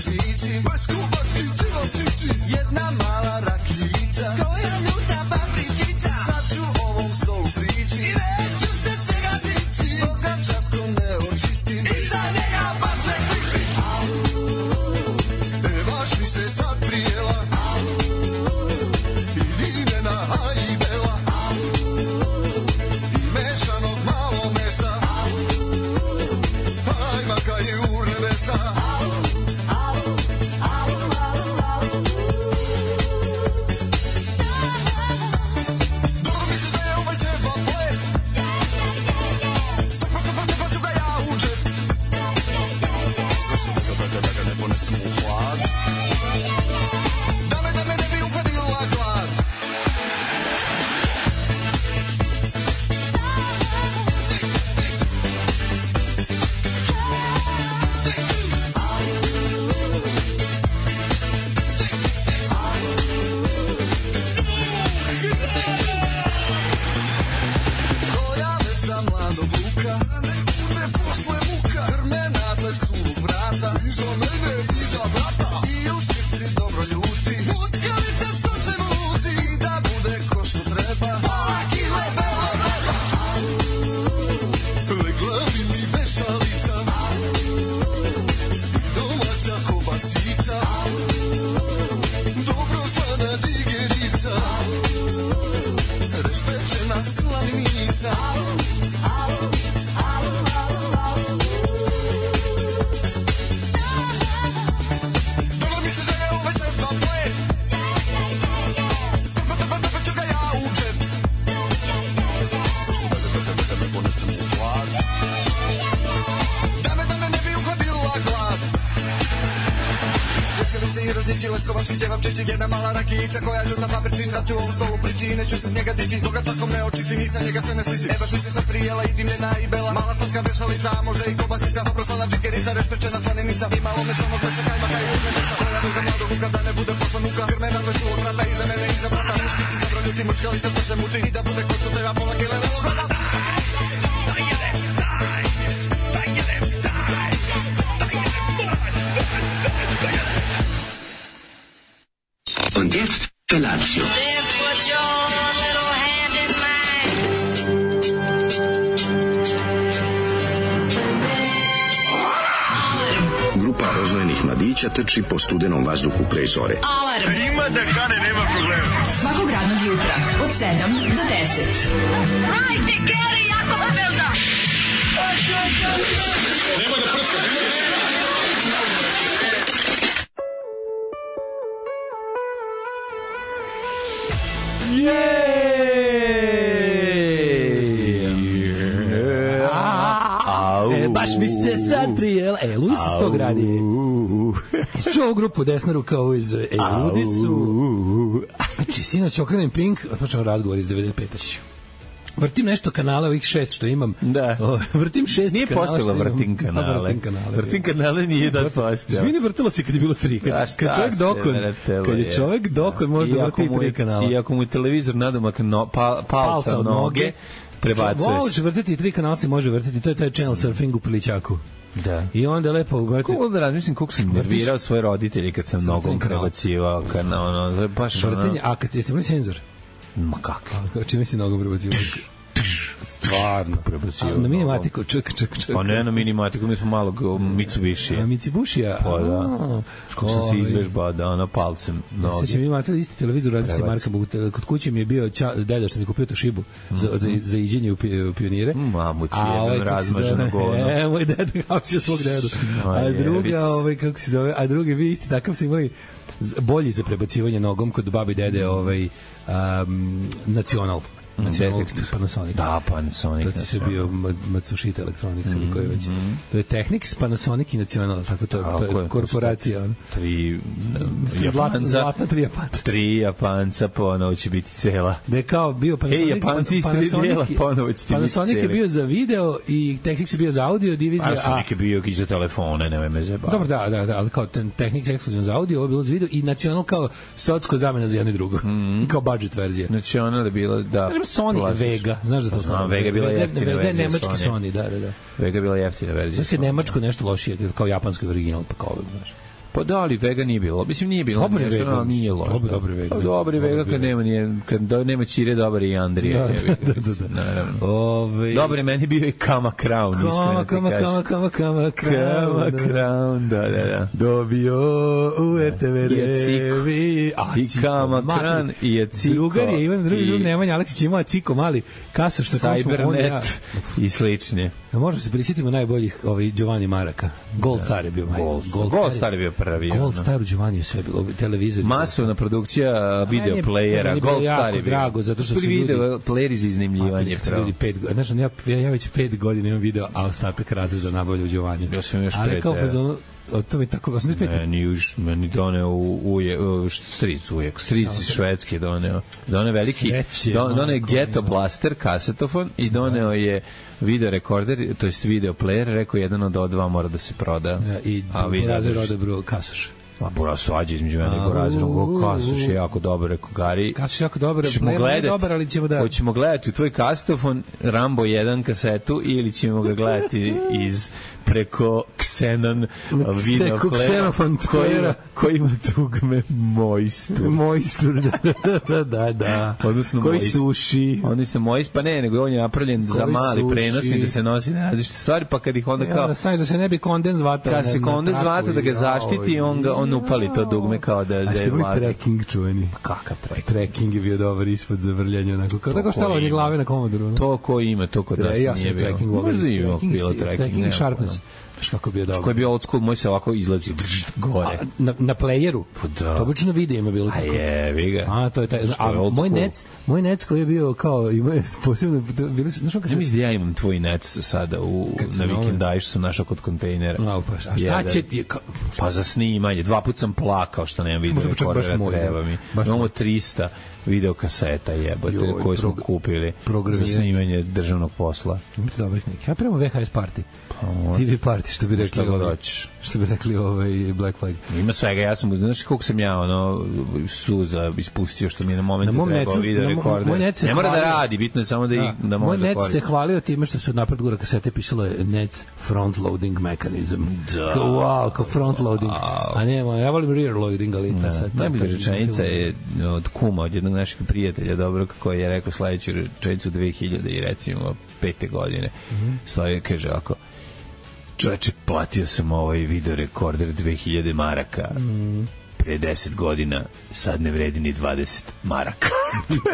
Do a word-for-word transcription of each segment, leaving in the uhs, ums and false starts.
pašnjici, bez kubački životići, jedna mala rakijica, koja ljuta papričica, sad ću ovom stolu prići i neću se cegatici, dok ga časkom ne očistim i za njega baš ne slišim. E, baš mi se sad prijela, idi me na hajbela, i mešanog malo mesa, hajma ka je u nebesa. Jedna mala rakijica koja ljuta papriči, sad ću ovom stolu prići i neću se s njega dići, dok ga časkom ne očistim i sa njega sve ne slisim. E baš mi se sad prijela i dimljena i bela, mala slatka vešalica, a može i kobasica, dobro slana džikerica, rešpečena slanenica i malo mesonog mesa, kajma kaj u nebesa, koja mi za mladog vuka da ne bude poslan uka, krmena dve su od vrata iza mene i za vrata, mušnici dobro ljuti, mučkalica što se muti i da bude kod što treba pola kile velo gleda. Und jetzt Felatio. Then put your little hand in mine. Grupa rozvojenih mladića trči po studenom vazduhu pre zore. Alarm! Ima da kane, nema problema. Svakog radnog jutra, od sedam do deset. Hajde, Geri, jako se velda! Nema da prska, nema da prska! E, baš mi se sad prijela. E, Ludi su to gradi. Čuo ovu grupu desna ruka ovo iz... E, Ludi su... Znači, sinoć okrenem Pink, počeo razgovor iz devedeset pete. Vrtim nešto kanala, ovih šest što imam. Da. O, vrtim šest nije kanala. Nije postalo vrtim kanale. Vrtim kanale. Vrtim kanale nije da postao. Izvini, vrtilo se kad je bilo tri. Kad, da, kad čovjek dokon, kad je čovjek dokon, može da vrti tri kanala. I ako mu je televizor nadomak no, pa, palca od noge, prebacuješ. Može vrtiti tri kanala, se može vrtiti. To je taj channel surfing u Pilićaku. Da. I onda lepo ugovorite. Kako da razmislim koliko sam nervirao svoje roditelji kad sam nogom prebacivao kanal. Ono, baš vrtenje, a kad jeste imali senzor? Ma kako? Čime si nogom prebacivao? Stvarno prebacio. Na minimatiku, ček, ček, ček. Pa ne na minimatiku, mi smo malog Mitsubishi. A Mitsubishi-a? Pa da. Kako sam se izvežbao, da, na palcem. Ja se će mi imati isti televizor, radi se marka, kod kuće mi je bio ča, deda što mi kupio tu šibu za, za, za iđenje u, u pionire. Mamu ti jedan razmaženo govno. E, moj deda hapsio svog dedu. A druga, ovaj, kako se zove, a drugi vi isti takav su imali bolji za prebacivanje nogom kod babi dede, ovaj, um, Nacional. Detektor. Panasonic. Da, Panasonic. To ti se bio Matsushita Electronics ili mm, koji već. Mm. To je Technics, Panasonic i Nacional, tako to, to je, je korporacija. On. Tri Japanca. Zlatna tri Japanca. Tri Japanca, ponovo će biti cela. Da je kao bio Panasonic. Ej, Japanci iz tri dijela, ponovo će ti biti Panasonic je bio za video i Technics je bio za audio divizija. Panasonic je bio i za telefone, nemoj me zebati. Dobro, da, da, da, ali kao Technics ekskluzivno za audio, ovo je bilo za video i Nacional kao socko zamena za jedno i drugo. Mm. Kao budget verzija. Nacional je bilo, da. Sony Vlasiš. Vega, znaš da to znam, Vega je bila jeftina Vega, verzija. Nemački Sony. Sony, da, da, da. Vega je bila jeftina verzija. Znaš kad nemačko nešto lošije, kao japanski original, pa kao, znaš. Pa da, ali Vega nije bilo. Mislim, nije bilo. Dobri nešto, Vega. No, nije loš. Dobri, dobri Vega. Dobri Vega kad nema, nije, kad do, nema Ćire, dobar i Andrije. Da, da, da, da. Naravno. Ove... Dobri, meni bio i Kama Crown. Kama, kama, kama, kama, kama, Kama Crown, da, da, da. Dobio u er te ve revi. I Kama Crown i je Ciko. Drugar je Ivan, drugi drug Nemanja Aleksić imao Ciko mali kaso što Cybernet i slične. Možemo se prisjetimo najboljih ovaj Giovanni Maraka. Gold Star je bio. Gold, Gold, Gold Star je bio prvi. Gold Star u Giovanni je sve bilo. Televizor. Masovna produkcija video playera. Gold Star je bio. Drago, zato što su ljudi... video playeri za iznajmljivanje. Ljudi pet godina. Znači, ja, ja već pet godina imam video, a ostatak razreda nabavlja u Giovanni. Ja sam još pet. Ali kao fazonu, to mi tako osam pet. Meni už meni doneo u uje stric ujek stric iz Švedske doneo doneo veliki don, doneo Ghetto Blaster kasetofon i doneo je video rekorder, to jest video player, rekao jedan od dva mora da se proda. Ja, i a vi razred rode bro kasoš. Ma bura svađa između mene i Borazira, Kasoš je jako dobar, rekao Gari. Kasoš je jako dobar, player je dobar, ali ćemo da... Hoćemo gledati u tvoj kasetofon Rambo jedan kasetu ili ćemo ga gledati iz preko Xenon video playera koji, koji ima dugme Moistur. Moistur, da, da, da, da. Odnosno koji Moist, suši. Odnosno Moist, pa ne, nego on je napravljen koji za mali suši. Prenosni da se nosi na različite stvari, pa kad ih onda kao... Ja, staviš da se ne bi kondens vatao. Kad se kondens vatao da ga zaštiti, on, ga, on upali to dugme kao da, da je vlada. A ste bili trekking čuveni? Kakav trekking? Trekking je bio dobar ispod za vrljanje, onako. Kao tako stalo od nje glave na komodoru. To ko ima, to kod nas nije bilo. Možda ima bilo trekking. Trekking sharpness. Kako bio dobro. Koji je bio old school, moj se ovako izlazi gore. A, na, na playeru? Da. To obično video ima bilo tako. A je, vi ga. A, to je taj. A moj nec, moj nec koji je bio kao, ima posebno, bili su, znaš kako se... Ja mislim da ja imam tvoj nec sada u, na vikendaju što sam našao kod kontejnera. No, pa, a šta će ti? Ka... Pa za snimanje. Dva put sam plakao što nemam video rekordera, treba mi. Imamo trista video kaseta jebote koje smo kupili za snimanje državnog posla. Imate dobrih nekih. Ja prema ve ha es party. T V party, što bi rekli, ovaj, što bi rekli ovaj Black Flag. Ima svega, ja sam, znaš koliko sam ja ono suza ispustio što mi je na momentu na trebao video rekorder. Ne mora da radi, bitno je samo da, da, da može da koristi. Moj net se hvalio time što se od napred gura kasete pisalo je Net's front loading mechanism. Da. Kao, wow, kao front loading. A nema, ja volim rear loading, ali ta sad. Najbolja rečenica je od kuma, od jednog našeg prijatelja, dobro, kako je rekao sledeću rečenicu dve hiljade i recimo pete godine. Mm-hmm. Slavio kaže ovako: čoveče, platio sam ovaj video rekorder dve hiljade maraka. Mm. Pre deset godina, sad ne vredi ni dvadeset maraka.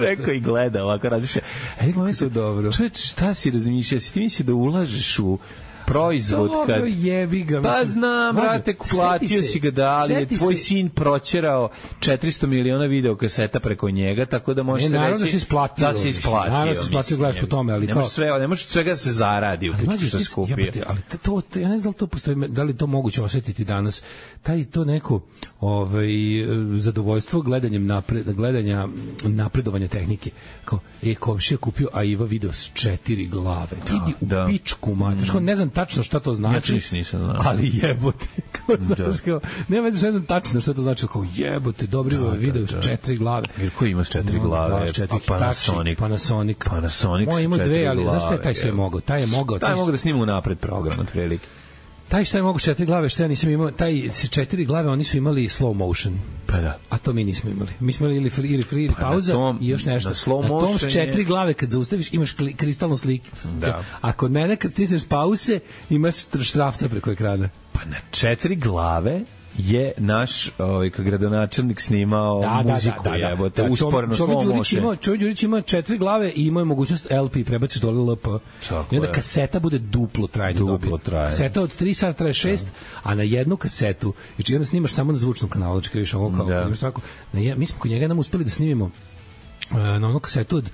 Rekao i gleda ovako, razmišlja. Ej, to dobro. Čoveče, šta si razmišljao? Si ti misli da ulažeš u proizvod kad... Dobro, jebi ga. Pa znam, brate, platio si ga da, ali je tvoj se... sin proćerao četiristo miliona video kaseta preko njega, tako da možeš se reći... Da se isplatio. Da se isplatio. Naravno da se isplatio, gledaš po tome, ali ne kao... Može sve, ne može svega se zaradi u pičku što skupio. Jebate, ali to, to, ja ne znam da li to postoji, da li to moguće osjetiti danas. Taj to neko ovaj, zadovoljstvo gledanjem napred, gledanja napredovanja tehnike. Kao, e, komšija kupio, a Iva video s četiri glave. Da, idi u da. pičku, mate. Mm. Ne znam tačno šta to znači, ja nisam znao. Ali jebote, kao, znaš, kao, nema veze, ne znam tačno šta to znači, kao jebote, dobri da, video da, da. četiri glave. Jer ko ima s četiri no, glave? Da, četiri Panasonic. Panasonic. Panasonic. Moj ima dve, ali znaš šta je taj sve mogao? Taj je mogao. Taj je mogao da snima unapred program, otprilike. Taj šta je mogu četiri glave, što ja nisam imao, taj s četiri glave oni su imali slow motion. Pa da. A to mi nismo imali. Mi smo imali ili free, ili, free, ili pa pauza tom, i još nešto. Na slow na tom s četiri je... glave kad zaustaviš imaš kli, kristalnu sliku. Da. A kod mene kad stisneš pause imaš štrafta preko ekrana. Pa na četiri glave je naš ovaj gradonačelnik snimao da, muziku, da, da, da, jebote, da, usporno slow motion. Čovjek Đurić ima četiri glave i ima mogućnost el pe, prebaciš dole el pe. I onda kaseta bude duplo trajanje dobije. Kaseta od tri sata traje šest, da. A na jednu kasetu, znači onda snimaš samo na zvučnom kanalu, znači vidiš ovo kao, da. Imaš svako, na je, mi smo kod njega nam uspeli da snimimo uh, na onu kasetu od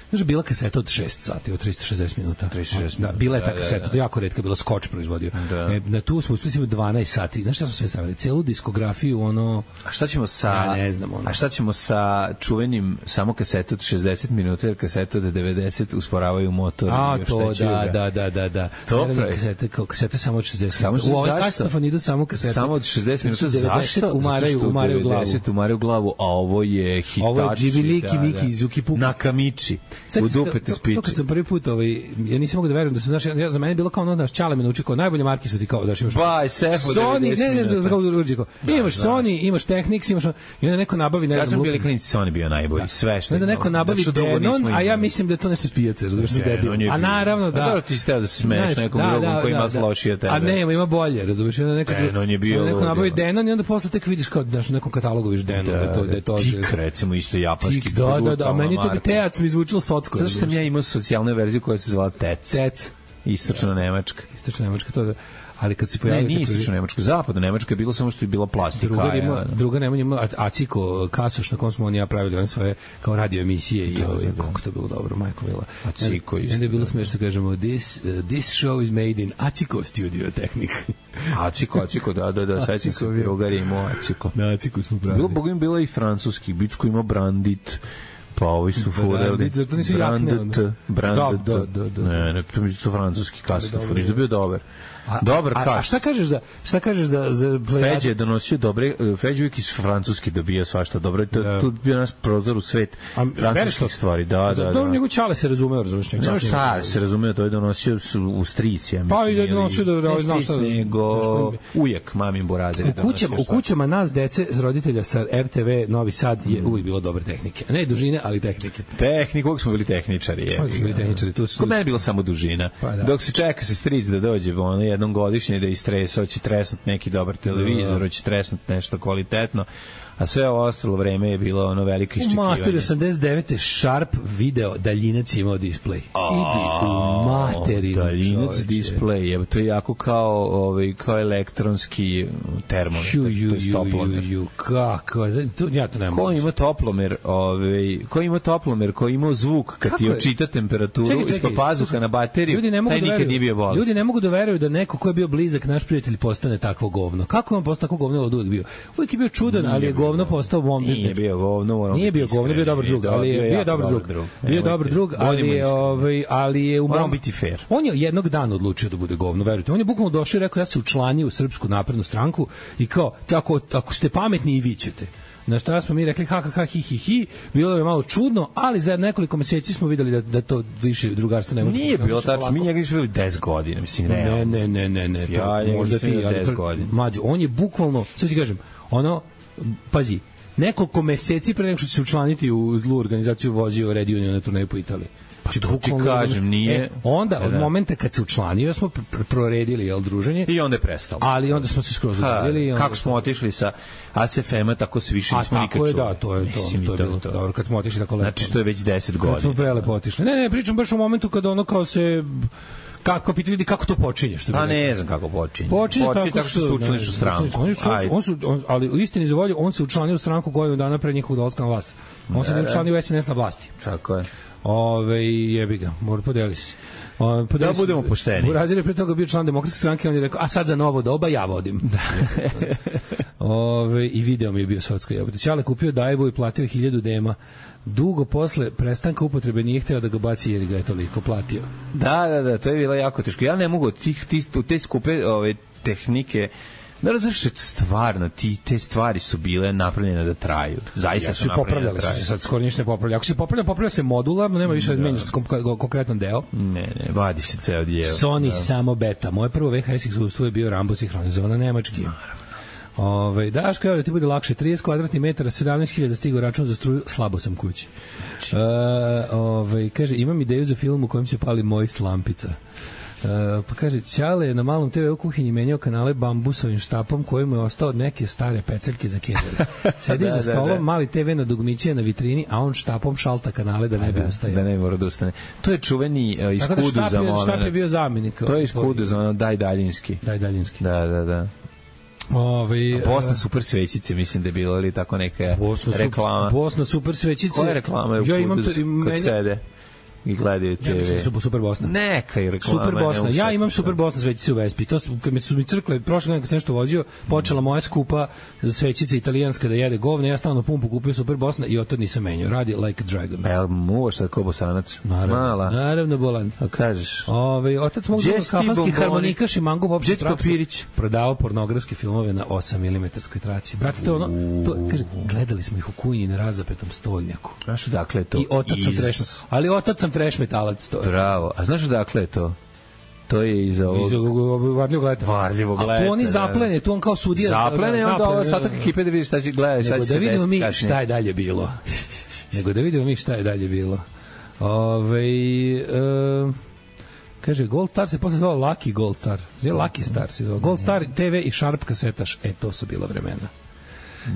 Znaš, bila kaseta od šest sati, od trista šezdeset minuta. trista šezdeset da, bila je ta kaseta, da, da. To je jako retka, bila Skoč proizvodio. Da. E, na tu smo uspeli dvanaest sati. Znaš šta smo sve stavili? Celu diskografiju, ono... A šta ćemo sa... Ja ne znam, ono... A šta ćemo sa čuvenim samo kaseta od šezdeset minuta, jer kaseta od devedeset usporavaju motor. A, i još to, da, da, da, da, da. To pravi. Kasete, kao kasete samo od šezdeset. Samo u ovaj kasetofon idu samo kasete. Samo od šezdeset minuta. Zašto? Umaraju, umaraju glavu. devedeset umaraju glavu, a ovo je hitači. Ovo je Džibiliki, Miki, Zuki Puki. Nakamichi. u dupe te spiči. To kad sam prvi put, ovaj, ja nisam mogu da verujem da se, znaš, ja, za mene je bilo kao ono, naš Ćale me nauči kao najbolje marke su ti kao, znaš, imaš Baj, Sefo, Sony, ne, ne, za, za kao urđiko. Imaš Sony, imaš Technics, imaš, i onda neko nabavi, ne znam. Ja sam bili klinici, Sony bio najbolji, sve što. Onda neko nabavi Denon, a ja mislim da je to nešto s pijace, razumiješ, da je debil. A naravno, da. Da, ti ste da se smeješ nekom drugom koji ima lošije od tebe. A ne, ima bolje, razumiješ, onda neko Denon je bio. Neko nabavi Denon i onda posle tek vidiš kao da u nekom katalogu vidiš Denon, da to da je to. Tik, recimo isto japanski. Da, da, da, a meni to bi Teac mi zvučilo socko. Zato što sam ja imao socijalnu verziju koja se zvala Tec. Tec. Istočna Nemačka. Istočna Nemačka, to da. Ali kad se pojavila... Ne, nije istočna Nemačka, zapadna Nemačka je bilo samo što je bila plastika. Druga, ima, ja, druga Nemačka ima Aciko, Kasoš, na kom smo on ja pravili one svoje kao radio emisije i da, ovaj, da, kako to bilo dobro, majko mila. Aciko isto. Onda je bilo smiješno, kažemo, this, uh, this show is made in Aciko Studio Technic. Aciko, Aciko, da, da, da, sad se drugar imao Aciko. Na Aciko smo pravili. Bilo, bogim, bila i francuski, Bicko ima Brandit, pa ovi su fureli. Zato nisu Brandit, Brandit. Da, da, da. Ne, ne, to mi je to francuski kasatofor, da bio dobar. A, dobar a, kas. A šta kažeš za šta kažeš za za Feđe je donosio dobre, Feđe uvijek iz francuski dobija svašta dobro. To da. Tu bio nas prozor u svet francuskih stvari. Da, da, da. Dobro, njegov Ćale se razumeo, razumeš, njegov. Ne, šta se razumeo, to je donosio u strici, ja mislim. Pa i da donosio da znao šta. Nego ujak mamin Borazir. U kućama, u kućama nas dece s roditelja sa er te ve Novi Sad je uvijek bilo dobre tehnike. Ne dužine, ali tehnike. Tehnika, uvijek smo bili tehničari, je. Uvijek smo bili tehničari, tu su. Kod mene je bilo samo dužina. Dok se čeka se stric da dođe, ono jednom godišnje da istresa, hoće tresnut neki dobar televizor, hoće tresnut nešto kvalitetno, a sve ovo ostalo vreme je bilo ono veliko iščekivanje. U materi osamdeset devete Sharp video daljinac imao display. Idi u materi. Daljinac display, to je jako kao, ovaj, kao elektronski termometar, to je toplomer. Ju, kako? Ja to ne mogu. Ko ima toplomer, ovaj, ko ima toplomer, ko ima zvuk kad ti očita temperaturu ispod pazuha na bateriju, taj nikad nije bio bolest. Ljudi ne mogu da veruju da neko ko je bio blizak naš prijatelj postane takvo govno. Kako je on postao takvo govno od uvijek bio? Uvijek je bio čudan, ali je govno postao bombi. Nije bio govno, nije bio govno, bio dobar drug, ali je bio dobar drug. Bio dobar drug, ali je ovaj, ali je u mom biti fair. On je jednog dana odlučio da bude govno, verujte. On je bukvalno došao i rekao ja se učlanio u Srpsku naprednu stranku i kao ako ako ste pametni i vi ćete. Na šta smo mi rekli ha ha ha hi hi hi, bilo je malo čudno, ali za nekoliko meseci smo videli da da to više drugarstvo ne može. Nije bilo tačno, mi njega nismo videli deset godina, mislim ne. Ne, ne, ne, ne, ne. Ja, možda ti deset godina. Mlađe, on je bukvalno, sve ti kažem, ono pazi, nekoliko meseci pre nego što će se učlaniti u zlu organizaciju vozio Red Union na turneju po Italiji. Pa to ti kažem, nije... E, onda, od momenta kad se učlanio, smo pr proredili, jel, druženje. I onda je prestalo. Ali onda smo se skroz udaljili. Kako smo otišli sa A S F M-a, tako se više nismo nikad čuli. A tako je, da, to je to. Mislim, to je bilo to. Dobro, kad smo otišli tako lepo. Znači, to je već deset godina. Kad smo prelepo otišli. Ne, ne, pričam baš u momentu kada ono kao se... Kako pitaju ljudi kako to počinje, što bi. A ne znam kako počinje. Počinje, počinje tako što se učlaniš u stranku. On, on su, on, ali u istini za volju, on se učlanio u stranku godinu dana pre njihovog dolaska na vlast. On se ne učlanio u S N S na vlasti. Tako je. Ove, jebi ga, mora podeli se. Ove, da budemo pošteni. Burazir je pre toga bio član demokratske stranke, on je rekao, a sad za novo doba ja vodim. Da. Ove, i video mi je bio sotsko jebote. Ćale kupio Dajbu i platio hiljadu dema. Dugo posle prestanka upotrebe nije hteo da ga baci jer ga je toliko platio. Da, da, da, to je bilo jako teško. Ja ne mogu tih, tih, te skupe ove tehnike. Da razumiješ što stvarno ti te stvari su bile napravljene da traju. Zaista ja, su napravljene da traju. Su se sad skoro ništa ne popravlja. Ako se popravlja, popravlja se modularno, nema više da menjaš konkretan deo. Ne, ne, vadi se ceo dijel. Sony da. Samo beta. Moje prvo V H S iskustvo je bio Rambo sinhronizovan na nemački. Naravno. Ove, Daško, evo da ti bude lakše, trideset kvadratnih metara, sedamnaest hiljada stigao račun za struju, slabo sam kući. E, ove, kaže, imam ideju za film u kojem se pali moj slampica. Uh, pa kaže, Ćale je na malom te ve u kuhinji menjao kanale bambusovim štapom koji mu je ostao od neke stare peceljke za kendere. Sedi da, za stolom, da, da. Mali te ve na dugmiće na vitrini, a on štapom šalta kanale da ne bi ustaje. Da ne mora da ustane. To je čuveni uh, iskudu da za moment. Štap je bio zamenik. To je iskudu za ono, daj daljinski. Daj daljinski. Da, da, da. Ove, Bosna super svećice, mislim da je bilo ili tako neka Bosna reklama. Bosna super svećice. Koja reklama je u ja imam to, to, kod meni, sede? i gledaju te ve. Ja mislim su Super Bosna. Neka je reklama. Super Bosna. Ja imam Super Bosna svećice u Vespi. To su, kad mi su mi crkle, prošle godine kad sam nešto vozio, počela moja skupa svećica italijanska da jede govne, ja stalno pumpu kupio Super Bosna i od tad nisam menjao. Radi like a dragon. Pa jel muvaš sad ko Bosanac? Naravno, Mala. naravno bolan. A kažeš? Ove, otac mog kafanski harmonikaš i mango popšte Papirić. Prodavao pornografske filmove na osam milimetarskoj traci. Brate, to ono, to, kaže, gledali smo ih u Kujini na razapetom stolnjaku. Znaš dakle je to? I otac sam trash, ali otac sam trash metalac to. Bravo. A znaš dakle je to? To je iz ovog... Iz Varljivog leta. Varljivog leta. A tu oni zaplene, tu on kao sudija. Zaplene, onda ovo ostatak ekipe da vidiš šta će gledati, šta će se desiti. Da vidimo mi šta je dalje bilo. Nego da vidimo mi šta je dalje bilo. Ove, e, kaže, Gold Star se posle zvao Lucky Gold Star. Zove Lucky Star se zvao. Gold Star te ve i Sharp kasetaš. E, to su bila vremena.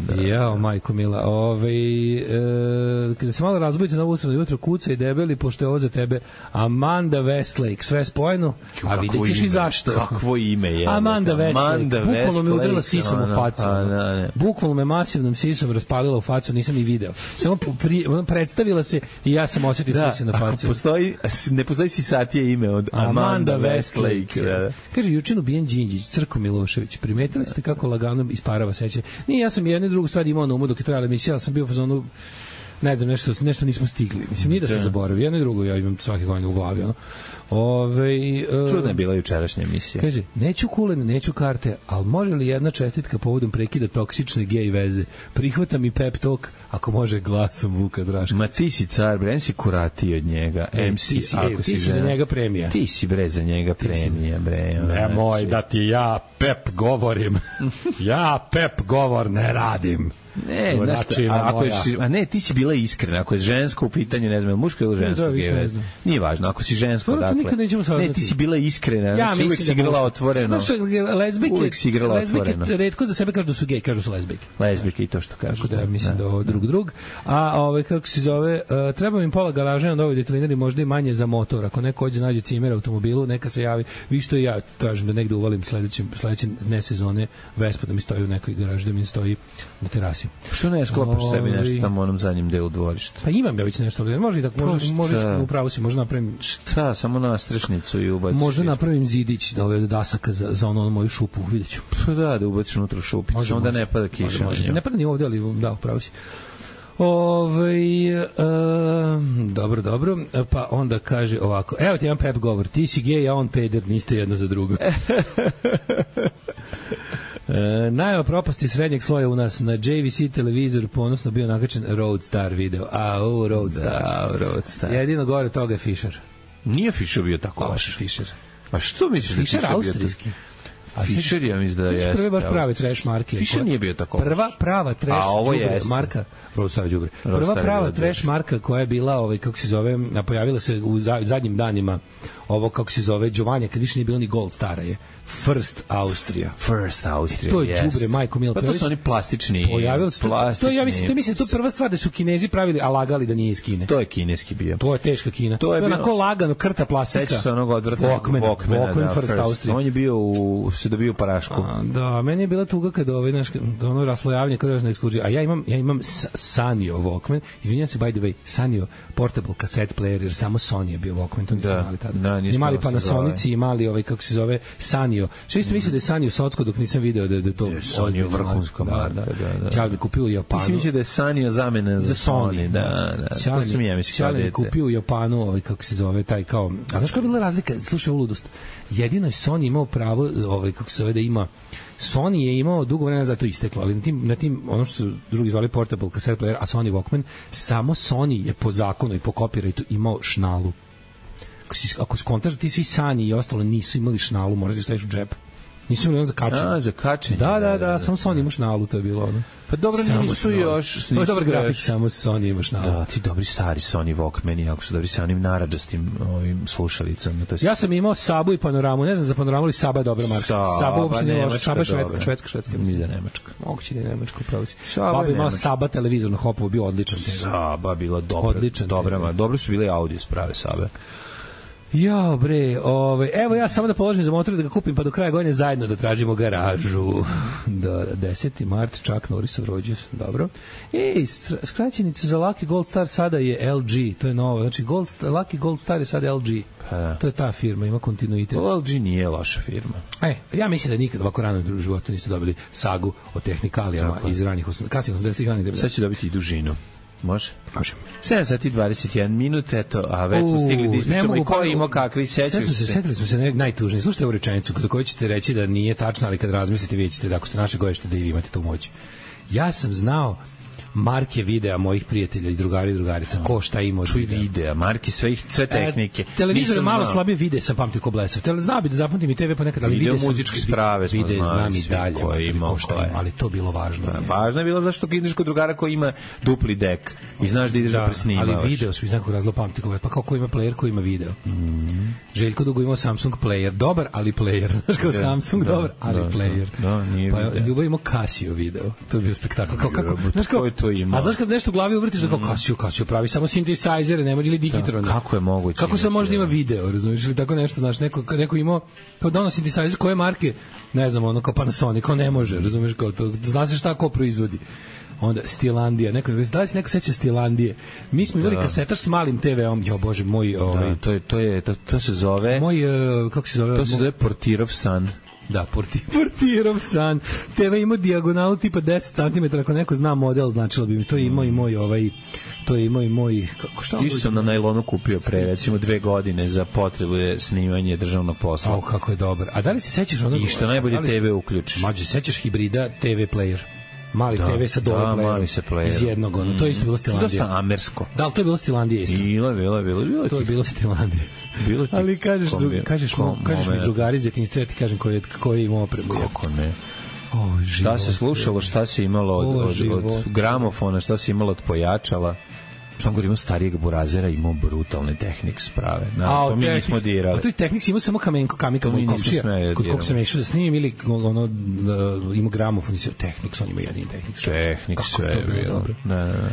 Da, jao, majko mila. Ove, e, kada se malo razbudite na usrano jutro, kuca i debeli, pošto je ovo za tebe Amanda Westlake, sve spojeno, a vidjet ćeš i zašto. Kakvo ime je. Amanda Westlake. Bukvalno me udrila sisom no, u facu. A, da, ne. Bukvalno me masivnom sisom raspalila u facu, nisam ni video. Samo pri, predstavila se i ja sam osjetio da, sise na facu. Postoji, ne postoji sisatije ime od Amanda, Amanda Westlake. Westlake. Da, da. Kaže, jučin ubijen Đinđić, Crko Milošević. Primetili ste kako lagano isparava sećanje? Nije, ja sam jednu drugu stvar imao na umu dok je trajala emisija, ali sam bio u fazonu, ne znam, nešto, nešto nismo stigli. Mislim, nije da se zaboravi. Jedno i drugo ja imam svake godine u glavi. Ono. Ove, uh, Čudna je bila jučerašnja emisija. Kaže, neću kulene, neću karte, ali može li jedna čestitka povodom prekida toksične gej veze? Prihvatam i pep talk, ako može glasom Vuka Draška. Ma ti si car, bre, si kurati od njega. E, M C, ti si, ako ti si, si za njega premija. Ti si, bre, za njega premija, bre. Ne moj da ti ja pep govorim. Ja pep govor ne radim. Ne, znači, ako je, a ne, ti si bila iskrena, ako je žensko u pitanju, ne znam, muško ili žensko, da, je, nije važno, ako si žensko, dakle, ne, ti si bila iskrena, ja, znači, uvijek si igrala otvoreno, lezbijke, uvijek si igrala lezbijke, otvoreno. Retko za sebe kažu da su gej, kažu su lezbijke. Lezbijke i to što kažu. Tako da, mislim da ovo drug drug. A, ovaj, kako se zove, uh, treba im pola garaže na novoj detlinari, možda i manje za motor. Ako neko hoće nađe cimer automobilu, neka se javi. Vi što i ja tražim da negde uvalim sledećem, sledeće ne sezone Vespa da mi stoji u nekoj garaži, da mi stoji na terasi. Što ne sklopaš sebi nešto tamo u onom zadnjem delu dvorišta? Pa imam ja već nešto, može i da može, može upravo si, možda napravim šta, samo nastrešnicu i ubaciš. Možda napravim zidić da ove dasaka za za onu moju šupu, videću. Pa da, da ubaciš unutra šupicu, može, onda može, ne pada kiša. Može, može. Ne pada ni ovde, ali da, upravo si. Ove, uh, dobro, dobro, pa onda kaže ovako, evo ti jedan pep govor, ti si gej, a on peder, niste jedno za drugo. E, najava propasti srednjeg sloja u nas na J V C televizor ponosno bio nakačen Roadstar video. A, o, Roadstar. Da, Roadstar. Jedino gore toga je Fischer. Nije Fischer bio tako loš. Fischer. Pa što misliš da Fischer austrijski? A Fischer je mislim da je. Fischer prvi baš pravi trash marke. Fischer nije bio tako. Prva prava trash marka, Roadstar đubre. Prva prava trash marka koja je bila, ovaj kako se zove, pojavila se u zadnjim danima ovo kako se zove Giovanni, kad više nije bilo ni Gold Stara je First Austrija. First Austrija. To je đubre, majko mila. Pa to su oni plastični. Pojavili se to, ja mislim, to mislim to prva stvar da su Kinezi pravili, a lagali da nije iz Kine. To je kineski bio. To je teška Kina. To je onako lagano krta plastika. Seća se onog odvratnog Walkman, Walkman, Walkman First Austrija. On je bio u se dobio u parašku. A, da, meni je bila tuga kad ovaj naš ono raslojavanje kad još na ekskurziji. A ja imam ja imam Sanyo Walkman. Izvinjavam se, by the way, Sanyo portable cassette player, jer samo Sony je bio Walkman, to nismo imali tada. Da, imali Panasonic, imali ovaj kako se zove Sanyo. Što isto mislim da je Sanyo socko dok nisam video da da to Sanyo vrhunska marka, da, da. Ćale mi kupio u Japanu. Mislim da je Sanyo zamena za Sony, da, da. Ćale mi, ja mislim Ćale mi kupio u Japanu, ovaj kako se zove taj kao. A znaš koja je bila razlika? Slušaj, u ludost. Jedino je Sony imao pravo, ovaj kako se zove, da ima Sony je imao dugo vremena za to isteklo, ali na tim, na tim ono što su drugi zvali portable cassette player, a Sony Walkman, samo Sony je po zakonu i po copyrightu imao šnalu. Ako, si, ako skontaš, ti svi Sani i ostalo nisu imali šnalu, moraš da staviš u džep. Nisu imali on za kačenje. A, za kačenje. Da, da, da, samo Sony ima šnalu, to je bilo ono. Pa dobro, nisu još... To je dobar grafik, samo Sony ima šnalu. Da, ti dobri stari Sony Walkmani, jako su dobri sa onim naradžastim ovim slušalicama. To je... Ja sam imao Sabu i Panoramu, ne znam za Panoramu, ali Saba je dobra marka. Saba, Saba uopšte nije loša, Saba je švedska, švedska, švedska. Ni za Nemačka. Moguće nije Nemačka, upravo si. Baba je imala Saba televizor na Hopovu, bio odličan. Saba bila dobra, odličan, dobra, dobro su bile audio sprave Sabe. Ja, bre, ovaj, evo ja samo da položim za motor da ga kupim, pa do kraja godine zajedno da tražimo garažu. Da, deseti mart, Chuck Norrisov rođus, dobro. Ej, skraćenica za Lucky Gold Star sada je L G, to je novo. Znači, Gold, Lucky Gold Star je sada L G. Pa. To je ta firma, ima kontinuitet. L G nije loša firma. E, ja mislim da nikad ovako rano u životu niste dobili sagu o tehnikalijama tako iz ranih kasnih osamdesetih godina. Sad će dobiti i dužinu. Može? Može. sedam sati i dvadeset jedan minut, eto, a već smo stigli da ispričamo i ko ima kakvi, sećaju se. Setili smo se ne, najtužniji. Slušajte ovu rečenicu za koju ćete reći da nije tačna, ali kad razmislite vidjet ćete da ako ste naše goješte da i vi imate tu moć. Ja sam znao marke videa mojih prijatelja i drugari i drugarica, ko šta ima od videa. videa, marke sve, ih, sve tehnike. E, televizor je malo slabije vide, sam pamtio ko blesav. Tele, znao bi da zapamtim i te ve pa nekad, ali video muzičke sprave smo vide, znam i dalje, ko šta ima, ali to bilo važno. Da, važno je bilo zašto ideš kod drugara koji ima dupli dek i znaš da ideš da, da presnimavaš. Ali video su iz nekog razloga pamti, pa kao ko ima player, ko ima video. Mm. Željko dugo imao Samsung player, dobar, ali player. Znaš kao da, Samsung, da, dobar, ali da, player. Da, nije pa Ljubav imao Casio video. To je bio spektakl. Kao, kako, znaš kao, a znaš kad nešto u glavi uvrtiš da kao Casio, Casio pravi samo sintesajzere, ne može ili digitrone. Da, kako je moguće? Kako se možda ima video, razumiješ, ili tako nešto, znaš, neko, neko imao kao dono sintesajzer koje marke, ne znam, ono kao Panasonic, kao ne može, razumiješ, kao to, zna se šta ko proizvodi. Onda Stilandija, neko da li se neko seća Stilandije. Mi smo imali kasetaš s malim te veom, jo bože moj, ovaj da, to je to je to, to se zove moj uh, kako se zove? To se zove Portirov san. Da, porti, Portirov san. te ve ima dijagonalu tipa deset centimetara, ako neko zna model, značilo bi mi. To je imao i moj ovaj to je imao i moj kako šta. Ti sam na najlonu kupio pre recimo dve godine za potrebe snimanja državnog posla. Au, kako je dobar. A da li se sećaš onog? I što najbolje te ve uključiš. Mađe, sećaš hibrida te ve player? Mali da, te ve sa dole da, player. Mali se player. Iz jednog, ono, to je isto bilo Stilandija. Dosta amersko. Da, li to je bilo Stilandija isto? Bilo, bilo, bilo. bilo to je bilo Stilandija. Bilo ti, ali kažeš, dru, kažeš, kom, kažeš mi drugari iz detinjstva, ja ti kažem koji je, koji je imao opremu. Kako ne? O, šta se slušalo, šta se imalo od, o, od, od gramofona, šta se imalo od pojačala. Čangor imao starijeg burazera, imao brutalne Technics sprave. Na, a, to mi nismo dirali. A to i Technics imao samo kamenko, kamika moj komšija. Kod kog sam išao da snimim ili ono, da, imao gramofon i se Technics, on ima jedin Technics. Technics sve je bilo. Dobro. Da, da, da.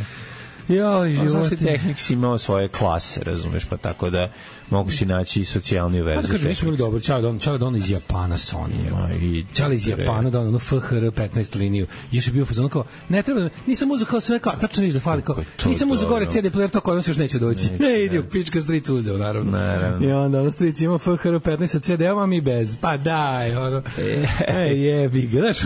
Ja, život. Technics imao svoje klase, razumeš, pa tako da mogu si naći i socijalni vezu. Pa kažem, nismo bili dobro. Čale Don, Čale Don iz Japana, Sony. Čale iz Japana, da ono F H R petnaest liniju. Još je bio fazon kao, ne treba, nisam uzeo kao sve kao, tačno vidiš da fali kao, nisam uzeo gore C D player, to koji on se još neće doći. Ne, idi u pička stric uzeo, naravno. naravno. I onda ono stric ima F H R petnaest sa C D-om, a mi bez. Pa daj, ono. Ej, jebi ga, znaš,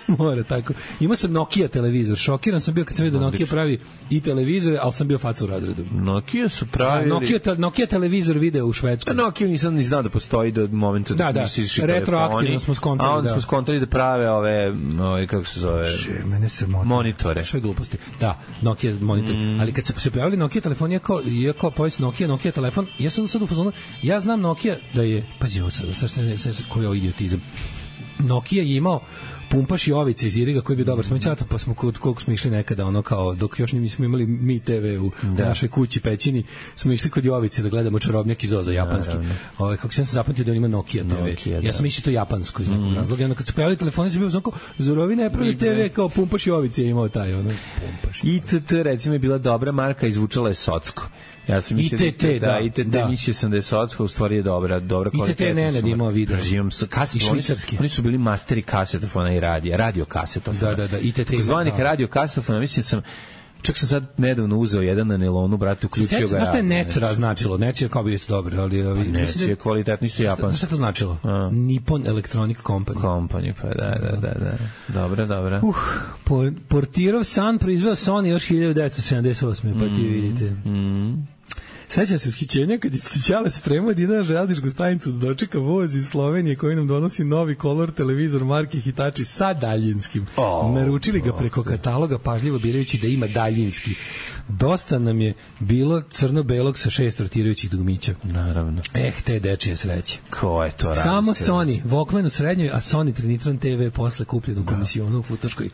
mora tako. Imao sam Nokia televizor, šokiran sam bio kad sam vidio da Nokia pravi i televizore, ali sam bio faca u razredu. Nokia su pravili... Nokia, Nokia televizor video u Švedskoj. Nokia nisam ni znao da postoji do momenta da, da nisi išli retroaktivno smo skontali. A onda da. smo skontali da prave ove, ove kako se zove, Že, mene se monitore. monitore. Što je gluposti. Da, Nokia monitor. Mm. Ali kad se se pojavili Nokia telefoni, kao, je kao pojavio Nokia, Nokia telefon, ja sam sad u fazonu, ja znam Nokia da je, pazi ovo sad, sad, sad, sad, sad koji je idiotizam. Nokia je imao pumpaš i ovice iz Iriga koji bi dobar smo čato, pa smo kod kog smo išli nekada ono kao dok još nismo imali mi te ve u da. našoj kući pećini, smo išli kod Jovice da gledamo čarobnjak iz Oza japanski. Ovaj kako sam se zapamtio da on ima Nokia te ve. Nokia, ja sam mislio to japansko iz nekog mm. razloga. Onda kad se pojavili telefoni se bio znako Zorovi ne pravi te ve kao pumpaš i ovice je imao taj ono pumpaš. I T T recimo je bila dobra marka, izvučala je Socko. Ja sam mislio I T T, da, da, I T T da. mislio sam da je Socko u stvari je dobra, dobra kvaliteta. I T T ne, ne, imao video. Živim sa kasetom, oni, oni su bili masteri kasetofona i radija, radio kasetofona. Da, da, da, I T T. Zvanik da. radio kasetofona, mislim sam, čak sam sad nedavno uzeo jedan na nelonu, brate, uključio ga. Znaš šta je Nec značilo? Nec je kao bi isto dobro, ali... ali Nec je kvalitetno, isto japansko. Znaš šta to značilo? A. Nippon Electronic Company. Company, pa da, da, da, da. Dobro, dobro. Uh, Portirov san proizveo Sony još hiljadu devetsto sedamdeset osme pa ti vidite. Mm. Sećam se ushićenja kad je Ćale spremao da ide na železničku stanicu da dočeka voz iz Slovenije koji nam donosi novi kolor televizor marke Hitachi sa daljinskim. Oh, Naručili ga preko oh, kataloga pažljivo birajući da ima daljinski. Dosta nam je bilo crno-belog sa šest rotirajućih dugmića. Naravno. Eh, te dečije sreće. Ko je to radio? Samo Sony, Walkman u srednjoj, a Sony Trinitron te ve posle kupljen u komisionu u Futoškoj.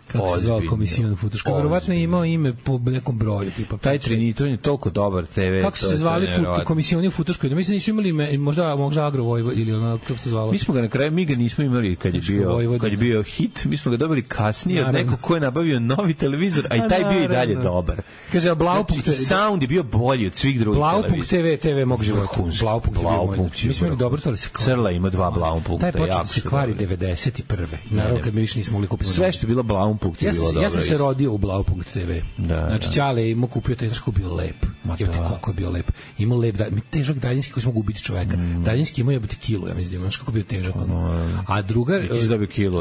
kako se zvao Komisijon Futuška. Verovatno je imao ime po nekom broju. Tipa taj Trinitron je toliko dobar te ve. Kako se zvali Komisioni Futuška? Da mislim da nisu imali ime, možda, možda Agro Vojvod ili ono, kako se zvalo? Mi smo ga na kraju, mi ga nismo imali kad je bio, kad je bio hit, mi smo ga dobili kasnije od nekog ko je nabavio novi televizor, a i taj bio i dalje dobar. Kaže, a Blaupunkt... Znači, sound je bio bolji od svih drugih televizora. Blaupunkt te ve, te ve mog života. Blaupunkt je bio bolji. Mi smo imali dobro, to ali se kvari. Crla ima dva Blaupunkta. Taj počeo da se kvari devedeset prve. Naravno, kad mi više nismo mogli kupiti. Sve što je bilo Blaupunkt je bilo dobro. Ja sam se rodio u Blaupunkt te ve. Znači, Ćale imao kupio taj što bio lep. Kako je bio lep. Imao lep, težak daljinski koji smo mogu ubiti čoveka. Daljinski imao jebati kilu, ja mislim. Znaš kako bio težak. A druga...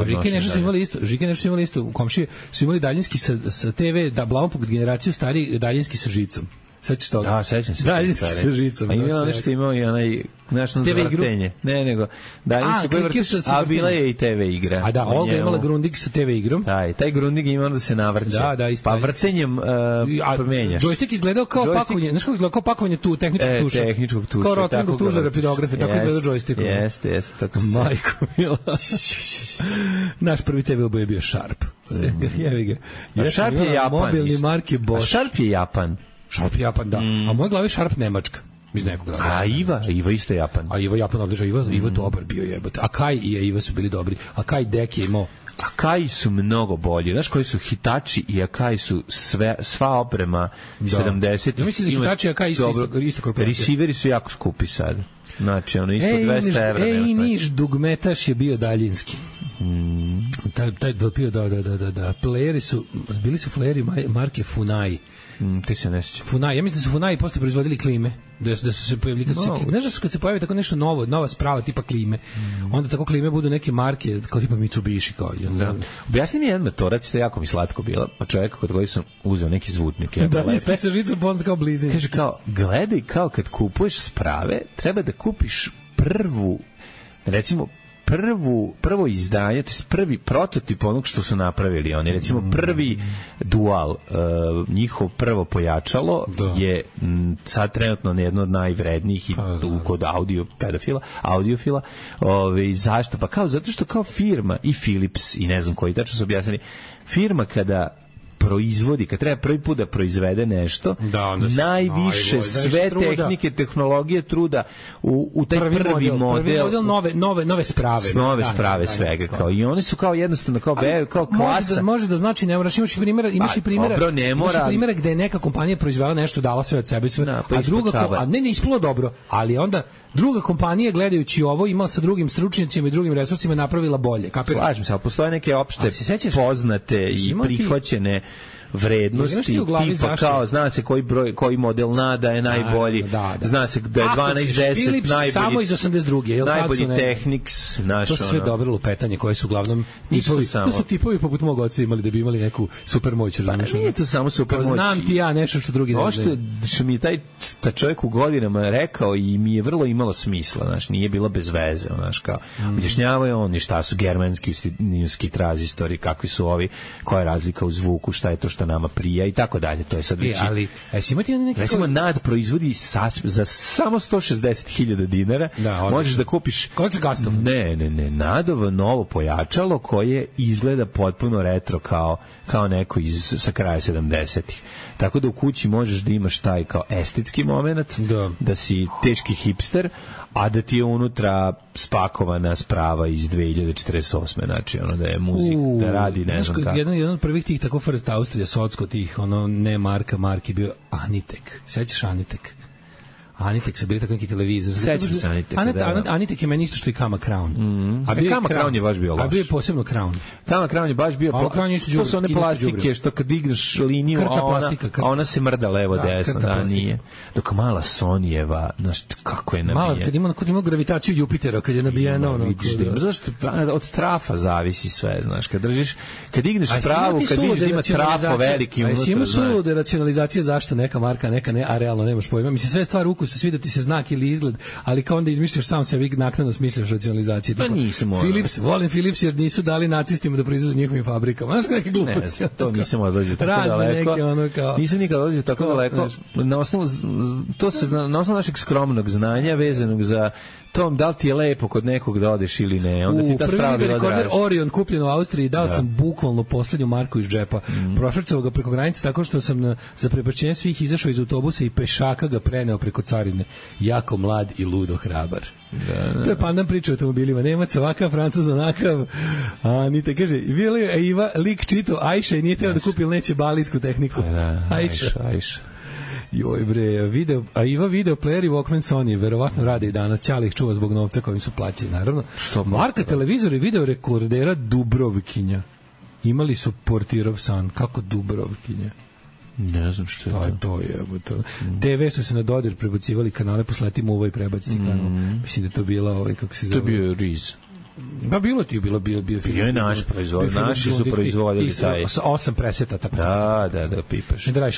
Žike nešto su imali isto. Žike nešto su imali isto. U komšiji su imali daljinski sa, sa te ve, da Blaupunkt generaciju stari daljinski sa žicom. Sećaš toga? Da, sećam se. Daljinski sa žicom. A imao nešto imao i onaj nešto za vrtenje. Ne, nego daljinski koji vrtiš, a bila je i te ve igra. A da, Olga imala Grundig sa te ve igrom. Da, taj Grundig ima onda se navrće. Da, da, isto. Pa vrtenjem uh, promenjaš. Joystick izgledao kao Joystick... pakovanje, znaš kako izgledao kao pakovanje tu tehničkog e, tuša. Tehničkog tuša. Kao Rotringov tuš za rapidografe, tako izgledao joystick. Jeste, jeste, tako se. Majko mila. Naš prvi te ve oboje je bio Sharp. Jevi ga. Ja Sharp je Japan. Mobilni marke Bosch. Sharp je Japan. Sharp Japan, da. Mm. A u mojoj glavi Sharp Nemačka. Iz nekog grada. A Iva, Iva isto Japan. A Iva Japan odličan, Iva, mm. Iva dobar bio jebote. A Kai i Iva su bili dobri. A Kai Dek je imao. Akai su mnogo bolji. Znaš koji su Hitachi i Akai su sve, sva oprema sedamdesetih. Ja mislim da Hitachi i Akai isto, isto, isto korporacija. Receiveri su jako skupi sad. Znači, ono, ispod dvesta evra. Ej, niš, dugmetaš je bio daljinski. Mm. Taj, taj dopio, da, da, da, da, da. Playeri su, bili su playeri marke Funai. Mm, ti se ne sjećam. Funai, ja mislim da su Funai posle proizvodili klime. Da, da su se pojavili, kad no, se, znaš da su kad se pojavi tako nešto novo, nova sprava tipa klime, mm. onda tako klime budu neke marke, kao tipa Mitsubishi. Kao, da. Objasni mi jedan metorac, to je jako mi slatko bilo, pa čovjeka kod koji sam uzeo neki zvutnik. Da, lepe sa žicom poznat kao blizin. Kaže kao, gledaj kao kad kupuješ sprave, treba da kupiš prvu, recimo, prvu, prvo izdanje, to je prvi prototip onog što su napravili oni, recimo prvi dual, uh, njihov prvo pojačalo da. je m, sad trenutno jedno od najvrednijih i tu kod audio pedofila, audiofila. Ove, zašto? Pa kao, zato što kao firma i Philips i ne znam koji, tačno su objasnili, firma kada proizvodi, kad treba prvi put da proizvede nešto, da, najviše najbolj, sve tehnike, tehnologije, truda u, u taj prvi, prvi model, model, prvi model nove, nove, nove sprave. Nove da, sprave da, svega. Da, kao. I oni su kao jednostavno, kao, be, kao klasa. Može da, može da znači, ne moraš, imaš i primjera, imaš i primjera, dobro, ne mora, imaš i primjera gde je neka kompanija proizvela nešto, dala sve od sebe, sve, da, pa a druga, ko, a ne, ne ispalo dobro, ali onda druga kompanija, gledajući ovo, imala sa drugim stručnjacima i drugim resursima napravila bolje. Kapiraš? Slažem se, ali postoje neke opšte poznate i prihvaćene vrednosti, tipa zašto? Kao zna se koji broj, koji model nada je najbolji, da, da. Zna se da je dvanaest deset najbolji, samo iz osamdeset druge, jel najbolji Technics, naš to sve ono. Dobro lupetanje koje su uglavnom tipovi, to su tipovi poput mog oca imali da bi imali neku super moć, razumiješ? Pa nije to samo super moć. Znam ti ja nešto što drugi ne znaju. Što mi je taj ta čovjek u godinama rekao i mi je vrlo imalo smisla, znaš, nije bila bez veze, znaš, kao mm. objašnjavao je on šta su germanski ninski tranzistori, kakvi su ovi, koja je razlika u zvuku, šta je to što nama prija i tako dalje. To je sad već. E, ali jesi imati neki recimo nad proizvodi sas, za samo sto šezdeset hiljada dinara. Da, možeš da kupiš Gastov. Ne, ne, ne, Nadovo novo pojačalo koje izgleda potpuno retro kao kao neko iz sa kraja sedamdesetih. Tako da u kući možeš da imaš taj kao estetski momenat, da, da si teški hipster, a da ti je unutra spakovana sprava iz dve hiljade četrdeset osme znači ono da je muzik, uh, da radi ne znam kako. Jedan, jedan od prvih tih tako First Austrija, Socko tih, ono ne marka, marki bio Anitek. Sećaš Anitek? Anitek su bili tako neki televizor. Sećam se Anitek. Anet, da. Anitek je meni isto što i Kama Crown. Mm. A bio Kama Crown, Crown je baš bio loš. A bio je posebno Crown. Kama Crown je baš bio. A Crown je isto to su one plastike što kad digneš liniju, krta a ona, plastika, krta. a ona se mrda levo da, desno, da plastika. Nije. Dok mala Sonijeva, znaš kako je nabijena. Mala, kad ima, kad ima gravitaciju Jupitera, kad je nabijena ono. Vidiš da ima, zašto od trafa zavisi sve, znaš, kad držiš, kad digneš spravu, kad vidiš da ima trafo veliki unutra. Ima sulude racionalizacije zašto neka marka, neka ne, a realno nemaš pojma. Mislim sve stvar ukusa. se svi da ti se znak ili izgled, ali kao onda izmišljaš sam sebi naknadno smišljaš racionalizacije. Pa nisam morao. Philips, volim Philips jer nisu dali nacistima da proizvodu njihovim fabrikama. Znaš neke gluposti? Ne, to nisam odlazio tako daleko. Neke, ono kao, nisam nikad odlazio tako kao, daleko. Na osnovu, to se, na osnovu našeg skromnog znanja vezanog za tom, da li ti je lepo kod nekog da odeš ili ne, onda ti ta sprava bila draža. Rekorder Orion kupljen u Austriji, dao da. sam bukvalno poslednju marku iz džepa. Mm. Prošvrcao ga preko granice tako što sam na, za prebačenje svih izašao iz autobusa i pešaka ga preneo preko carine. Jako mlad i ludo hrabar. Da, da. To je pandan priča o automobilima. Nemac ovakav, Francuz onakav. A, nite kaže, bio li Iva lik čito Ajša i nije teo da kupi ili neće balijsku tehniku. Da, Ajša, Ajša. Joj bre, video, a Iva video player i Walkman Sony verovatno rade i danas. Ćale ih čuva zbog novca kojim su plaćeni, naravno. Što marka televizora i video rekordera Dubrovkinja. Imali su portirov san. Kako Dubrovkinja? Ne znam što je to. To je, to. Mm. te ve su se na dodir prebacivali kanale, posletimo u ovaj prebaciti mm. kanal. Mislim da to bila ovaj, kako se zove. To je bio Riz. Pa bilo ti je bilo bio bio film. Bio je naš proizvod, naši su proizvodili taj. Sa osam preseta tako. Da, da, da pipaš. Ne radiš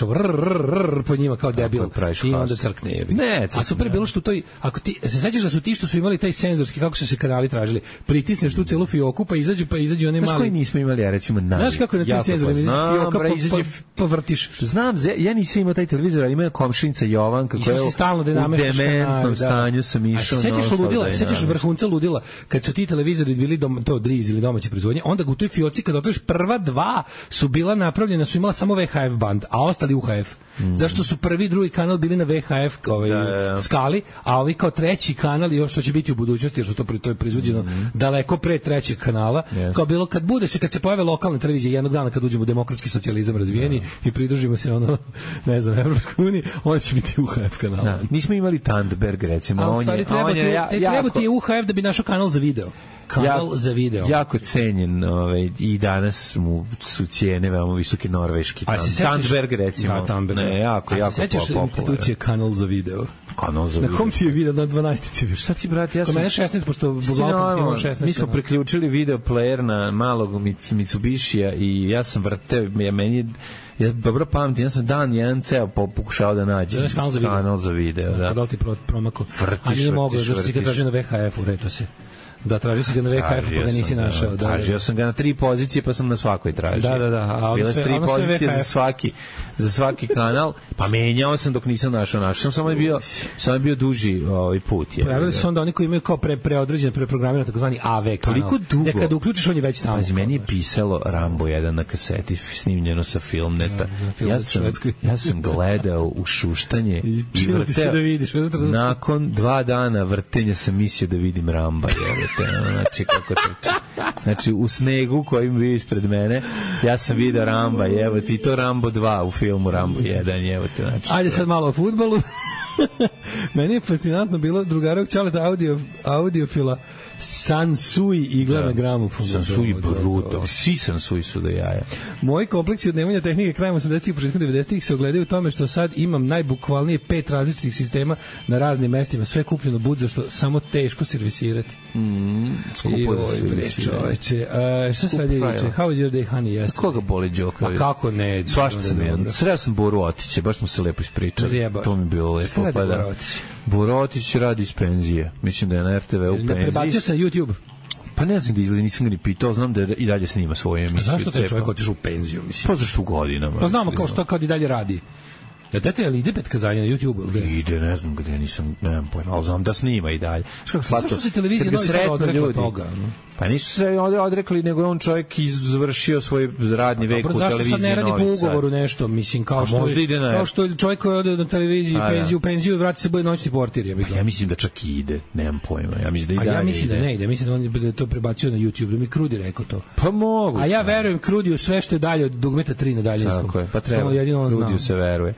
po njima kao debil i onda crkne jebi. Ne, a super bilo što to ako ti se sećaš da su ti što su imali taj senzorski kako su se kanali tražili. Pritisneš tu celu fioku pa izađe pa izađe onaj mali. Koji nismo imali, ja recimo na. Znaš kako na tim senzorima fioka pa izađe pa vrtiš. Znam, ja nisam imao taj televizor, ali ima komšinica Jovanka koja je stalno dinamički dementnom stanju sam išao. Sećaš ludila, sećaš vrhunca ludila kad su ti televizori bili to Driz ili domaće proizvodnje, onda u toj fioci kad otvoriš prva dva su bila napravljena, su imala samo ve ha ef band, a ostali u ha ef. Mm. Zašto su prvi i drugi kanal bili na ve ha ef ovaj, da, da, da. skali, a ovi kao treći kanal i još što će biti u budućnosti, jer su to, to je proizvođeno mm. daleko pre trećeg kanala, yes. kao bilo kad bude se, kad se pojave lokalne televizije jednog dana kad uđemo u demokratski socijalizam razvijeni da. i pridružimo se ono, ne znam, Evropskoj uniji, on će biti u ha ef kanal. Da. Nismo imali Tandberg recimo, a, on je, treba, on je ja, treba jako... ti je u ha ef da bi našao kanal za video. Kanal ja, za video. Jako cenjen, ovaj, i danas mu su cijene veoma visoke norveški. Tandberg recimo. Da, Tandberg. Ne, jako, a jako popularno. A se sećaš institucije kanal za video? Kanal za na video. kom ti je video na dvanaestici? Šta ti, brate, ja sam... Kod mene šesnaest, pošto Boglavom imao šesnaest. Mi smo priključili video player na malog Mitsubishija i ja sam vrteo, ja meni je... Ja dobro pamtim, ja sam dan jedan ceo pokušao da nađem kanal za video. Kanal za video, da. Kada ti promako? Vrtiš, a nije moglo, zašto si ga traži na ve ha ef-u, reto se. Da, tražio si ga na ve ha ef, pa ga nisi našao. Da, tražio sam ga na tri pozicije, pa sam na svakoj tražio. Da, da, da. Bile su tri pozicije za svaki, za svaki kanal, pa menjao sam dok nisam našao. Našao sam, samo je bio, samo je bio duži ovaj put. Je, pojavili su onda oni koji imaju kao pre, preodređen, preprogramirano, takozvani a ve kanal. Toliko dugo. Da kada uključiš, on je već tamo. Pazi, meni je pisalo Rambo jedan na kaseti, snimljeno sa Filmneta. Ja, ja, sam, ja sam gledao u šuštanje i, i vrteo. Da vidiš, nakon dva dana vrtenja sam mislio da vidim Ramba. Jevete, znači, kako to... Znači, u snegu koji bio ispred mene, ja sam vidio Ramba, evo ti, to Rambo dva u filmu Rambo jedan, evo te, znači... Ajde sad malo o fudbalu. Meni je fascinantno bilo drugarog Ćaleta audio, audiofila Sansui igla da. na gramofonu. Sansui brutal. Svi Sansui su do jaja. Moji kompleksi od nemanja tehnike krajem osamdesetih i početkom devedesetih se ogledaju u tome što sad imam najbukvalnije pet različitih sistema na raznim mestima, sve kupljeno budza što samo teško servisirati. Mm, skupo za servisirati. Šta se radi juče? How was your day, honey? Jeste. Koga boli Đoka? A kako ne? Svašta sam jedan. Sreo sam Boru Otiće, baš smo se lepo ispričali. To mi je bilo lepo. Pa da. Borotić radi iz penzije. Mislim da je na er te ve u penziji. Prebacio se na YouTube. Pa ne znam da izgleda, nisam ga ni pitao, znam da i dalje snima svoje emisije. Zašto taj čovjek otišao u penziju, mislim? Pa zašto u godinama. Pa znamo kao što kao i dalje radi. Ja dete, ali ide pet kazanja na YouTube? Gde? Ide, ne znam gde, nisam, nemam pojma, ali znam da snima i dalje. Zašto se televizija novi sad odrekla toga? No? Pa nisu se odrekli, nego je on čovjek izvršio svoj radni vek u televiziji. Zašto sad ne radi po ugovoru nešto, mislim, kao što, kao što čovjek koji ode na televiziji, penziju, penziju, vrati se bude noćni portir. Ja, ja mislim da čak i ide, nemam pojma. Ja mislim da i dalje ja mislim da ne ide, mislim da on je to prebacio na YouTube, da mi Krudi rekao to. Pa mogu. A ja verujem Krudiju sve što je dalje od dugmeta tri na daljinskom. Tako je, pa treba, Krudiju se veruje.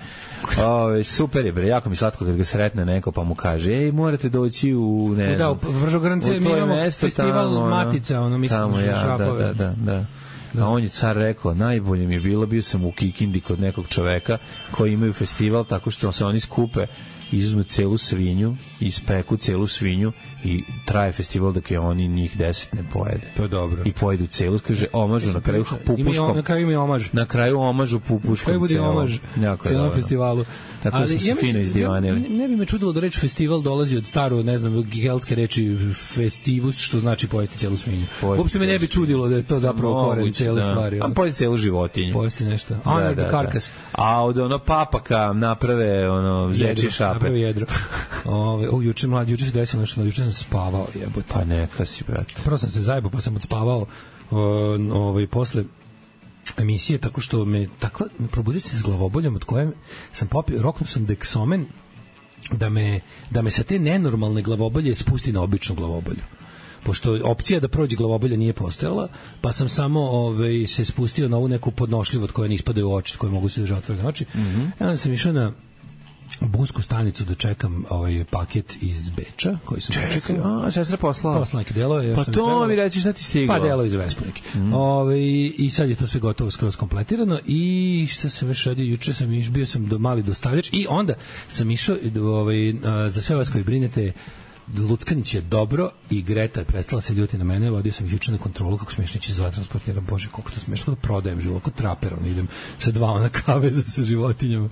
Ove, super je, bre, jako mi slatko kad ga sretne neko pa mu kaže, ej, morate doći u, ne znam, da, u Vržogrance, mi imamo festival tamo, Matica, ono, mislim, tamo, ja, šrafove. Da, da, da, da. A on je car rekao, najbolje mi je bilo, bio sam u Kikindi kod nekog čoveka koji imaju festival, tako što se oni skupe izuzmu celu svinju, ispeku celu svinju i traje festival dok je oni njih deset ne pojede. To je dobro. I pojedu celu, kaže, omažu na kraju pupuškom. Na kraju ima omaž. Na kraju omažu pupuškom. Kraju bude omaž celom festivalu. Tako ali, smo se ja fino izdivanili. Ne, ne bi me čudilo da reč festival dolazi od staro, ne znam, gelske reči festivus, što znači pojesti celu svinju. Uopšte me ne bi čudilo da je to zapravo koren cele da. stvari. A pojesti celu životinju. Pojesti nešto. A, da, da, karkas. Da. A od ono papaka naprave ono zeči šape. Naprave jedro. Ove, o, juče mlad, juče se desilo nešto, juče sam spavao, jebote. Pa neka si, brate. Prvo sam se zajebao, pa sam odspavao ovaj, posle emisije, tako što me takva, probudio se s glavoboljom od koje sam popio, roknuo sam deksomen da me, da me sa te nenormalne glavobolje spusti na običnu glavobolju. Pošto opcija da prođe glavobolja nije postojala, pa sam samo ovaj, se spustio na ovu neku podnošljivu od koje ne ispadaju oči, od koje mogu se držati otvorene oči. Mm -hmm. Ja onda sam išao na busku stanicu da čekam ovaj paket iz Beča koji sam čekao. A sestra poslala. Poslala neke delove. Pa to mi reći šta ti stiglo. Pa delo iz Vespe neki. Mm. Ove, i sad je to sve gotovo skroz kompletirano i šta se već radi, juče sam iš, bio sam do mali dostavljač i onda sam išao ovaj, za sve vas koji brinete, Luckanić je dobro i Greta je prestala se ljuti na mene, vodio sam ih juče na kontrolu kako smiješno ići za transportira, bože koliko to smiješno da prodajem život, kako traper, ono, idem sa dva ona kaveza sa životinjama.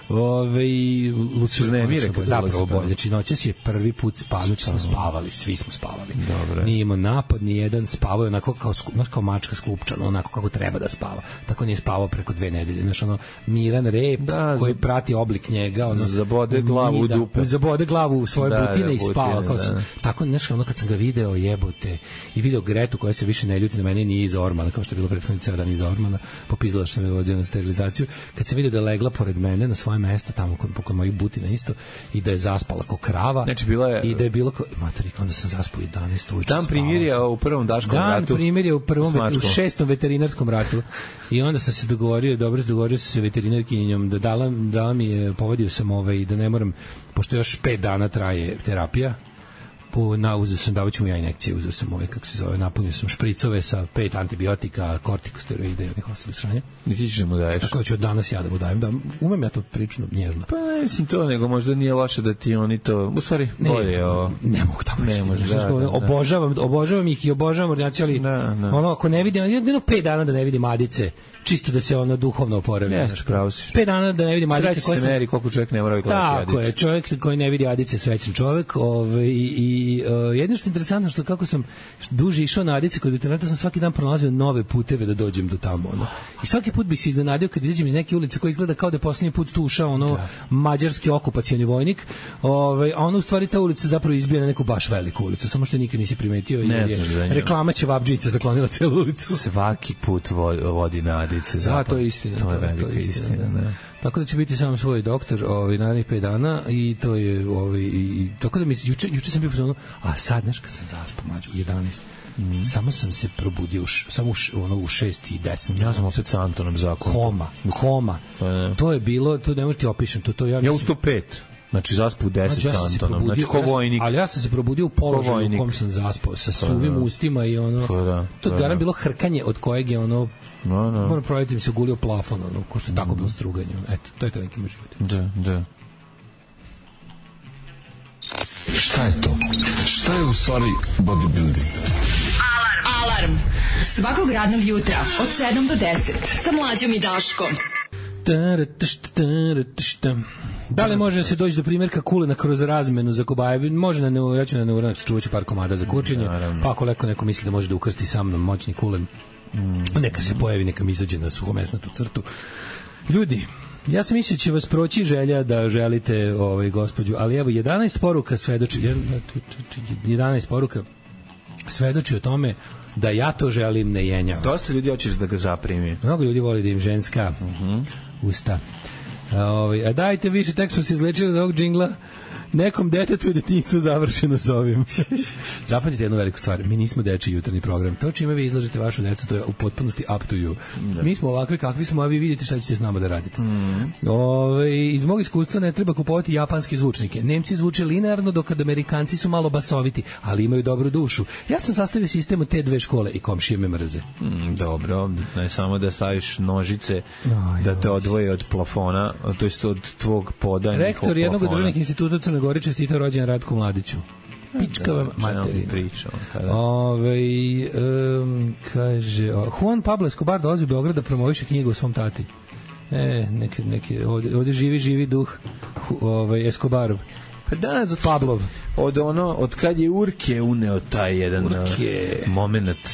Ove, i Luckanić je zapravo bolje, či noćas je prvi put spavali, smo spavali, svi smo spavali. Dobre. Nije imao napad, ni jedan spavao je onako kao, kao mačka sklupčana, onako kako treba da spava. Tako nije spavao preko dve nedelje, znaš, ono, miran rep da, koji prati oblik njega, ono, zabode glavu u dupe. Zabode glavu u svoje da, butine da, i spava. Kao sam, tako nešto, ono kad sam ga video jebote i video Gretu koja se više ne ljuti na mene, nije iza Ormana kao što je bilo prethodni ceo dan iza Ormana, popizdala što me vodio na sterilizaciju, kad sam video da je legla pored mene na svoje mesto tamo kod, kod mojih butina isto i da je zaspala kao krava, znači, bila je, i da je bilo kao materi, onda sam zaspao jedanaest uveče. Dan primirja u prvom daškom dan ratu. Dan primirja u prvom u šestom veterinarskom ratu i onda sam se dogovorio, dobro se dogovorio sa veterinarkinjom da dala, dala mi je, povodio sam ovaj, da ne moram, pošto još pet dana traje terapija, po na uzeo sam davaću mu ja injekcije, uzeo sam ove kako se zove, napunio sam špricove sa pet antibiotika, kortikosteroida i onih ostalih sranja. I ti ćeš da mu daješ? Tako da ću od danas ja da mu dajem, da umem ja to prično nježno. Pa mislim to, nego možda nije loše da ti oni to, u stvari bolje o... Ne mogu tamo ne može, da, da, da. Obožavam, obožavam ih i obožavam ordinaciju, ali da, da. Ono, ako ne vidim, jedno pet dana da ne vidim Adice, čisto da se ono duhovno oporavi. Jeste, pravo si. Pet dana da ne vidim Adice. Sreći se meri koliko čovjek ne mora vidjeti Adice. Tako je, čovjek koji ne vidi Adice, srećan čovjek. Ove, i, i uh, jedno što je interesantno, što kako sam duže išao na Adice kod veterinara, sam svaki dan pronalazio nove puteve da dođem do tamo. Ono. I svaki put bi se iznenadio kad izađem iz neke ulice koja izgleda kao da je poslednji put tu ušao ono da. mađarski okupacioni vojnik, ove, a ono u stvari ta ulica zapravo izbija na neku baš veliku ulicu, samo što nikad nisi primetio i je reklama Ćevabdžica zaklonila celu ulicu. Svaki put vodi na Adice. Da, to je istina. To je velika istina, istina da. Tako da će biti samo svoj doktor ovaj, narednih pet dana i to je ovaj, i, tako da mi juče, juče sam bio pozvano, a sad, znaš, kad sam zaspao mađu, jedanaest, mm. samo sam se probudio, u š, samo u, š, ono, u šest i deset. Ja sam opet sa Antonom zakon. Koma, koma. Pa, to je bilo, to ne možete ti opišem. To, to ja, ja u sto pet. Znači zaspao u deset znači, ja sa Antonom, znači ko vojnik. Ali ja sam se probudio u položaju u kom sam zaspao, sa suvim pa, ustima i ono, pa, da, to je garan bilo hrkanje od kojeg je ono, no, no. moram provjeriti mi se gulio plafon, ono, ko što je tako bilo struganje. Eto, to je to neki moj život. Da, da. Šta je to? Šta je u stvari bodybuilding? Alarm! Alarm! Svakog radnog jutra od sedam do deset sa Mlađom i Daškom. Da li može se doći do primjerka kulena kroz razmenu za kobaje? Može na neu, ja ću na neuranak čuvaću par komada za kurčenje, pa ako neko, neko misli da može da ukrsti sa mnom moćni kulen, neka se pojavi, neka mi izađe na suhomesnatu crtu. Ljudi, ja sam mislio će vas proći želja da želite ovaj, gospođu, ali evo jedanaest poruka svedoči, jedanaest poruka svedoči o tome da ja to želim, ne jenjam. Dosta ljudi hoćeš da ga zaprimi. Mnogo ljudi voli da im ženska uh-huh. usta. A, ovaj, a dajte više, tek smo se izlečili od ovog džingla. nekom detetu u detinjstvu završeno s ovim. Zapamtite jednu veliku stvar, mi nismo dečiji jutarnji program. To čime vi izlažete vašu decu, to je u potpunosti up to you. Da. Mi smo ovakvi kakvi smo, a vi vidite šta ćete s nama da radite. Mm. Ove, iz mog iskustva ne treba kupovati japanske zvučnike. Nemci zvuče linearno, dok kad Amerikanci su malo basoviti, ali imaju dobru dušu. Ja sam sastavio sistem od te dve škole i komšije me mrze. Mm, dobro, ne samo da staviš nožice, Aj, da te odvoje od plafona, to jest od tvog poda. Rektor jednog od državnih instituta u Crnoj Gori čestitao rođendan Ratku Mladiću. Pička vam materina. Ove, um, kaže, Juan Pablo Escobar dolazi u Beograd da promoviše knjigu o svom tati. E, neki, neki, ovdje, ovdje živi, živi duh ovaj, Escobarov. Pa da, za Pablov. Od ono, od kad je Urke uneo taj jedan Urke. moment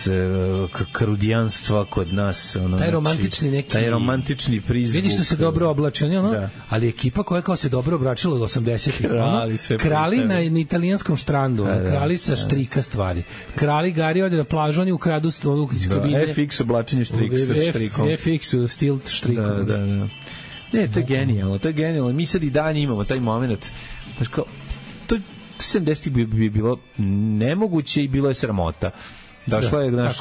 uh, karudijanstva kod nas. Ono, taj romantični neki... Taj romantični prizvuk. Vidiš što se dobro oblači, ono, da. Ali ekipa koja kao se dobro oblačila od osamdesetih. Krali, sve krali na, na italijanskom štrandu, da, krali sa štrika stvari. Krali Gari ode na plažu, oni ukradu onu iz kabine. Da, F X oblačenje štrik sa štrikom. F X stilt štrikom. Da, da, da. Ne, to je genijalno, to je genijalno. Mi sad i dalje imamo taj moment. Znaš kao, to sedamdesetih bi, bi bilo nemoguće i bilo je sramota. Došla je, znaš,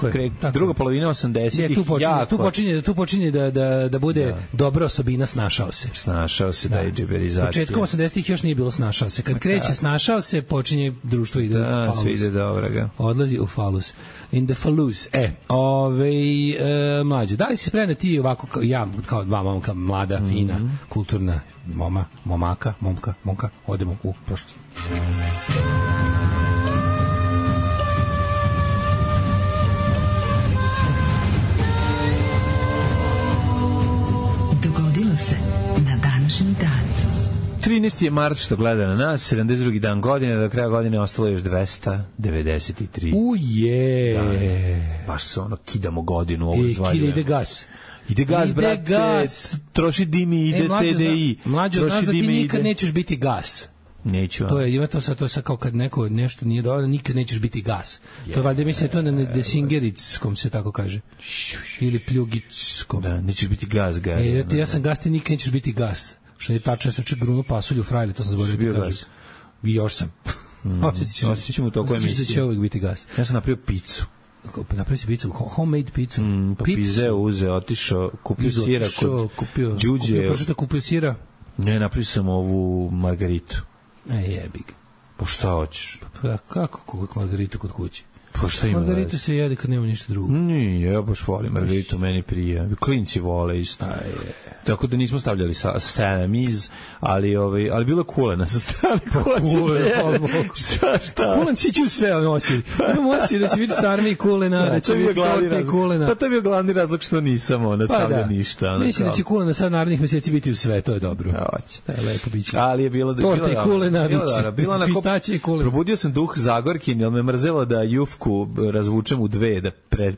druga polovina osamdesetih tu počinje, jako... Tu počinje, tu počinje da, da, da bude da. dobra osobina snašao se. Snašao se, da, da je džeberizacija. Početkom osamdesetih još nije bilo snašao se. Kad kreće snašao se, počinje društvo ide da, u falus. Sve ide dobro ga. Odlazi u falus. In the falus. E, ovej, e, mlađe, da li si spremna ti ovako, kao, ja, kao dva momka, mlada, mm-hmm. fina, kulturna moma, momaka, momka, momka, odemo u prošlost. Se na današnji dan. trinaesti je mart što gleda na nas, sedamdeset drugi dan godine, do kraja godine ostalo još dvesta devedeset tri. Uje! Da, baš se ono, kidamo godinu, ovo e, zvaljujemo. Ide gas. Ide gas, ide brate, gas. Troši dimi, ide e, T D I. Mlađo, znaš da ti nikad ide. Nećeš biti gas. Neću. To je, ima to sad, to sad kao kad neko nešto nije dobro, nikad nećeš biti gas. Yeah. To je valjda, mislim, to na desingerickom se tako kaže. Ili pljugickom. Da, nećeš biti gas, gas. E, ja, ja sam gas, ti nikad nećeš biti gas. Što je tačno, ja sam čak grunu pasulju frajli, to sam zaboravio da kažem. I još sam. Mm. Osjetit ćemo u toku emisije. Osjetit će uvijek biti gas. Ja sam napravio picu. Napravio si picu, homemade picu. Mm, pa pizeo uze, otišao, kupio sira kod kupio, Đuđe. Kupio, prošlo te kupio sira? Ne, napravio sam ovu margaritu. E, jebi ga. Pa šta hoćeš? Pa kako kuvek margaritu kod kući? Pa šta ima? Margarita se jede kad nema ništa drugo. Nije, ja baš volim margaritu, meni prija. Klinci vole isto. Aj, tako da nismo stavljali sa salamiz, ali ovaj, ali bilo kulena sa strane. Kulena, šta, šta? Kulen si će sve noći. Imam osjećaj da će biti sarmi i kulena, da će biti torta i kulena. Pa to je bio glavni razlog što nisam ona stavlja pa da. ništa. Mislim da će kulena sad narednih meseci biti u sve, to je dobro. Hoće. To je lepo biće. Ali je bilo da torta i kulena, bilo na pistaće i kulena. Probudio sam duh Zagorkin, jer me mrzelo da jufku razvučem u dve, da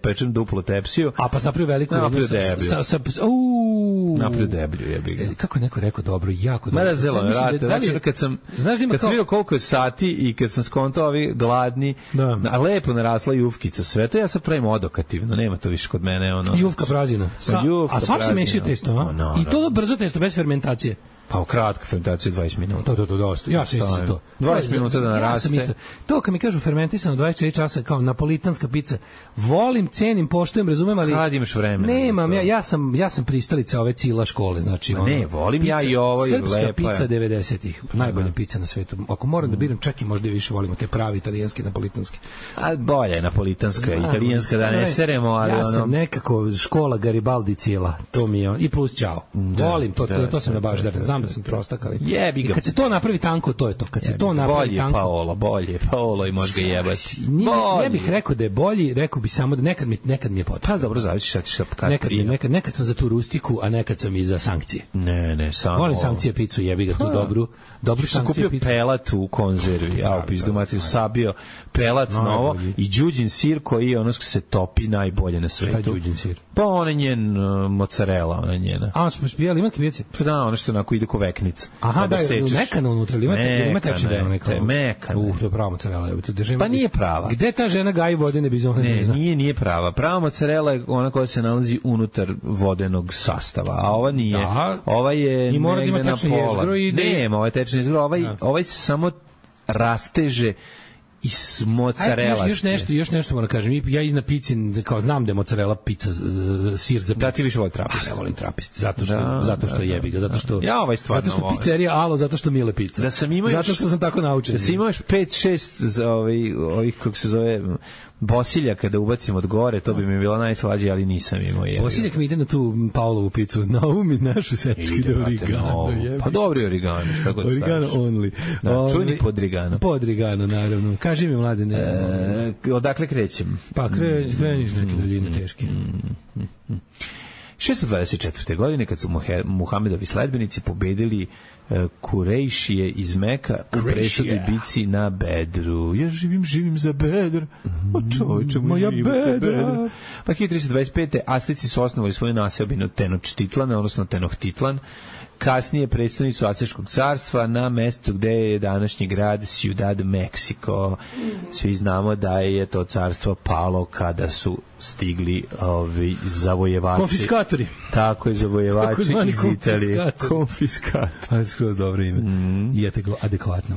pečem duplo tepsiju. A pa napravio veliku napravio deblju. Sa, sa, uuu. Napravio deblju, jebi ga. Kako je neko rekao dobro, jako dobro. Mada zelo, rate, da, znači kad sam, znaš kad kao... sam vidio koliko je sati i kad sam skontao ovi gladni, da. A lepo narasla jufkica, sve to ja sad pravim odokativno, nema to više kod mene. Ono, jufka prazina. Sa, jufka a svak se mešio testo, a? No, I to no. brzo testo, bez fermentacije. Pa u kratka fermentacija dvadeset minuta. To, to, to, dosta. Ja sam isto to. dvadeset minuta da naraste. Ja to kad mi kažu fermentisano dvadeset četiri časa kao napolitanska pica, volim, cenim, poštujem, razumem, ali... Kad imaš vremena? Nemam, ja, ja, sam, ja sam pristalica ove cila škole. Znači, ono, ne, volim pica, ja i ovo je lepa. Srpska pica devedesetih. Najbolja pica na svetu. Ako moram da biram, čak i možda više volimo te pravi italijanske, napolitanske. A bolje je napolitanska, Znam, italijanska, da ne seremo, ali ja ono... Ja sam nekako škola Garibaldi cila. To mi je, i plus čao. Volim, to, to, to sam na baš da znam da sam prostakali. Jebi ga. I kad se to napravi tanko, to je to. Kad se to napravi bolje tanko... Paolo, bolje Paolo i može ga jebati. Ne bih rekao da je bolji, rekao bih samo da nekad mi, nekad mi je potrebno. Pa dobro, zavisi šta ćeš kad nekad, nekad, nekad sam za tu rustiku, a nekad sam i za sankcije. Ne, ne, samo... Volim sankcije picu, jebi ga tu dobru. Dobru sankcije picu. Kupio pelat u konzervi, a u pizdu mati usabio pelat novo i đuđin sir koji je ono se topi najbolje na svetu. Šta je đuđin sir? Pa on je njen mozzarella, ona je njena. A, smo spijali, ima kvijeće? Pa da, ono što onako ide bili ko veknica. Aha, da, je mekano unutra, ili ima, ima tečni deo neko? Ne, mekano. Uh, to je prava mozzarella. Pa nije prava. Gde ta žena gaji vodene bizone? Ne, nije, nije prava. Prava mozzarella je ona koja se nalazi unutar vodenog sastava, a ova nije. Da. Ova je i mora da ima negde na tečni pola. jezgro i... Nema, ovaj tečni jezgro, ovaj, da. Ovaj se samo rasteže iz mozzarella. Još, još nešto, još nešto moram kažem. Ja i na pici kao znam da je mozzarella pizza uh, sir za picu. Da ti više voli trapist. Ja volim trapist, zato što da, zato što da, jebi ga, zato što ja ovaj stvarno zato što pizzerija alo, zato što mile pizza. Da sam imao zato što sam tako naučen. Da si imaš pet šest za ovaj ovih kako se zove Bosilja kada ubacim od gore, to bi mi bilo najslađe, ali nisam imao je. Bosiljak mi ide na tu Paulovu picu, na umi našu sečki do origano. Pa dobri origano, šta god staviš. Origano only. Da, čujni podrigano. Podrigano, naravno. Kaži mi, mladine. E, odakle krećem? Pa kre, kreniš neke daljine teške. šesto dvadeset četvrte godine, kad su Muhamedovi sledbenici pobedili Kurejšije iz Meka u presudnoj bici na Bedru. Ja živim, živim za Bedr. O čovječe, moja Bedra. Pa hiljadu tristo dvadeset pete. Azteci su osnovali svoju naseobinu Tenochtitlana, odnosno Tenochtitlan, kasnije prestonicu Aztečkog carstva na mestu gde je današnji grad Ciudad Mexico. Svi znamo da je to carstvo palo kada su stigli ovi zavojevači. Konfiskatori. Tako je, zavojevači iz Italije. Konfiskatori. To je skroz dobro ime. Mm. I adekvatno.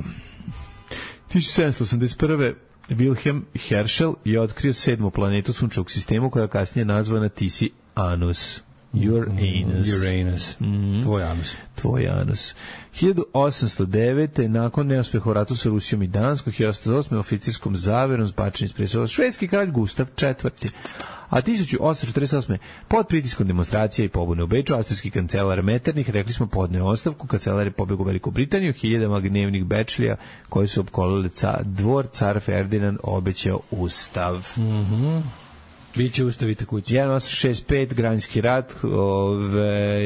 hiljadu sedamsto osamdeset prve. Wilhelm Herschel je otkrio sedmu planetu sunčevog sistema koja je kasnije nazvana Tisi Anus. Uranus. Uranus. Mm. Tvoj anus. Tvoj anus. hiljadu osamsto devete. nakon neuspeha u ratu sa Rusijom i Danskom, hiljadu osamsto osme. oficirskom zaverom zbačen iz prestola švedski kralj Gustav četvrti. A hiljadu osamsto četrdeset osme. pod pritiskom demonstracija i pobune u Beču, austrijski kancelar Metternich, rekli smo, podneo ostavku, kancelar je pobegao u Veliku Britaniju, hiljadama gnevnih Bečlija koji su opkolili ca, dvor, car Ferdinand obećao ustav. Mhm. Biće ustavite kući. hiljadu osamsto šezdeset pete. Građanski rat, ove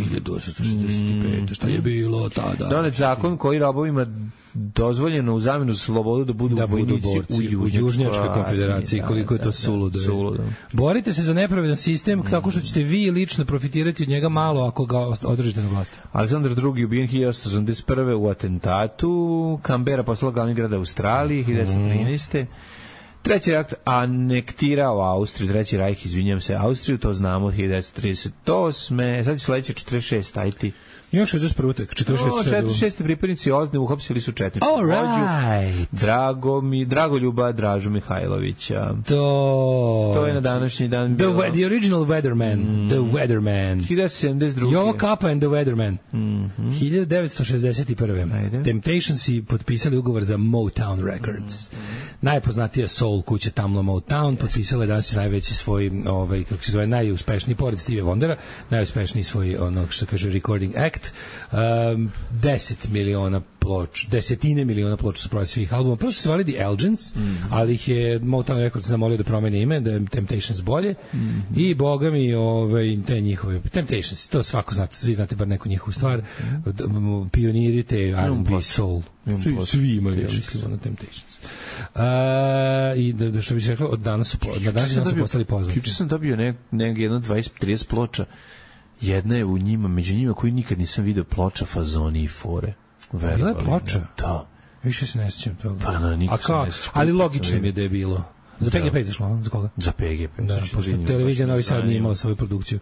hiljadu osamsto šezdeset pete. Šta je bilo tada? Donet zakon koji robovima dozvoljeno u zamenu za slobodu da budu da vojnici budu borci, u Južnjačkoj konfederaciji, koliko je to suludo. suludo. Borite se za nepravedan sistem tako što ćete vi lično profitirati od njega malo ako ga održite na vlasti. Aleksandar drugi ubijen hiljadu osamsto osamdeset prve. u atentatu. Canberra postala glavni grad Australije hiljadu devetsto trinaeste. Treći rajh anektirao Austriju, treći rajh, izvinjam se, Austriju, to znamo, hiljadu devetsto trideset osme. Sad je sledeće četrdeset šeste. Ajti. Ima šezdeset prve. četrdeset šeste. pripadnici Ozne uhapsili su četničku vođu Drago mi, Dragoljuba Dražu Mihajlovića. To To je na današnji dan The, bilo... the original Weatherman. Mm. The Weatherman. hiljadu devetsto sedamdeset druge. Jovo Kappa and the Weatherman. Mm -hmm. hiljadu devetsto šezdeset prve. Ajde. Temptationsi potpisali ugovor za Motown Records. Mm -hmm. Najpoznatija soul kuća Tamla Motown. Yes. Potpisala je danas najveći svoj, ovaj, kako se zove, najuspešniji, pored Stevie Wondera, najuspešniji svoj, ono što se kaže, recording act. Um, deset miliona ploč, desetine miliona ploča su prodali svih albuma. Prvo su se zvali The Elgins, mm -hmm. ali ih je Motown Records zamolio da promene ime, da je Temptations bolje. Mm -hmm. I boga mi, ovaj, te njihove Temptations, to svako znate, svi znate bar neku njihovu stvar. Mm -hmm. Pioniri te R and B soul. Svi, svi imaju, ja mislim, na Temptations. Uh, I da, da što bi se reklo, od danas su, na danas su postali poznati. Juče sam dobio ne, ne, jedno dvadeset trideset ploča. Jedna je u njima, među njima koju nikad nisam video, ploča Fazoni i Fore. Bila je ploča? Da. Više se ne sjećam toga. Pa na, nikad se ne sjećam. Ali logično mi je da je bilo. Za P G P izašlo, za koga? Za P G P. Da, pošto televizija Novi Sad nije imala svoju produkciju.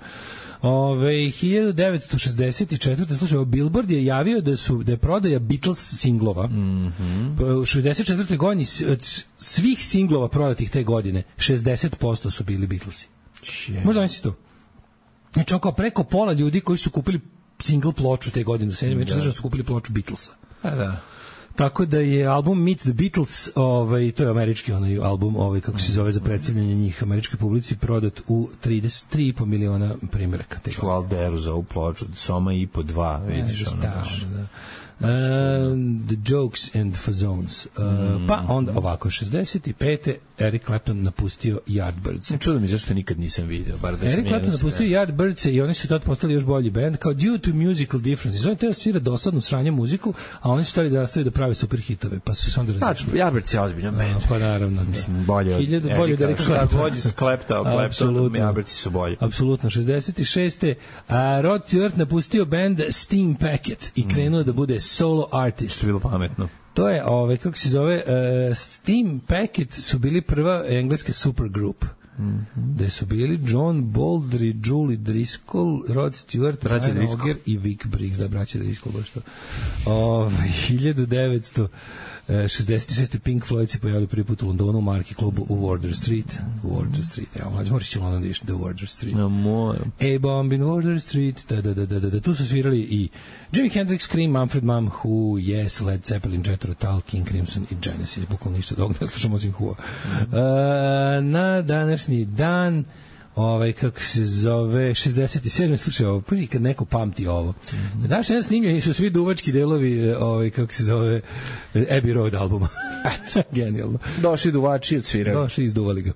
Ove, hiljadu devetsto šezdeset četvrte. Slušaj, Billboard je javio da su da je prodaja Beatles singlova. Mm -hmm. U šezdeset četvrtoj godini svih singlova prodatih te godine šezdeset posto su bili Beatlesi. Yeah. Možda misliš to? Znači, oko preko pola ljudi koji su kupili single ploču te godine u sedam da su kupili ploču Beatlesa. A da. Tako da je album Meet the Beatles, ovaj, to je američki onaj album, ovaj, kako se zove, za predstavljanje njih američkoj publici, prodat u trideset tri i po miliona primjeraka. Ču Alderu za ovu ploču, Soma i po dva, vidiš ono. Da, da. Uh, the Jokes and Fazones. Uh, mm. Pa onda ovako, šezdeset pete Eric Clapton napustio Yardbirds. Čudo mi zašto nikad nisam video. Bar da Eric Clapton napustio Yardbirds i oni su tad postali još bolji band, kao due to musical differences. Oni tada svira dosadnu sranje muziku, a oni su stali da nastavi da prave super hitove, pa su se onda različili. Tačno, Yardbirds je ozbiljan band. Pa naravno. Mislim, bolje od Hiljadu, bolje od Eric Clapton. Bolje su Clapton, Clapton, Yardbirds su bolji. Apsolutno. šezdeset šeste A Rod Stewart napustio band Steam Packet i krenuo mm. da bude solo artist. Što je bilo pametno. To je, ove, kako se zove, uh, Steam Packet su bili prva engleska supergroup. Mm-hmm. Gde su bili John Baldry, Julie Driscoll, Rod Stewart, Brian Auger i Vic Briggs, da, braća Driscoll, baš to. Ove, hiljadu devetsto šezdeset šeste Pink Floyd se pojavili prvi put u Londonu u Marki klubu u Wardour Street. Wardour Street, evo, mlađe, moraš će u London da iš, da Wardour Street. No, moram. A Bomb in Wardour Street, da, da, da, da, da, tu su svirali i Jimi Hendrix, Cream, Manfred Mann, Who, Yes, Led Zeppelin, Jethro Tull, King Crimson i Genesis, bukvalno ništa dok ne slušamo osim Who. Mm-hmm. Uh, na današnji dan ovaj, kako se zove, šezdeset sedme slušaj ovo, pazi kad neko pamti ovo. Mm-hmm. Na današnji dan snimljeni su svi duvački delovi, ovaj, kako se zove, Abbey Road albuma. Genijalno. Došli duvači, odsvirali. Došli, izduvali ga.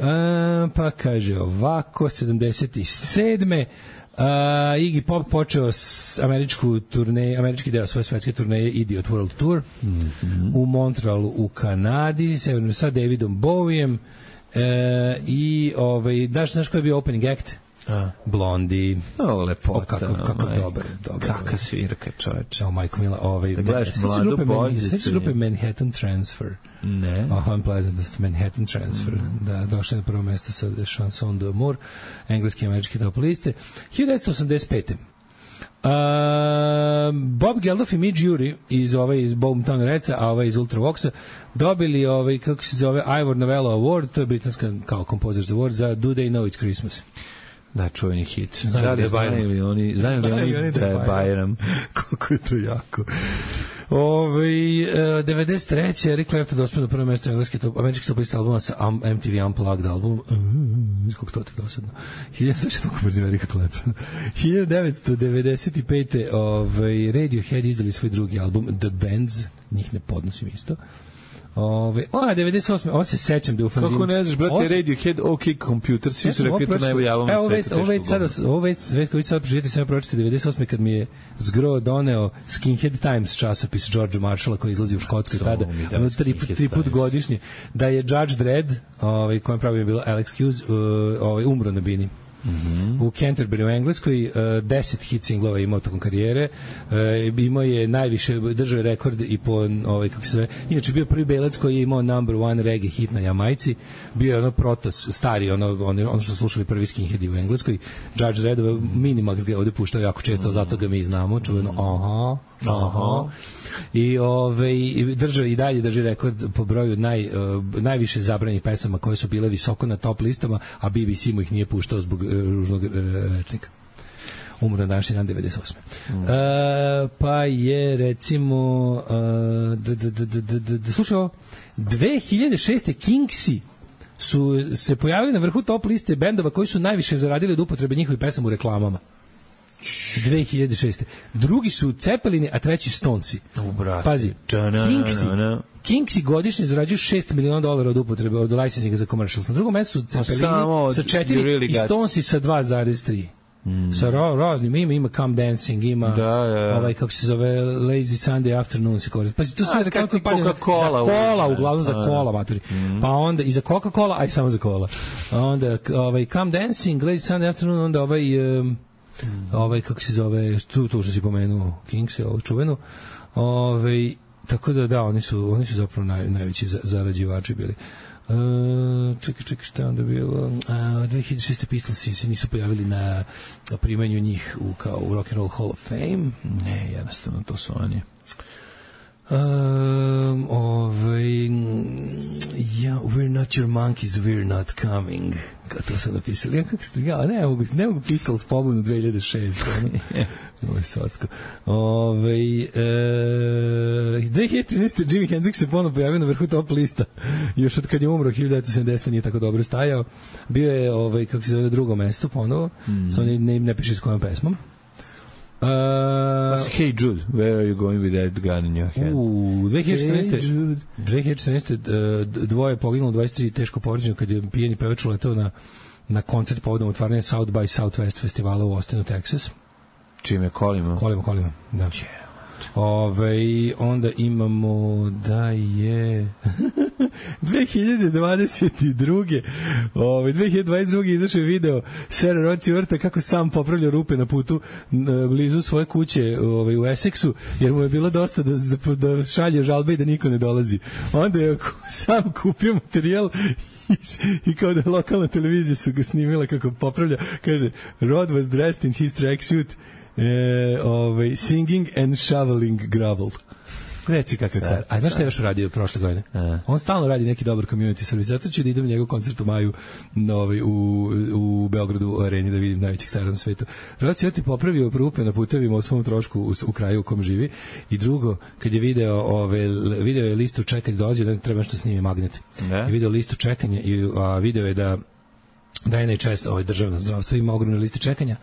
A, pa kaže ovako, sedamdeset sedme Uh, Iggy Pop počeo s američku turneju, američki deo svoje svetske turneje Idiot World Tour mm-hmm. u Montrealu u Kanadi severno sa Davidom Bowiem uh, i ovaj, daš, znaš koji je bio opening act? A. Blondie. O, lepota. O, kako, kako dobar, dobar. Kakva svirka, čoveče. O, majko mila, ovaj, da gledaš mladu boljicu. Sveći grupe Manhattan Transfer. Ne. Oh, Unpleasantness, Manhattan Transfer. Mm. Da, došli na prvo mesto sa Chanson d'Amour, engleski i američki top liste. hiljadu devetsto osamdeset pete Uh, Bob Geldof i Midge Ure iz ovaj iz Boomtown Redsa, a ovaj iz Ultravoxa dobili ovaj kako se zove Ivor Novello Award, to je britanska kao Composers Award za Do They Know It's Christmas. Da, čuveni hit. Znaju li znaju oni, znaju li oni da je Bajram. Kako je to jako. Ove, devedeset treće Eric Clapton dospio na prvo mesto engleski top, američki top lista albuma sa M T V Unplugged album. Mm, kako to je dosadno. hiljadu devetsto devedeset pete ovaj Radiohead izdali svoj drugi album The Bands, njih ne podnosim isto. Ove, a, devedeset osme ovo se sećam da u fanzinu. Kako ne znaš, brate, Os... Radiohead, OK Computer, svi su rekli to najbolji album na svetu. Ovo već sada, ovo već, već koji sad proživjeti, sam pročite devedeset osme kad mi je zgro doneo Skinhead Times časopis George Marshalla koji izlazi u Škotskoj tada, ono tri, tri put godišnje, da je Judge Dredd, ovaj, kojem pravi je bilo Alex Hughes, ovaj, umro na bini. Mm-hmm. U Canterbury u Engleskoj uh, deset hit singlova imao tokom karijere, uh, imao je najviše, držao je rekord i po ovaj, kako se zove, inače bio prvi belac koji je imao number one reggae hit na Jamajci, bio je ono protos, stari, ono, ono, ono što slušali prvi skinheadi u Engleskoj. Judge Dredd, Minimax ga ovde puštao jako često, mm-hmm. zato ga mi znamo, čuveno, aha, aha. I ovaj držao i dalje drži rekord po broju naj uh, najviše zabranjenih pesama koje su bile visoko na top listama, a B B C mu ih nije puštao zbog uh, ružnog uh, rečnika. Umro na današnji dan devedeset osme Mm. Uh, pa je recimo uh, d, d, d, d, d, d, d, slušaj ovo, dve hiljade šeste Kingsi su se pojavili na vrhu top liste bendova koji su najviše zaradili od upotrebe njihovih pesama u reklamama. dve hiljade šeste Drugi su Cepelini, a treći Stonesi. Pazi, Kingsi, Kingsi godišnje zarađuju šest miliona dolara od upotrebe, od licensinga za commercials. Na drugom mestu su Cepelini sa četiri really i Stonesi sa dva zarez tri Mm. Sa ra, raznim ima, ima Come Dancing, ima da, ja. ovaj, kako se zove, Lazy Sunday Afternoon se koristi. Pa tu su rekao kampanje za kola, uglavnom za kola, maturi. Mm. Pa onda i za Coca-Cola, aj samo za kola. Onda ovaj, Come Dancing, Lazy Sunday Afternoon, onda ovaj... Um, Mm. ovaj kako se zove tu to što si pomenuo Kings je ovo čuveno ovaj tako da da oni su oni su zapravo naj, najveći zarađivači bili. Uh, čekaj, čekaj, šta onda bilo? Uh, dve hiljade šeste Pistolsi se nisu pojavili na, na primanju njih u, kao u Rock and Roll Hall of Fame. Ne, jednostavno to su oni. Um, ovaj, yeah, we're not your monkeys, we're not coming. Kao to su napisali. Ja, kako ste, ja, ne mogu, ne mogu Pistols pobunu dve hiljade šeste Ovo je svatsko. Ove, e, dve hiljade trinaeste Jimi Hendrix se ponovno pojavio na vrhu top lista. Još od kad je umro, hiljadu devetsto sedamdesete nije tako dobro stajao. Bio je, ovaj, kako se zove, na drugom mestu ponovo. Mm. Samo ne, ne, ne piše s kojom pesmom. Uh, Hey Jude, where are you going with that gun in your hand? U dve hiljade četrnaeste. Hey dve hiljade četrnaeste. Dvoje poginulo, dvadeset tri teško povređeno kad je pijeni pevač uleteo na, na koncert povodom otvaranja South by Southwest festivala u Austinu, Texas. Čime? Kolima? Kolima, kolima, da. Ove, onda imamo da je dve hiljade dvadeset druge Ove, dve hiljade dvadeset druge izašao je video Sera Roci Vrta kako sam popravlja rupe na putu blizu svoje kuće ove, u Essexu, jer mu je bilo dosta da, da, da šalje žalbe i da niko ne dolazi. Onda je sam kupio materijal i kao da lokalna televizija su ga snimila kako popravlja. Kaže, Rod was dressed in his tracksuit, E, ovaj, singing and shoveling gravel. Reci kakav car. A znaš šta je još radio prošle godine? A. On stalno radi neki dobar community service. Zato ću da idem u njegov koncert u maju ovaj, u, u Beogradu u areni da vidim najvećih cara na svetu. Rod si ti popravio rupe na putevima u svom trošku u, u kraju u kom živi. I drugo, kad je video, ove, video je listu čekanja, dolazio, ne treba što snimi magnet. Ne? I video listu čekanja i a, video je da da je najčešće ovaj, državno zdravstvo ima ogromne liste čekanja.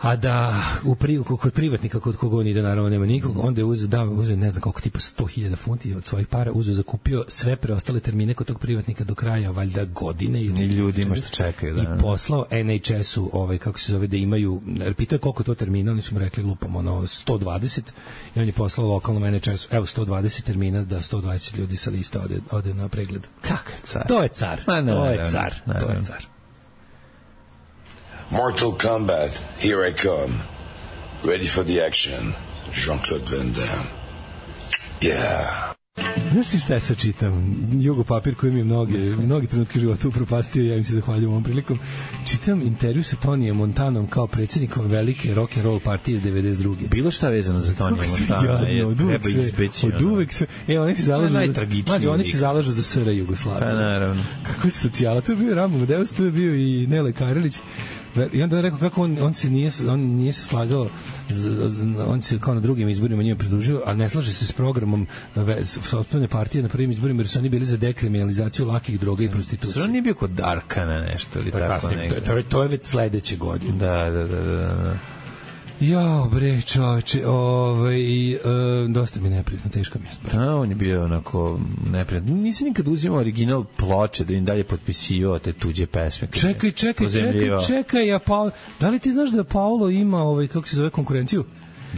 A da u pri, kod privatnika kod koga on ide, naravno nema nikog, onda je uzeo, da, uzeo ne znam koliko, tipa sto hiljada funti od svojih para, uzeo, zakupio sve preostale termine kod tog privatnika do kraja, valjda godine ili ljudima što čekaju, da. I poslao en hač esu, ovaj, kako se zove, da imaju, pitao je koliko to termina, oni su mu rekli lupom, ono, sto dvadeset, i on je poslao lokalnom en hač esu, evo, sto dvadeset termina, da sto dvadeset ljudi sa lista ode, ode na pregled. Kakav car? To je car, Ma, to je car, to je car. Mortal Kombat, here I come. Ready for the action. Jean-Claude Van Damme. Yeah. Znaš ti šta ja sad čitam? Jugo papir koji mi je mnoge, mnogi trenutke života upropastio, ja im se zahvaljujem ovom prilikom. Čitam intervju sa Tonijem Montanom kao predsjednikom velike rock and roll partije iz devedeset druge. Bilo šta vezano za Tonija Montana? Jadno, od uvek sve. Od uvek sve. E, oni se zalažu za, oni se zalažu za S R Jugoslaviju. Pa naravno. Kako je socijala? To je bio Ramo Medeus, to je bio i Nele Karelić. I onda je rekao kako on, on se nije on nije se slagao, on se kao na drugim izborima nije pridružio, a ne slaže se s programom sopstvene partije na prvim izborima, jer su oni bili za dekriminalizaciju lakih droga i prostitucije. On nije bio kod Darkana nešto ili tako nekako. To je to je već sledeće godine. Da, da, da, da, da. Jao, bre, čoveče, ovaj, e, dosta mi neprijatno, teška mi je smrt. Da, on je bio onako neprijatno. Nisam nikad uzimao original ploče da im dalje potpisivao te tuđe pesme. Čekaj, čekaj, čekaj, čekaj, a pa, da li ti znaš da Paolo ima, ovaj, kako se zove, konkurenciju?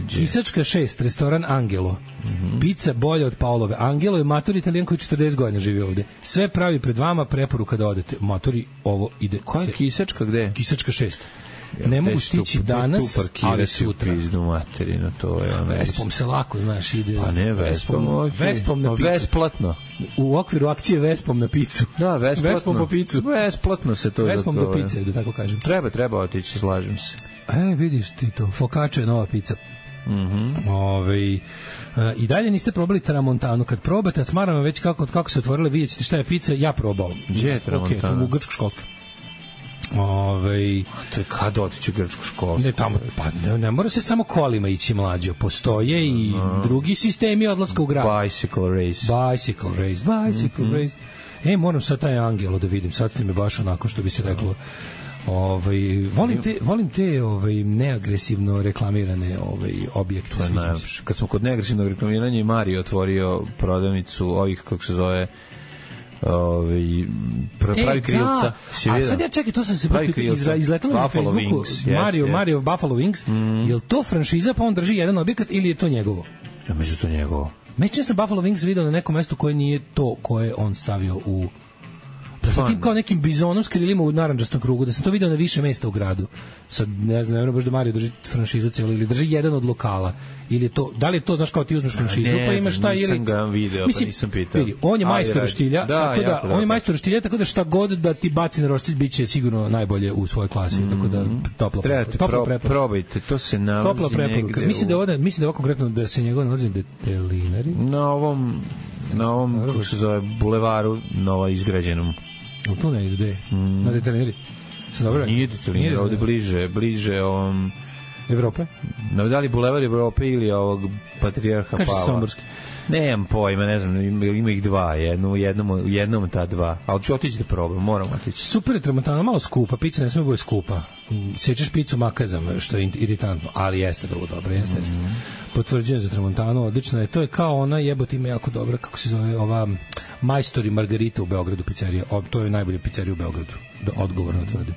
Kisačka šest, restoran Angelo. Mm-hmm. Pizza bolja od Paolove. Angelo je matori Italijan koji četrdeset godina živi ovde. Sve pravi pred vama, preporuka da odete. Matori, ovo ide. Koja je Kisačka, gde? Kisačka šest. Ne mogu stići danas, ali sutra. Pizdu materinu, to je ono. Vespom se lako, znaš, ide. Pa ne, Vespom, okay. Vespom na picu. Vesplatno. U okviru akcije Vespom na picu. Da, Vesplatno. Vespom po picu. Vesplatno se to. Vespom do pice, da tako kažem. Treba, treba otići, slažem se. E, vidiš ti to, focaccia je nova pizza. Mhm. Ovaj i dalje niste probali tramontanu. Kad probate, smaram već kako kako se otvorile, vidite šta je pizza, ja probao. Gdje je tramontana? Okej, u grčko školsko. Ovaj, to je kad otići u grčku školu? Ne, tamo, pa ne, ne mora se samo kolima ići, mlađo. Postoje i uh, drugi sistemi odlaska u grad. Bicycle race. Bicycle race, bicycle mm-hmm. race. E, moram sad taj Angelo da vidim. Sad ti me baš onako, što bi se reklo. Ovaj, volim te, volim te ovaj, neagresivno reklamirane ovaj, objekte. Kad smo kod neagresivnog reklamiranja, Mario otvorio prodavnicu ovih, kako se zove, ovaj pravi e, krilca. Da. A sad ja čekaj, to sam se izletalo izletalo na Facebooku. Wings, Mario, yes, Mario Buffalo Wings. Mm. Je li to franšiza pa on drži jedan objekat ili je to njegovo? Ja mislim to njegovo. Međutim sam Buffalo Wings video na nekom mestu koje nije to koje on stavio u sa tim kao nekim bizonom s krilima u narandžastom krugu, da sam to video na više mesta u gradu. Sad ne znam, ne znam baš da Mario drži franšizu cijelu ili drži jedan od lokala. Ili je to, da li je to, znaš, kao ti uzmeš franšizu pa imaš šta ili... Nisam ga video, mislim, pa nisam pitao. Vidi, on je majstor roštilja, da, tako da, on je majstor roštilja, tako da šta god da ti baci na roštilj, bit će sigurno najbolje u svojoj klasi, mm-hmm. tako da topla, Trebate topla pro, probajte, to se nalazi topla preporuka. Mislim da ovde, mislim da ovo konkretno da se njegov nalazi na Detelinari. Na ovom, na ovom, kako se zove, bulevaru novo izgrađenom. U tu ne ide, mm. na Detelinari. Nije Detelinari, ovde bliže, bliže ovom... Evrope? No, da li Bulevar Evrope ili ovog Patrijarha Pavla? Kaže Somborski. Nemam pojma, ne znam, ima, ima ih dva, jedno, u jednom, jednom ta dva, ali ću otići da probam, moram otići. Super je Tramontana, malo skupa, pizza ne sme bude skupa. Sečeš picu makazam, što je iritantno, ali jeste vrlo dobro, jeste, jeste. Mm -hmm. Potvrđujem za Tramontanu, odlično je. To je kao ona, jebote, ima jako dobra, kako se zove, ova Majstori Margarita u Beogradu pizzerija. O, to je najbolja pizzerija u Beogradu, da, odgovorno tvrdim.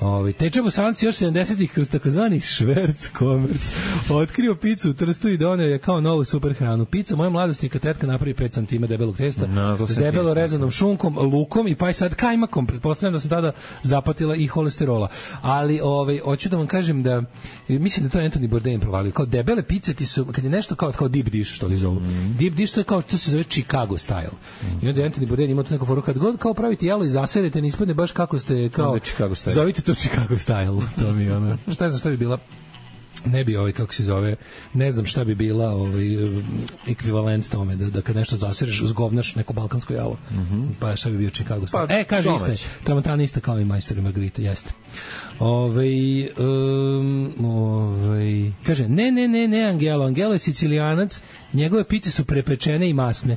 Ovi, Teče Bosanci još sedamdesetih kroz takozvani šverc komerc otkrio picu u Trstu i doneo je kao novu super hranu. Pica moje mladosti kad tetka napravi pet centimetara debelog testa no, s debelo rezanom šunkom, lukom i pa i sad kajmakom. Pretpostavljam da sam tada zapatila i holesterola. Ali ovaj, hoću da vam kažem da mislim da to je Anthony Bourdain provalio. Kao debele pice ti su, kad je nešto kao, kao deep dish, što li zovu. Mm. Deep dish to je kao, to se zove Chicago style. Mm. I onda je Anthony Bourdain ima tu neku foru, kad god kao pravite jelo i zaserete, ne ispadne baš kako ste, kao, zovite to Chicago style. To mi je ono, šta znam šta bi bila, ne bi ovaj, kako se zove, ne znam šta bi bila ovaj, ekvivalent tome, da, da kad nešto zasereš, zgovnaš neko balkansko jelo. Mm -hmm. Pa šta bi bio Chicago style. Pa, e, kaže iste, Tramontana ista kao i Majstori Margarita, jeste. Ove, um, ove, kaže, ne, ne, ne, ne, Angelo, Angelo je Sicilijanac, njegove pice su prepečene i masne.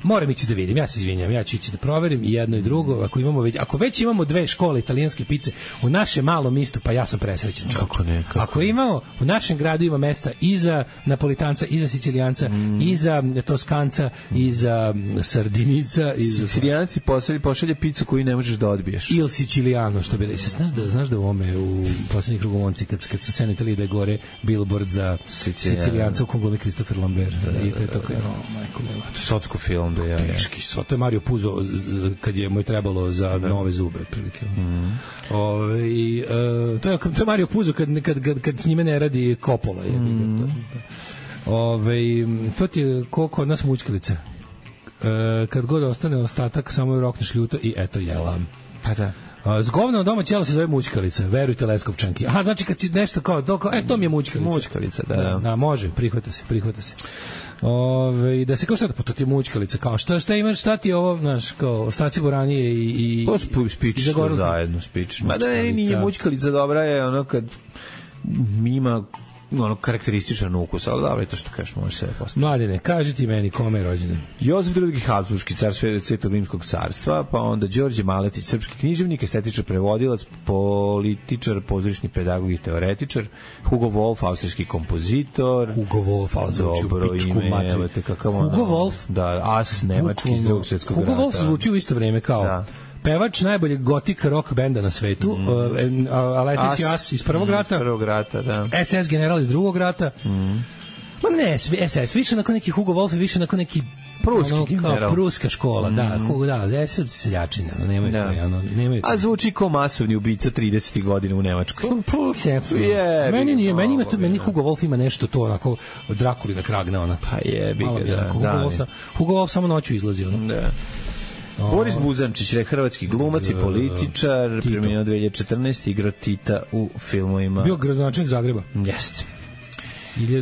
Moram ići da vidim, ja se izvinjam, ja ću ići da proverim i jedno i drugo, ako imamo već, ako već imamo dve škole italijanske pice u našem malom istu, pa ja sam presrećan. Kako ne? Kako ako imamo, u našem gradu ima mesta i za Napolitanca, i za Sicilijanca, mm. i za Toskanca, i za Sardinica, i za Sicilijanci pošalje, pošalje picu koju ne možeš da odbiješ. Il Siciliano, što bi se znaš da znaš da u ome u poslednjih krugomonci kad kad se senitali da gore billboard za Sicilijanca u konglomi Christopher Lambert. Da, da, da, i to je to kao, oh, majko, socsko film. Ja, teški so, to je Mario Puzo kad je mu je trebalo za da. nove zube otprilike. Mm. Ove, i, uh, to, je, to je Mario Puzo kad, kad, kad, kad s njime ne radi Coppola. Je, mm. to, Ove, to ti je koliko od nas mučkalica. Uh, kad god ostane ostatak, samo je rokneš ljuto i eto jela. Pa da. Zgovno doma ćelo se zove mućkalica, verujte Leskovčanki. Aha, znači kad ti nešto kao, to, kao e, to mi je mućkalica. Mućkalica, da. Da, da može, prihvata se, prihvata se. Ove, da se kao šta da, pa to ti je mućkalica, kao šta, šta imaš, šta ti je ovo, znaš, kao ostaci boranije i... i pa spič to zajedno, spič. Ma da meni nije mućkalica dobra, je ono kad ima ono karakterističan ukus, ali dobro, to što kažeš, može se postaviti. Mladine, kaži ti meni kome je rođendan. Jozef drugi Habsburški car Svetog rimskog carstva, pa onda Đorđe Maletić, srpski književnik, estetičar, prevodilac, političar, pozorišni pedagog i teoretičar, Hugo Wolf, austrijski kompozitor. Hugo Wolf, ali zvuči u pičku materiju. Hugo Wolf? Da, as nemački iz drugog svjetskog rata. Hugo Wolf zvuči u isto vreme kao... Da. Pevač najboljeg gotik rock benda na svetu, mm. uh, Aletić As iz prvog rata, iz prvog rata, da. S S general iz drugog rata. Mm. Ma ne, S S, više nakon neki Hugo Wolf, više nakon neki pruski ono, general. Pruska škola, mm. da, Hugo, da, S S seljačina, no, nemaju da. to, ono, nemaju to. A zvuči kao masovni ubica tridesetih godina u Nemačkoj. Je, meni nije, meni ima to, meni Hugo Wolf ima nešto to, onako, Drakulina kragna, ona. Pa jebi ga, da. Hugo, Wolf, Hugo Wolf samo noću izlazi, ono. Da. Boris Buzančić je hrvatski glumac i političar, preminuo dve hiljade četrnaeste. igrao Tita u filmovima. Bio gradonačelnik Zagreba. Jeste.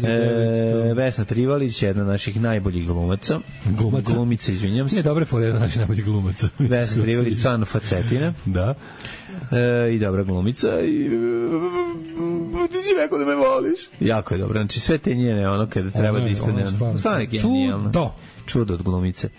E, Vesna Trivalić, jedna od naših najboljih glumaca. Glumaca? Glumica, izvinjam se. Nije dobre fore jedna od naših najboljih glumaca. Vesna Trivalić, stvarno facetina. Da. E, I dobra glumica. I, ti si rekao da me voliš. Jako je dobro. Znači sve te njene, ono kada treba da ispadne. Stvarno je genijalno. Čudo. Čudo od glumice.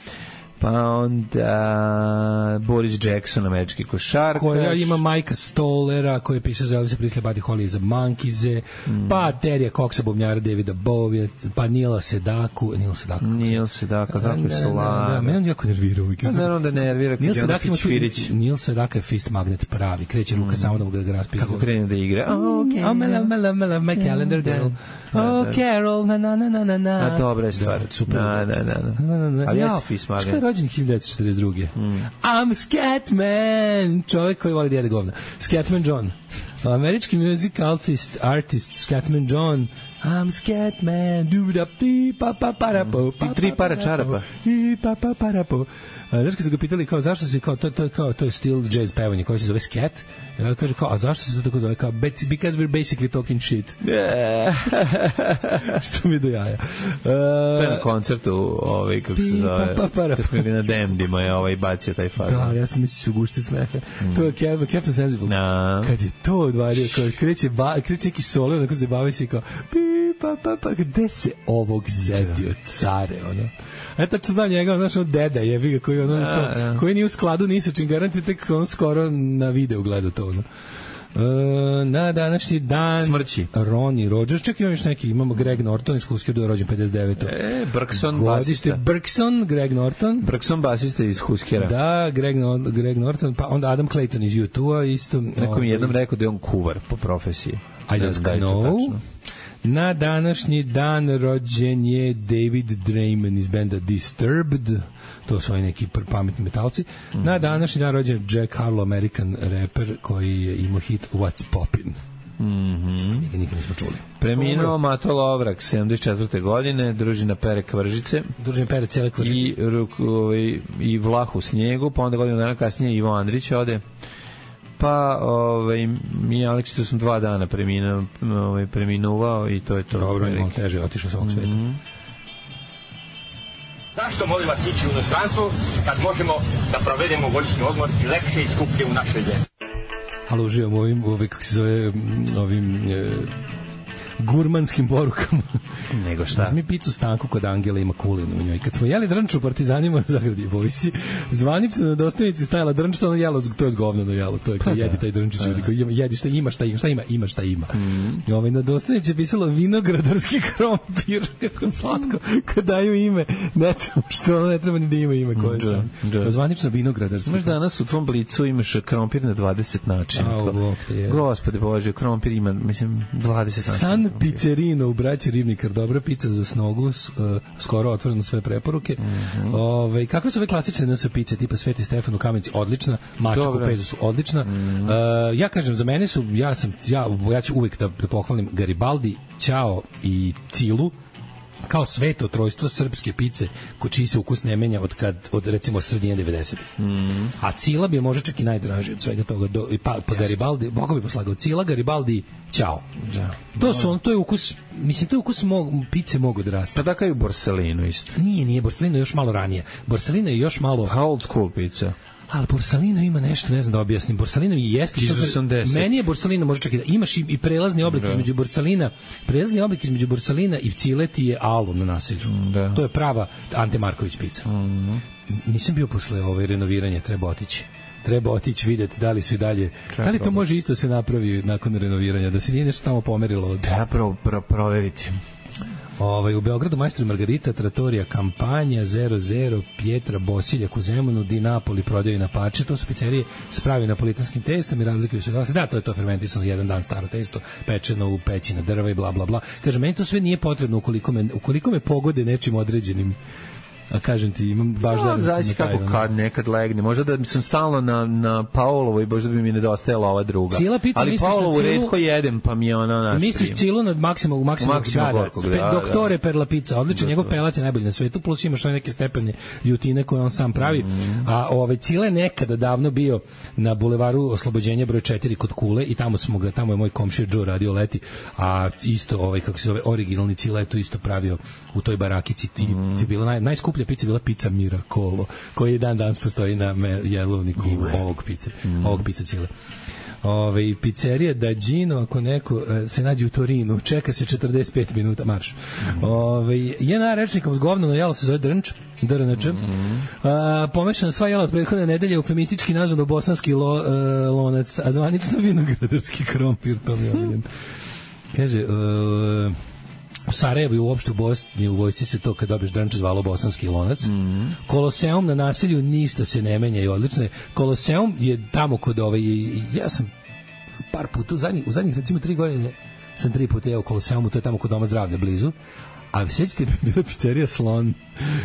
Pa onda Boris Jackson, američki košarkaš. Koja ima Majka Stolera, koji je pisao za Elvisa Presley, Buddy Holly za Monkize, mm. pa Terija Coxa, bubnjara Davida Bowie, pa Nila Sedaku. Nila Sedaku. Nila Sedaka, kako je sla. Da, mene on jako nervira uvijek. Pa naravno da nervira. Nila Sedaka ima tu, Nila Sedaka je fist magnet pravi, kreće ruka mm. samo da ga raspisa. Kako krene da igra? Oh, okay. Oh, mela, mela, mela, my calendar girl. Oh, Carol, na, na, na, na, na, na. A dobra je stvar. Super. Na, na, na, na. Ali jeste fist magnet. Što je rođen hiljadu devetsto četrdeset druge. Mm. I'm Scatman, čovjek koji voli djede govna. Scatman John. Američki music artist, artist Scatman John, I'm scared man, do da pi pa pa para po, pa tri para čarapa. I pa pa para po. Znaš kad su ga pitali kao zašto se kao to to kao to je still jazz pevanje koji se zove scat. Ja kaže kao a zašto se to tako zove kao because we're basically talking shit. Yeah. Što mi do jaja. Uh, to je na koncertu ovaj kako se zove. Pa, pa, para, kad smo bili na Demdima je ovaj bacio taj fazon. Da, ja sam mislio gušti smeha. Mm. To je Captain Captain Sensible. No. Kad je to odvario kao kreće ba, kreće neki solo onako se bavi se kao pi pa pa pa gde se ovog zetio care ono. E tačno znam njega, znaš, on deda jebi ga koji, ono, a, to, a. koji nije u skladu ni sa čim, garanti tek on skoro na video gleda to. Ono. E, na današnji dan smrći Ronnie Rogers, čak imam još neki, imamo Greg Norton iz Huskera, da je rođen pedeset devetog E, Bergson basista. Bergson, Greg Norton. Bergson basista iz Huskera. Da, Greg, no, Greg Norton, pa onda Adam Clayton iz U dva isto. Neko mi jednom rekao da je on kuvar po profesiji. I don't know. Na današnji dan rođen je David Draiman iz benda Disturbed, to su oni neki pametni metalci. Mm. Na današnji dan rođen je Jack Harlow, American rapper koji je imao hit What's Poppin'. Mm-hmm. Mi ga nikad nismo čuli. Preminuo Mato Lovrak sedamdeset četvrte godine, družina Pere Kvržice. Družina Pere cijele Kvržice. I, ovaj, i Vlah u snijegu, pa onda godinu dana kasnije Ivo Andrić ode. Pa, ovaj, mi Aleksić sam dva dana preminuo, ovaj, preminuvao i to je to. Dobro, imamo teže, otišao s ovog sveta. Mm-hmm. Zašto molim vas ići u inostranstvo kad možemo da provedemo godišnji odmor i lepše i skuplje u našoj zemlji? Ali uživam ovim, ovim, kako se zove, ovim e, gurmanskim porukama. Nego šta? Mi picu Stanku kod Angela ima kulinu u njoj. Kad smo jeli drnč u Partizanima u Zagradi Vojsi, zvanično na dostavnici stajala drnč, samo jelo, to je zgovnano jelo, to je kao jedi taj drnč, jedi šta ima, šta ima, šta ima, ima šta ima. Mm. Ovaj, na dostavnici je pisalo vinogradarski krompir, kako slatko, kad daju ime nečemu što ono ne treba ni da ima ime koje je da. Zvanično vinogradarski. Znaš, danas u tvom blicu imaš krompir na dvadeset načina. A, bok te je. Gospode Bože, krompir ima, mislim, dvadeset načina. San Pizzerino u braći Ribnikar, dobra pizza za snogu, uh, skoro otvoreno sve preporuke. Mm-hmm. Ove, kakve su ove klasične N S pice tipa Sveti Stefan u Kamenici? Odlična. Mačak u Pezu su odlična. Mm-hmm. Uh, ja kažem, za mene su, ja sam, ja, ja ću uvek da, da pohvalim Garibaldi, Ćao i Cilu kao sveto trojstvo srpske pice ko čiji se ukus ne menja od kad od recimo sredine devedesetih. Mm. A Cila bi je možda čak i najdraži od svega toga do, pa, pa Garibaldi, Boga bi poslagao Cila, Garibaldi, Ćao. Da. To su on, to je ukus, mislim to je ukus mog, pice mogu da raste. Pa tako je u Borsalinu isto. Nije, nije, Borsalino je još malo ranije. Borsalino je još malo how old school pizza. Ali Borsalino ima nešto, ne znam da objasnim. Borsalino i jeste što meni je Borsalino može čak i da imaš i, i prelazni oblik da. između Borsalina, prelazni oblik između Borsalina i Cileti je Alu na naselju. Da. To je prava Ante Marković pizza. Mm-hmm. Nisam bio posle ove renoviranja, treba otići. Treba otići vidjeti da li su i dalje. Treba da li to problem. Može isto se napravi nakon renoviranja, da se nije nešto tamo pomerilo od... Treba pro, pro, proveriti. Ovaj, u Beogradu Majstor Margarita, Trattorija Kampanja, zero zero, Pjetra Bosiljak u Zemunu, Di Napoli prodaju na pače, to su pizzerije s pravim napolitanskim testom i razlikuju se dosta. Da, to je to fermentisano jedan dan staro testo, pečeno u peći na drva i bla bla bla. Kaže, meni to sve nije potrebno ukoliko me, ukoliko me pogode nečim određenim. A kažem ti, imam baš no, da zaći kako taj, kad nekad legne. Možda da sam stalno na, na Paulovoj, možda bi mi nedostajala ova druga. Pizza, ali Paulovu cilu, redko jedem, pa mi je ona naš. Misliš Cilu nad Maksimo, u Maksimo grada. Da, Doktore da. Per la pizza, odlično, njegov pelat je najbolji na svetu, plus imaš neke stepene ljutine koje on sam pravi. Mm. A ovaj Cile nekada davno bio na bulevaru Oslobođenja broj četiri kod Kule i tamo smo ga, tamo je moj komšija Joe radio leti, a isto ovaj kako se zove originalni Cile to isto pravio u toj barakici i mm. je bila naj, najskuplja pizza bila pizza Miracolo, koji dan danas postoji na jelovniku ovog pice, mm. ovog pizza Cile. Ove, pizzerija Da Gino, ako neko uh, se nađe u Torinu, čeka se četrdeset pet minuta marš. Mm. Ove, jedna rečnikom zgovnano jelo se zove Drnč, D R N Č. Mm. Uh, pomešano sva jela od prethodne nedelje, eufemistički nazvano bosanski lo, uh, lonac, a zvanično vinogradarski krompir, to mi je kaže, uh, u Sarajevu i uopšte u Bosni u vojsci se to kad dobiješ drnče zvalo bosanski lonac. Mm-hmm. Koloseum na naselju ništa se ne menja i odlično je. Koloseum je tamo kod ovaj, ja sam par puta u zadnjih, u zadnjih recimo tri godine sam tri puta jeo u Koloseumu, to je tamo kod Doma zdravlja blizu. A sjećate bila pizzerija Slon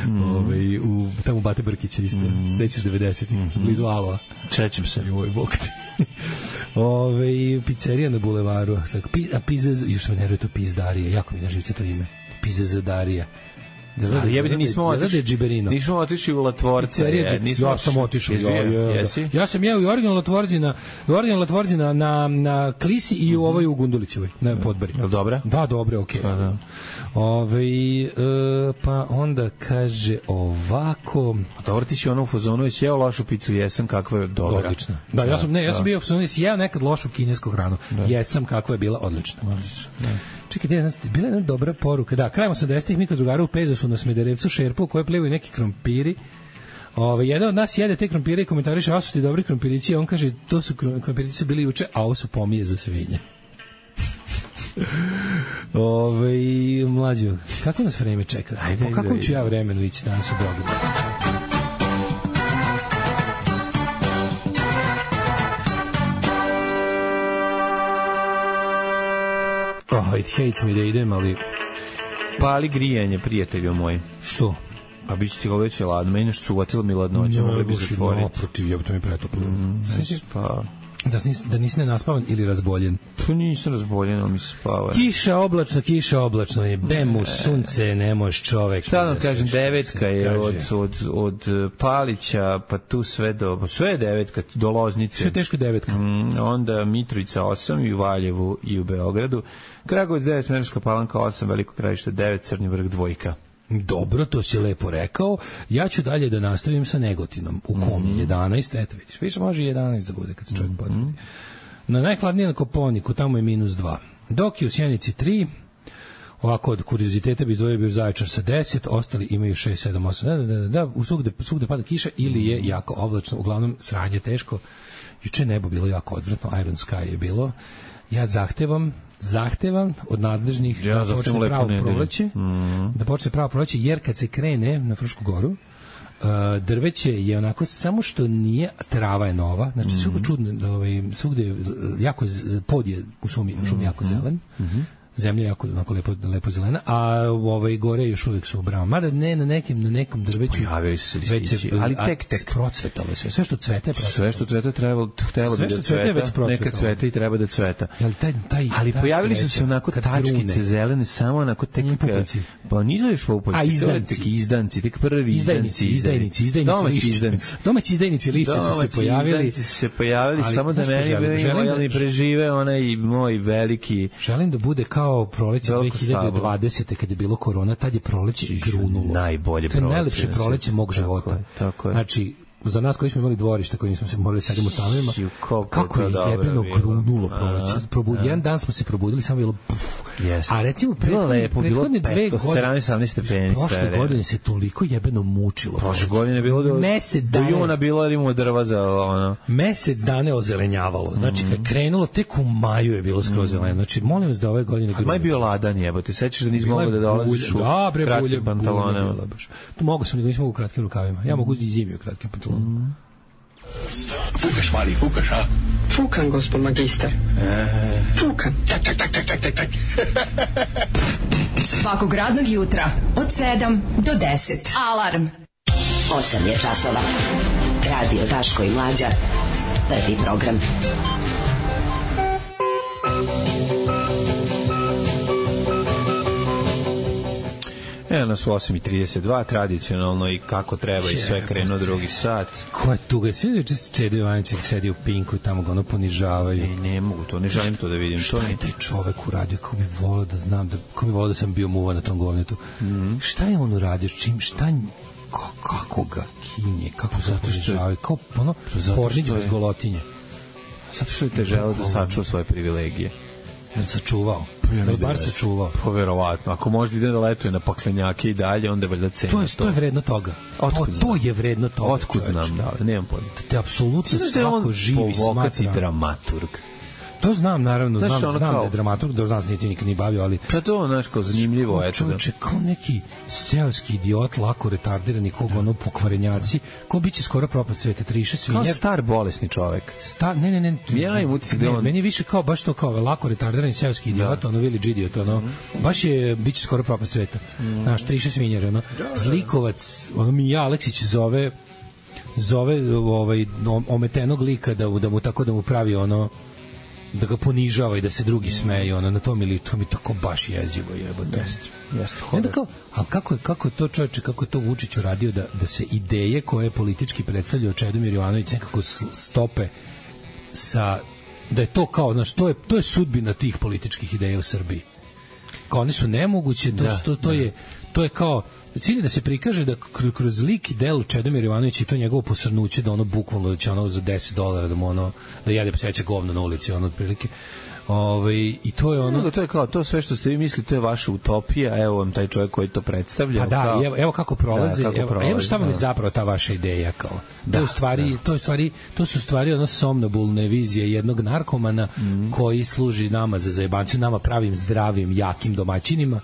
mm. ovaj, u, tamo u Bate Brkića isto, mm. sećaš devedesetih, mm-hmm. blizu Aloa. Sećam se. Joj, bog ti. Ove, pizzerija na bulevaru. A pizza, još me neruje to pizdarija, jako mi na živce to ime. Pizzadarija. Da, ali jebite nismo otišli. Nismo otišli u Latvorce. Je, nismo ja sam otišao. Ja, ja, ja, ja sam jeo i original Latvorci na original Latvorci na na na Klisi i u ovoj u Gundulićevoj na Podbari. Jel dobra? Da, dobro, okej. Okay. Da. Ove, e, pa onda kaže ovako. Dobro, ti si ono u fazonu, jesi jeo lošu picu, jesam, kakva je dobra. Odlična. Da, ja sam, ne, ja sam bio u fazonu, jesi jeo nekad lošu kinesku hranu. Da. Jesam, kakva je bila, odlična. Odlična, da. Čekaj, je bila jedna dobra poruka. Da, krajem osamdesetih mi kod drugara u Pezosu na Smederevcu šerpu u kojoj plivaju neki krompiri. Ove, jedan od nas jede te krompire i komentariše, a su ti dobri krompirići, a on kaže, to su krompirići su bili juče, a ovo su pomije za svinje. Ove, mlađo, kako nas vreme čeka? Ajde, po kakvom ću ja vremenu ići danas u Beogradu? Oh, it hates me da idem, ali... Pali grijanje, prijatelju moj. Što? A bit će ti ga već ladno, meni nešto suvatilo mi ladnoća, mogli bi zatvoriti. No, protiv, jebito mi pretoplo. Mm, pa... Da nisi, da nisi nenaspavan ili razboljen? Pa nisam razboljen, ali mi se spava. Kiša oblačno, kiša oblačno je, bemu, sunce, ne možeš čovek. Šta vam kažem, devetka je od, od, od Palića, pa tu sve do, sve je devetka, do Loznice. Sve teško devetka. Mm, onda Mitrovica osam i u Valjevu i u Beogradu. Kragovac devet, Smederevska Palanka osam, Veliko Krajište devet, Crni Vrh dvojka. Dobro, to si lepo rekao. Ja ću dalje da nastavim sa Negotinom. U kom je jedanaest, eto vidiš. Više može jedanaest da bude kad se čovjek potrebi. Na najhladnije na Koponiku, tamo je minus dva. Dok je u Sjenici tri, ovako od kurioziteta bi izdvojio bio Zaječar sa deset, ostali imaju šest, sedam, osam. Da, da, da, da, u svugde, svugde pada kiša ili je jako oblačno, uglavnom sranje teško. Juče nebo bilo jako odvratno, Iron Sky je bilo. Ja zahtevam zahtevam od nadležnih ja, da počne pravo proleće, mm. da počne pravo proleće, jer kad se krene na Frušku goru, uh, drveće je onako, samo što nije, trava je nova, znači mm. svugde čudno, ovaj, svugde jako, pod je u šumi, šumi jako zelen, mm-hmm. zemlja je jako onako lepo, lepo zelena, a ovaj gore još uvijek su obrama. Mada ne na nekim na nekom drveću. Pojavili su se listići, ali tek tek procvetalo sve. Sve što cvete, sve što cvete treba htelo bi da cveta. Neka cvete i treba da cveta. Jel taj taj ali pojavili su se onako tačkice zelene, samo onako tek pa nisu još popularni. A izdanci, izdanci, tek prvi izdajnici, izdajnici, izdajnici. Domaći izdajnici lišće su se pojavili. Su se pojavili samo da meni prežive onaj moj veliki. Želim da bude kao proleće dve hiljade dvadesete kad je bilo korona, tad je proleće grunulo. Najbolje proleće. To je najlepše proleće mog života. Tako je, tako je. Znači, za nas koji smo imali dvorište, koji nismo se morali sedimo u stanovima, kako je jebeno grunulo proleće. Probud, jedan dan smo se probudili, samo bilo puf. Yes. A recimo prethodne, prethodne dve godine, sedamnaest sedamnaest stepeni, prošle godine se toliko jebeno mučilo. Prošle godine je bilo do, mesec do juna bilo jer imamo drva za ono. Mesec dana je ozelenjavalo. Znači, kad krenulo, tek u maju je bilo skroz zeleno. Znači, molim vas da ove godine grunulo. Maj bio ladan jebote, sećaš da nisi mogao da dolaziš u kratkim pantalonama. Tu mogu sam, nego nisam mogu u kratkim rukavima. Ja mogu i zimi u kratkim pantalonama. Mm. Fukaš, mali, fukaš, a? Fukan, gospod magister. E... Fukan. Tak, tak, tak, tak, tak, tak, tak. Svakog radnog jutra od sedam do deset. Alarm. osam je časova. Radio Daško i Mlađa. Prvi program. Evo nas u osam i trideset dva, tradicionalno i kako treba i sve krenuo drugi sat. Ko je tuga? Svi da je Čede Ivanićek sedi u Pinku i tamo ga ono ponižavaju. Ne, ne mogu to, ne želim to da vidim. Šta je taj čovek uradio? Kako bi volao da znam, da, kako bi volao da sam bio muva na tom govnetu. Mm-hmm. Šta je on uradio? Čim, šta, kako, kako ga kinje? Kako zato ponižavaju? Kao ono, porniđe bez golotinje. Zato što je te želeo da sačuva svoje privilegije. Jel sačuvao? Ja da li bar sačuvao? Pa verovatno. Ako možda ide da letuje na paklenjake i dalje, onda je valjda cena to. Je, to je vredno toga. Otkud to, to je vredno toga. Otkud znam, da, nemam pojma. Te apsolutno svako živi smatra. Dramaturg. To znam, naravno, znaš, znam, znam kao, da je dramaturg, da znam, niti nikad ni bavio, ali... Pa to, znaš, kao zanimljivo, eto. Čovječe, kao neki seoski idiot, lako retardirani, koga ono pokvarenjaci, ko biće skoro propast sveta, triše svinjar. Kao star bolesni čovek. Star, ne, ne, ne. Ja im utisak da on... Meni je više kao, baš to kao, lako retardirani seoski idiot, da. Ono, village idiot, ono, mm. baš je, biće skoro propast sveta. Mm. Znaš, triše svinjar, ono, da, zlikovac, ono, Mija Aleksić zove, zove, ovaj, ometenog lika da, da mu tako da mu pravi, ono, da ga ponižava i da se drugi smeju, ono, na tom ili to mi tako baš jezivo jebote. Jeste, jeste. Onda kao, ali kako je, kako je to čoveče, kako je to Vučić uradio da, da se ideje koje politički predstavljao Čedomir Jovanović nekako stope sa, da je to kao, znaš, to je, to je sudbina tih političkih ideja u Srbiji. Kao one su nemoguće, to, da, to, to, je, to je kao, cilj da se prikaže da kroz lik i delo Čedomir Jovanović i to njegovo posrnuće da ono bukvalno da će ono za deset dolara da mu ono da jede pseće govno na ulici ono otprilike. Ovaj i to je ono no, to je kao to sve što ste vi mislili to je vaša utopija, evo vam taj čovjek koji to predstavlja. Pa da, kao, evo, evo kako prolazi, da, kako evo, prolazi, evo šta vam je zapravo ta vaša ideja kao. Da, to u stvari, da. to je stvari, to su stvari ono somnobulne vizije jednog narkomana mm. koji služi nama za zajebancu, nama pravim zdravim, jakim domaćinima.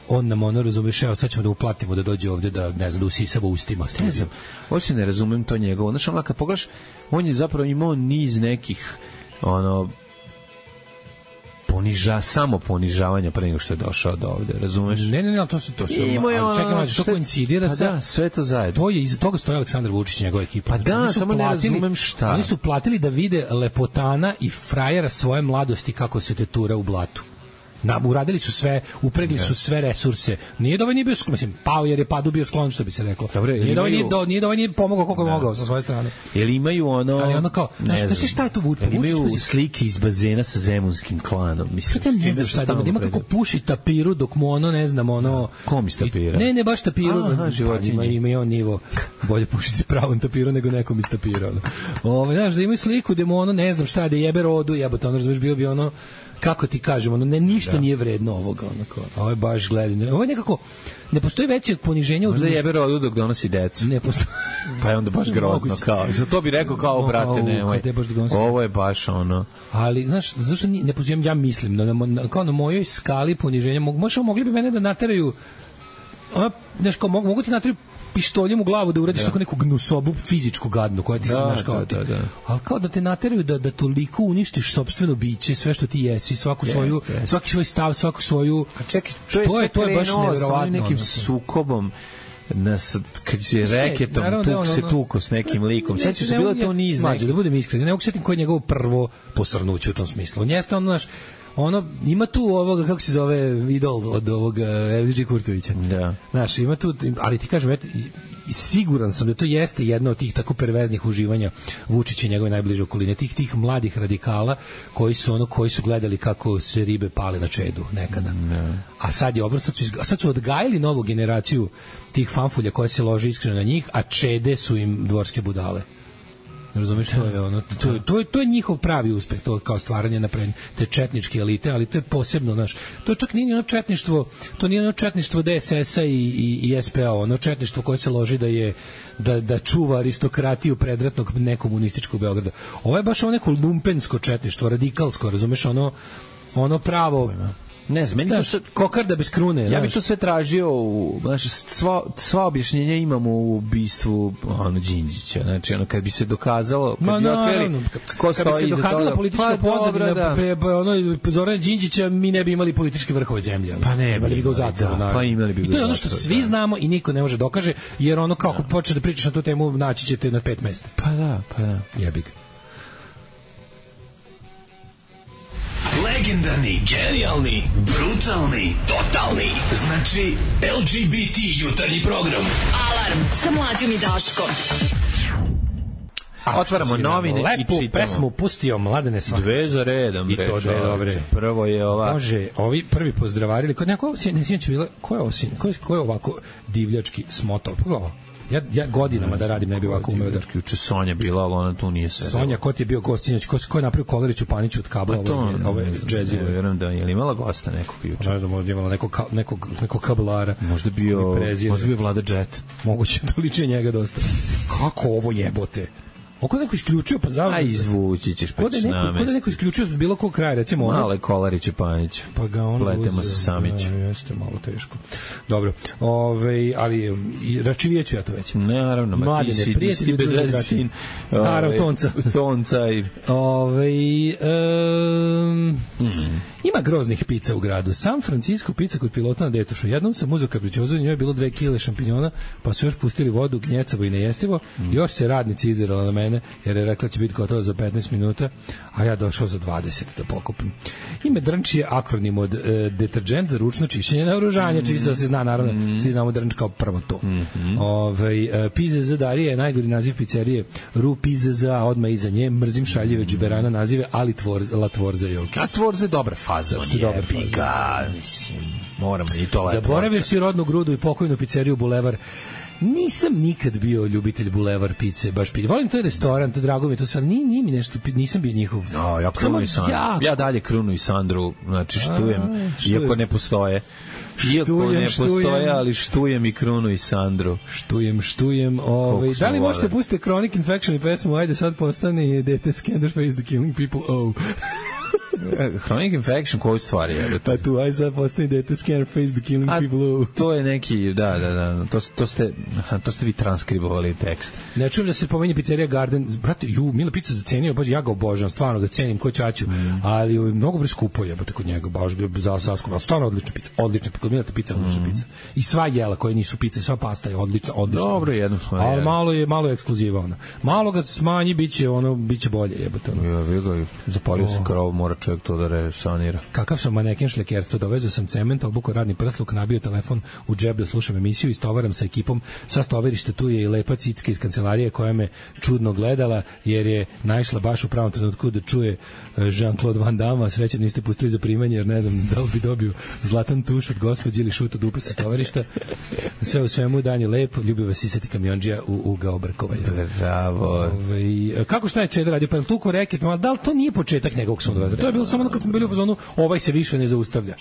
On nam ono razumeš, evo sad ćemo da uplatimo da dođe ovde da, ne znam, da usisava ustima. Ne znam, hoće ne razumem to njegovo. Znaš, ono, kad pogledaš, on je zapravo imao niz nekih, ono, poniža, samo ponižavanja pre nego što je došao do ovde, razumeš? Ne, ne, ne, to su to su. Ali čekaj, ono, to koincidira pa sa da, sve to zajedno. To je iza toga stoji Aleksandar Vučić i njegova ekipa. Pa da, samo platili, ne razumem šta. Oni su platili da vide lepotana i frajera svoje mladosti kako se tetura u blatu. Na, uradili su sve, upregli su sve resurse. Nije da ovaj nije bio sklon, mislim, pao jer je padu bio sklon, što bi se reklo. Dobre, nije, da ovaj imaju... nije, do, nije da ovaj nije pomogao koliko je mogao sa svoje strane. Jel imaju ono... Ali ono kao, ne znaš šta je to Vučić? Jel imaju Vučić, slike iz bazena sa zemunskim klanom? Mislim, šta ne znam šta je, da ima kako puši tapiru dok mu ono, ne znam, ono... Kom iz tapira? Ne, ne, baš tapiru. Aha, životinje. Ima, ima i on nivo. Bolje pušiti pravom tapiru nego nekom iz tapira. Ono. Ove, znaš, da imaju sliku gde mu ono, ne znam šta je, da jebe rodu, jebote, ono, razumiješ, bio bi ono... kako ti kažemo, ono, ne, ništa da. Nije vredno ovoga, onako. Ovo je baš gledanje. Ovo je nekako, ne postoji veće poniženje od... Možda jebe rodu dok donosi decu. Ne postoji. Pa je onda baš grozno, kao. Za to bi rekao kao, brate, nemoj. Ovo je baš ono... Ali, znaš, zašto ne postoji, ja mislim, da na, kao na mojoj skali poniženja, možda mogli bi mene da nateraju, ona, znaš, kao, mogu, mogu ti nateraju pištoljem u glavu da uradiš tako neku gnusobu fizičku gadnu koja ti se znaš kao ti. Da, da. Ali kao da te nateraju da, da toliko uništiš sopstveno biće, sve što ti jesi, svaku yes, svoju, yes. svaki svoj stav, svaku svoju... A čekaj, to je, je, to je baš neverovatno. Nekim sukobom nas, kad se reketom tuk, da on, se tuko s nekim likom. Sad će se bilo to niz neki. Da budem iskren, ne mogu setim koje je njegovo prvo posrnuće u tom smislu. On jeste ono, naš, ono, ima tu ovoga, kako se zove, idol od ovoga L G Kurtovića. Da. Znaš, ima tu, ali ti kažem, eto, i siguran sam da to jeste jedno od tih tako perveznih uživanja Vučića i njegove najbliže okoline, tih tih mladih radikala koji su ono koji su gledali kako se ribe pale na čedu nekada. Ne. A sad je obrnuto, sad, sad su odgajili novu generaciju tih fanfulja koja se lože iskreno na njih, a čede su im dvorske budale. Razumeš, to je ono, to, to, je, to je njihov pravi uspeh, to kao stvaranje napred te četničke elite, ali to je posebno, znaš, to čak nije ono četništvo, to nije ono četništvo D S S-a i, i, i S P A, ono četništvo koje se loži da je da, da čuva aristokratiju predratnog nekomunističkog Beograda. Ovo je baš ono neko lumpensko četništvo, radikalsko, razumeš, ono ono pravo. Ne znam, meni daš, to kokarda bez krune. Ja daš. bih to sve tražio, u, znači, sva, sva objašnjenja imamo u ubistvu ono, Đinđića. Znači, ono, kad bi se dokazalo, kad Ma, bi otkrili ko stoji iza toga. Kad bi se dokazala politička pa, pozadina da. pre ono, Zorana Đinđića, mi ne bi imali političke vrhove zemlje. Pa ne, imali bi ga u zatvoru. Da, pa imali bi ga. I to je ono što svi da. znamo i niko ne može dokaže, jer ono, kako da. počneš da pričaš na tu temu, naći ćete na pet mesta. Pa da, pa da. Jebi ga. Legendarni, genijalni, brutalni, totalni. Znači, L G B T jutarnji program. Alarm sa Mlađom i Daškom. A, otvaramo novine i čitamo. Lepu pesmu pustio Mladene svakako. Dve za redom. I to dve dobre. Prvo je ova... Može, ovi prvi pozdravarili. Kod neko, ne sjećam bila, ko je osin? Ko je, ko je ovako divljački smotao? Pogledaj. Ja, ja godinama da radim ne bi ovako umeo da... Juče Sonja bila, ali ona tu nije sedela. Sonja, ko ti je bio gost sinoć? Ko, ko je napravio Koleriću Paniću od kabla? Pa to, ove, ove džezive. Ne, vjerujem da je li imala gosta nekog juče? Ne znam, možda imala nekog, nekog, nekog kablara. Možda bio, možda bio Vlada Jet. Moguće, to liče njega dosta. Kako ovo jebote? Oko neko isključio, pa zavljeno. A izvući ćeš pa će namest. Kod je neko isključio s bilo kog kraja, recimo ono. Male Kolarić i Panić. Pa ga ono pletemo se Samić. Da, jeste malo teško. Dobro, ove, ali i račivijeću ja to već. Ne, naravno, ma ti si, ti bez sin. Naravno, tonca. Tonca i... Ove, um, mm. Ima groznih pica u gradu. San Francisco pizza kod pilota na Detušu. Jednom sam uzeo kapričozu i njoj je bilo dve kile šampinjona, pa su još pustili vodu, gnjecavo i nejestivo. Mm. Još se radnici izirala na mene, jer je rekla će biti gotovo za petnaest minuta, a ja došao za dvadeset da pokupim. Ime drnč je akronim od e, deterđent za ručno čišćenje naoružanja, mm. čisto da se zna, naravno, mm. svi znamo drnč kao prvo to. Mm-hmm. Ove, e, Pizza za Darije je najgori naziv pizzerije. Ru Pizza za, odmah iza nje, mrzim šaljive džiberana nazive, ali tvor, la tvorza je ok. A tvorza je dobra faza, on je piga, mislim, moramo i to la zaboravio si rodnu grudu i pokojnu pizzeriju Bulevar. Nisam nikad bio ljubitelj Bulevar pice, baš pi. Volim taj restoran, to drago mi je to sve, ni ni mi nešto, nisam bio njihov. No, ja Krunu i Sandru. Ja, ja dalje Krunu i Sandru, znači štujem, a, štujem. Iako ne postoje. Iako štujem, ne postoje, štujem. Ali štujem i Krunu i Sandru. Štujem, štujem. Ovaj, da li možete pustiti Chronic Infection i pesmu, ajde sad postane dete Scander Face the Killing People, oh. Chronic Infection koju stvari je? Pa tu, aj sad postane dete Scander Face the Killing a, People, oh. To je neki, da, da, da, to, to, ste, to ste vi transkribovali tekst. Ne čujem da se pomenje pizzerija Garden, brate, ju, Mila pizza zacenio, baš ja ga obožavam, stvarno ga cenim, ko čaču, mm. ali mnogo bre skupo jebote kod njega, baš za saskom, ali stvarno odlična pizza, odlična, kod Mila pizza, odlična mm. pizza. I sva jela koje nisu pice, sva pasta je odlična, odlična. Dobro, jednom smo. Ali malo je, malo je ekskluziva ona. Malo ga smanji, biće ono, biće bolje jebote. Ono. Ja, vi ga zapalio se krov, mora čovjek to da resanira. Kakav sam maneken šlekerstva, dovezao sam cement, obukao radni prsluk, nabio telefon u džep da slušam emisiju i stovaram sa ekipom. Sa stovarište tu je i lepa cicka iz kancelarije koja me čudno gledala jer je naišla baš u pravom trenutku da čuje Jean-Claude Van Damme, sreće niste pustili za primanje jer ne znam da li bi dobio zlatan tuš od gospođe ili šut od dupe sa stovarišta. Sve u svemu dan je lep, ljubi vas isati kamionđija u ugao Brkovanja. Bravo. Ove, kako šta je Čeda radio? Pa je tu koreket, da li to nije početak njegovog sunodoveza? To je bilo samo kad smo bili u fazonu, ovaj se više ne zaustavlja.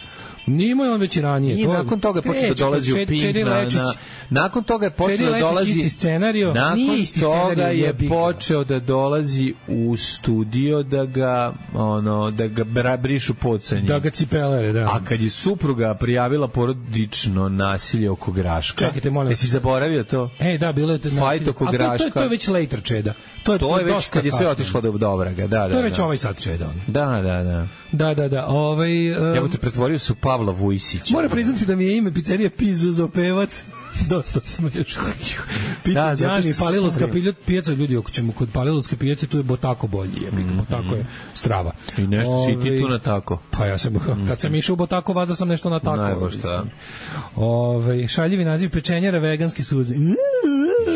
Nimo je on već i ranije. I to nakon toga je počeo da dolazi u Pink. Na, na, nakon toga je počeo da dolazi... isti scenario. Nakon isti toga je počeo da dolazi u studio da ga, ono, da ga brišu podsanje. Da ga cipelere, da. A kad je supruga prijavila porodično nasilje oko Graška... Čekajte, molim. Jesi zaboravio to? Ej, da, bilo je to nasilje. Fajt oko Graška. To, to, to je već later Čeda. To je, to je već kad je sve otišlo do Dobraga. Da, da, to je već da. ovaj sad Čeda. Da, da, da. Da, da, da. Ovaj, um, ja te pretvorio su Pavla Vujsića. Moram priznati da mi je ime pizzerija Pizzo Pevac. Dosta smiješno. Pita Đani, Palilovska pijaca, ljudi, ako ćemo kod Palilovske pijace, tu je Botako bolji, je, mm, Botako je strava. I nešto Ove, si ti tu na tako. Pa ja sam, kad sam išao u Botako, vazda sam nešto na tako. Najbolj šta. Ove, šaljivi naziv pečenjera, veganske suze.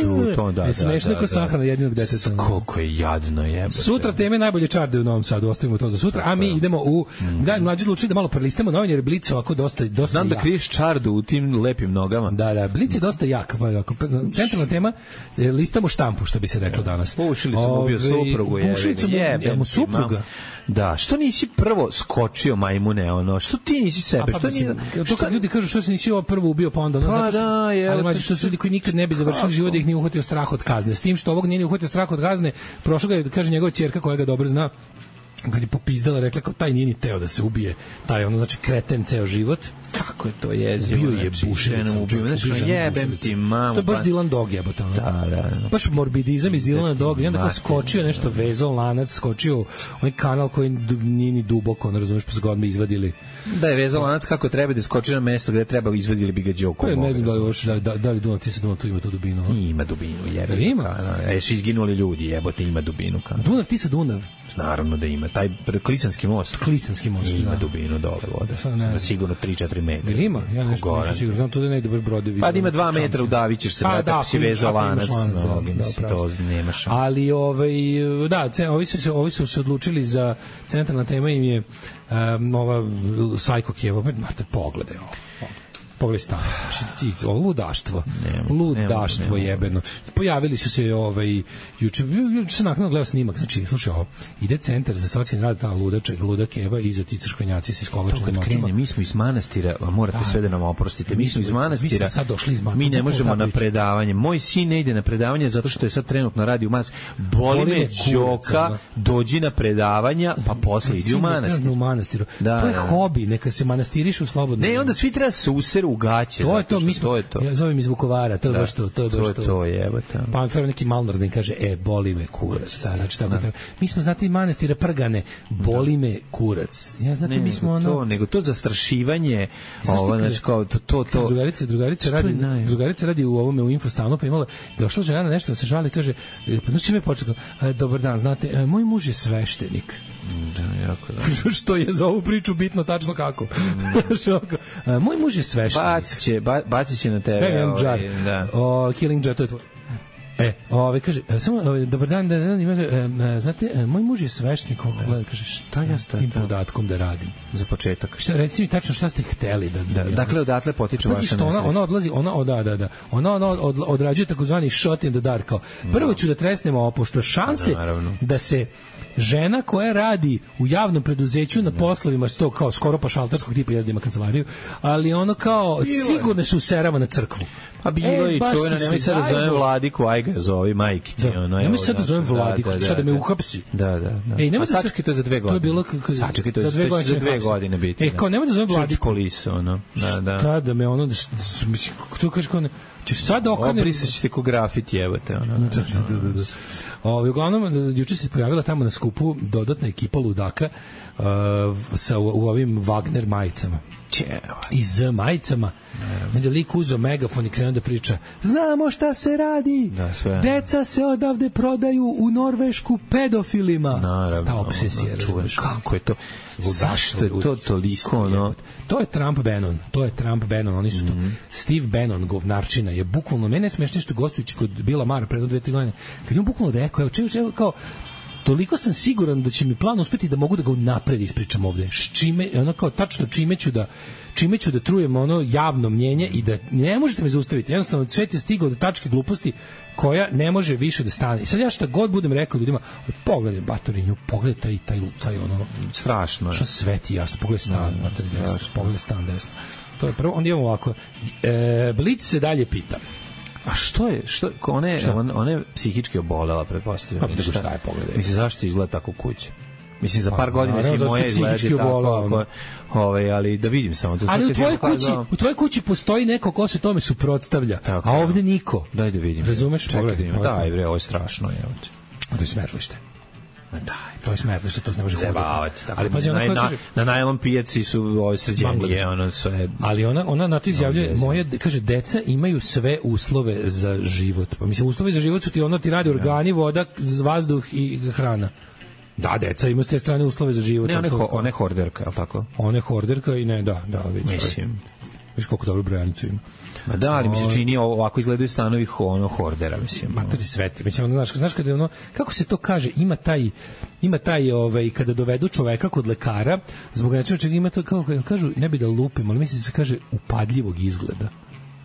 Ju, to da, je smešno da, da, ko sahrana jedinog deteta. Koliko je jadno je. Sutra teme najbolje čarde u Novom Sadu, ostavimo to za sutra, a mi idemo u mm. da mlađi odlučili da malo prelistamo novine jer Blic ovako dosta dosta. Znam da kriješ čardu u tim lepim nogama. Da, da, Blic je dosta jak, pa ako centralna tema listamo štampu, što bi se reklo danas. Pušili smo ubio suprugu, je. Pušili smo supruga. Da, što nisi prvo skočio majmune, ono, što ti nisi sebe, pa, što nisi... To kad ljudi kažu što se nisi ovo prvo ubio, pa onda... Pa ono, da, je... Ali mlađi, što su ljudi koji nikad ne bi završili život da ih nije uhvatio strah od kazne. S tim što ovog nije ni uhvatio strah od kazne, prošlo ga je, kaže njegova ćerka koja ga dobro zna, kad je popizdala, rekla kao taj nije ni teo da se ubije, taj ono, znači kreten ceo život. Kako je to jezivo? Bio je bušenom, ubio, znači jebem ti mamu. To je baš Dylan Dog jebote. Da, da, da. Baš morbidizam iz Dylana Dog, i onda kao skočio nešto, vezao lanac, skočio onaj kanal koji nije ni duboko, ne razumeš, pa su ga odmah izvadili. Da je vezao lanac kako treba da skoči na mesto gde treba, izvadili bi ga đokom. Ne znam da li još, da, da, da li Dunav, ti se Dunav tu ima tu dubinu? Ima dubinu, jebe. Ima? E, su izginuli ljudi, jebote, ima dubinu. Dunav, ti se Dunav? Naravno da ima. Taj Klisanski most. Klisanski most, ima da. Dubinu dole vode. Na sigurno tri četiri metra. Jel ima? Ja nešto nisam sigurno. Znam tu da ne ide baš brodovi. Pa ima dva metra, udavit se, brate, ako si vezao lanac. To nema šanse. Ali, ovaj, da, ovi su, ovi su se odlučili za centralna tema im je um, ova Sajkokijeva. Mate, pogledaj ovo. Pogledaj stan. Znači, ovo ludaštvo. Nemo, ludaštvo nemo, jebeno. Pojavili su se ovaj, juče, juče sam nakon gledao snimak, znači, slušaj ovo, ide centar za socijalni rad, ta ludača, ludak Eva, iza ti crkvenjaci sa iskolačenim očima. Mi smo iz manastira, morate da, sve da nam oprostite, mi smo iz manastira, mi, sad došli iz manastira, mi ne možemo na predavanje. Moj sin ne ide na predavanje zato što je sad trenutno radi u manastira. Boli me Đoka, dođi na predavanja, pa posle idi u manastir. U manastiru. Da, to je hobi, neka se manastiriš u slobodno. Ne, onda svi treba se user teter u gaće. To je to, mi smo, to je to. Ja zovem iz Vukovara, to je da, baš to, to je baš to. To je to, jebote. Pa on treba neki malnar da im kaže, e, boli me kurac. Znači, tako da. Mi smo, znate, manastira Prgane, boli me kurac. Ja, znate, ne, mi smo ono... To, nego to zastrašivanje, ovo, znači, kao to, to, to. Drugarica, drugarica radi, drugarica radi u ovome, u Infostanu, pa imala, došla žena na nešto da se žali, kaže, pa znači me počeo, dobar dan, znate, moj muž je sveštenik. Da, jako da. Što je za ovu priču bitno tačno kako. Mm. Moj muž je sveštenik. Bacit će, ba, bacit će na tebe. Daj mi jedan džar. Da. O, killing jar, to je tvoj. E, ove, kaže, samo, ove, dobar dan, da, da, ima, e, znate, e, moj muž je sveštenik, ovo gleda, kaže, šta ja s tim podatkom da radim? Za početak. Šta, reci mi tačno šta ste hteli da... da, da dakle, odatle potiče vaša nesreća. Ona, ona odlazi, ona, o, da, da, da, ona, ona od, odrađuje takozvani shot in the dark, kao, prvo ću da tresnemo ovo, pošto šanse Naravno. da se žena koja radi u javnom preduzeću na poslovima sto kao skoro pa šalterskog tipa jezdima kancelariju, ali ono kao sigurno su userava na crkvu. Pa bilo e, i čovjena, nemoj sad da zovem Vladiku, aj ga zovi, majki ti. Da. Ono, nemoj sad da zovem Vladiku, da, da, sad da me da. uhapsi. Da, da, da. Ej, a sačekaj, to je za dve godine. To je bilo kako... Sačekaj, to je za dve godine, za dve godine biti. E, kao, nemoj da zovem Vladiku. Liso, ono. Da, da. Šta da me ono, mislim, to kažeš kao ne... Ćeš sad okane... Obrisat ćete ko grafit jebate, ono. Da, da, da, da. O, uglavnom, juče se pojavila tamo na skupu dodatna ekipa ludaka uh, sa, u, u ovim Wagner majicama. I z majicama. Onda lik uzeo megafon i krenuo da priča, znamo šta se radi, da, sve. Deca se odavde prodaju u Norvešku pedofilima. Naravno, ta obsesija, čuješ kako je to, zašto je to toliko, no? To je Trump Bannon, to je Trump Bannon, oni su to. Mm-hmm. Steve Bannon, govnarčina, je bukvalno, mene je smešno što gostujući kod Bila Mara pre dve tri godine, kad je on bukvalno rekao, evo, čemu, čemu, kao, toliko sam siguran da će mi plan uspeti da mogu da ga unapred ispričam ovde. S čime, ono kao tačno čime ću da čime ću da trujem ono javno mnjenje i da ne možete me zaustaviti. Jednostavno svet je stigao do tačke gluposti koja ne može više da stane. I sad ja šta god budem rekao ljudima, pogledaj Batorinju, pogledaj taj, taj, taj ono... Strašno je. Što svet je jasno, pogledaj stan, no, Batorinju, jasno, pogledaj stan desno. To je prvo, onda imamo ovako. E, Blic se dalje pita. A što je, što, ona je, on, ona je psihički obolela, pretpostavljam. Pa, šta je, pogledaj. Mislim, zašto izgleda tako kuća? Mislim, za par godina će i moje izgledi tako, ako, ovaj, ali da vidim samo. Da ali u tvojoj kući, u tvojoj kući postoji neko ko se tome suprotstavlja, tako, a ovde niko. Daj da vidim. Razumeš? Pogledaj. Daj, bre, ovo je strašno. Je. To je smetlište. Daj, to je smetlište, to ne može hoditi. Ali pazi, ona na, kaže, na najlom pijaci su ove sređenije, ono sve. Ali ona ona na to izjavljuje, moje kaže deca imaju sve uslove za život. Pa mislim uslovi za život su ti ono ti radi organi, voda, vazduh i hrana. Da, deca imaju s te strane uslove za život. Ne, one, ho, one horderka, je li tako? One horderka i ne, da, da. Vidiš, mislim. Viš koliko dobro brojanicu ima. Ma da, ali mi se čini ovako izgledaju stanovi ono hordera, mislim. Matori sveti. Mislim, ono, znaš, znaš kada je ono, kako se to kaže, ima taj, ima taj, ovaj, kada dovedu čoveka kod lekara, zbog nečega čega ima to, kao, kažu, ne bi da lupim, ali mislim se kaže upadljivog izgleda.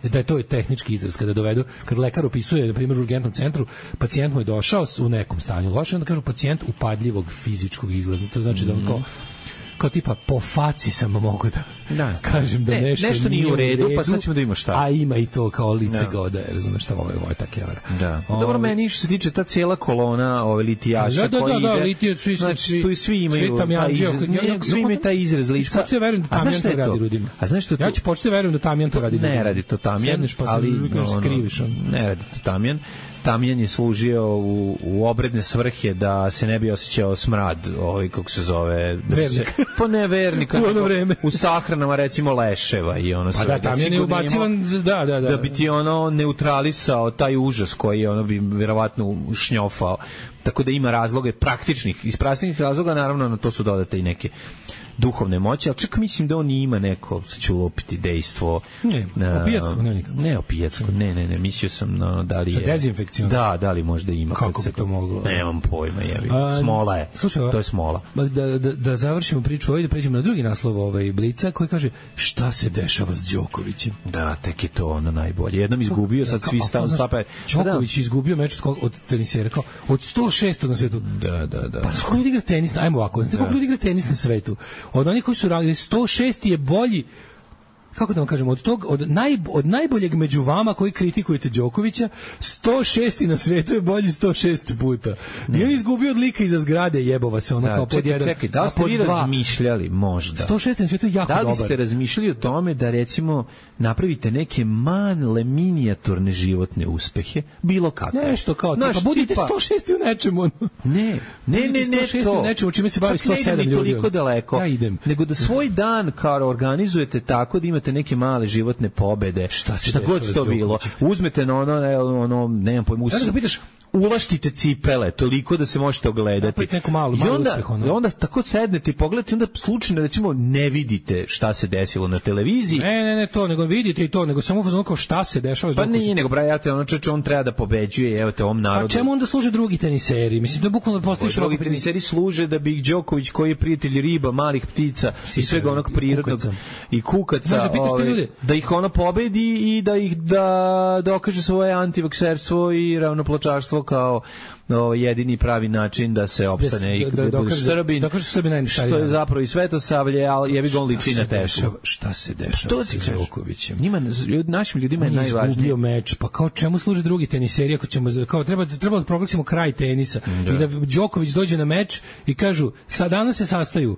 Da je to je tehnički izraz kada dovedu, kad lekar opisuje na primjer u urgentnom centru, pacijent mu je došao u nekom stanju loše, onda kažu pacijent upadljivog fizičkog izgleda. To znači da on kao kao tipa po faci sam mogu da, da. kažem da ne, nešto, nešto nije u redu, redu, pa sad ćemo da imamo šta. A ima i to kao lice da. Goda, razumeš šta, ovo je, ovo je tak jevra. Da. O, dobro, meni što se tiče ta cijela kolona ove litijaša da, da, koji da, da, ide, litije, svi, znači, svi, tu i svi imaju svi taj izraz, ja, svi imaju taj izraz lica. Ja verujem da Tamjan to radi ljudima. A znaš što ja ću početi verujem da Tamjan to radi ljudima. Ne radi to Tamjan, ali skriviš on. Ne radi to Tamjan. Tamjan je služio u, u obredne svrhe da se ne bi osjećao smrad, ovaj kako se zove, vernik. Pa ne vernik, u ono vreme. U sahranama recimo leševa i ono sve. Pa da, Tamjan je ubacivan, da, da, da. Da bi ti ono neutralisao taj užas koji ono bi verovatno šnjofao. Tako da ima razloge praktičnih, iz praktičnih razloga naravno na to su dodate i neke duhovne moći, ali čak mislim da on ima neko, sad ću lupiti, dejstvo. Ne, opijatsko, ne nikako. Ne opijatsko, ne, ne, ne, mislio sam no, da li je... Dezinfekcijno. Da, da li možda ima. Kako bi to moglo? Nemam pojma, jebi. Smola je. Slušaj, to je smola. Da, da, da završimo priču ovdje, da pređemo na drugi naslov ovaj Blica, koji kaže šta se dešava s Đokovićem. Da, tek je to ono najbolje. Jednom izgubio, sad svi stav stape. Đoković izgubio meč od, od tenisera, kao od sto šest na svetu. Da, da, da. Pa kako ljudi igra tenis? Ajmo ovako, znate kako ljudi igra tenis na svetu? Od onih koji su radili sto šest je bolji kako da vam kažem, od tog od naj od najboljeg među vama koji kritikujete Đokovića, sto šesti na svetu je bolji sto šest puta. I on izgubio od lika iza zgrade, jebova se ona da, kao pod jedan. Čekaj, da li ste vi razmišljali možda? sto šesti na svetu je jako dobar. Da li ste razmišljali o tome da recimo napravite neke male minijaturne životne uspehe, bilo kako? Nešto kao, Znaš, pa budite tipa... sto šesti u nečemu. Ne, ne, ne, ne, ne to. U nečemu, čime se bavi sto sedam ljudi. Toliko daleko. Ja idem. Nego da svoj dan kao organizujete tako da imate neke male životne pobede. Šta se šta god to bilo. Uzmete na ono, ono, nemam pojma, ja da pitaš, ulaštite cipele toliko da se možete ogledati. Neku malu, malu I onda, uspeh, ono. I onda tako sednete i pogledate, onda slučajno recimo ne vidite šta se desilo na televiziji. Ne, ne, ne to, nego vidite i to, nego samo fazon kao šta se dešava. Pa nije, nego brajate, ono čeče, on treba da pobeđuje, evo te ovom narodu. A čemu onda služe drugi teniseri? Mislim da bukvalno postojiš drugi teniseri služe da bi Đoković, koji je prijatelj riba, malih ptica i svega onog prirodnog i kukaca, Znaš, da, ove, da ih ona pobedi i da ih da dokaže svoje antivakserstvo i ravnopločarstvo kao no, jedini pravi način da se opstane i da, da, da budeš Srbin, što je zapravo i Svetosavlje, ali jebi ga on liči na Teslu. Šta se dešava sa Đokovićem? Njima, našim ljudima je najvažnije. On je izgubio meč, pa kao čemu služe drugi teniseri ako ćemo, kao treba, treba da proglasimo kraj tenisa da. I da Đoković dođe na meč i kažu, sad danas se sastaju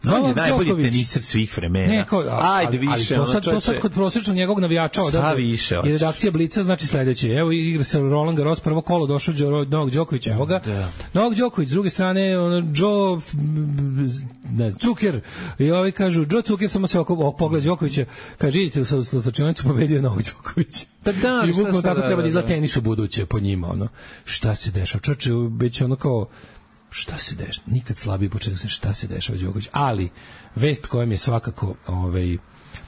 on je najbolji teniser svih vremena. Ne, kao, ali, Ajde više. Ali to sad, to sad kod prosječnog njegovog navijača da više. I redakcija Blica znači sledeće. Evo igra se Roland Garros, prvo kolo došao Novak Đoković, evo ga. Da. Novak Đoković, s druge strane ono Joe ne znam, Cuker. I ovi kažu Joe Cuker, samo se oko pogled Đokovića, kaže idite u slučajnicu, pobedio Novak Đoković. Pa da, i bukvalno tako treba da izgleda tenis u buduće po njima, ono. Šta se dešava? Čoče, već ono kao šta se dešava, nikad slabiji početak se šta se dešava Đoković, ali vest koja mi je svakako ovaj,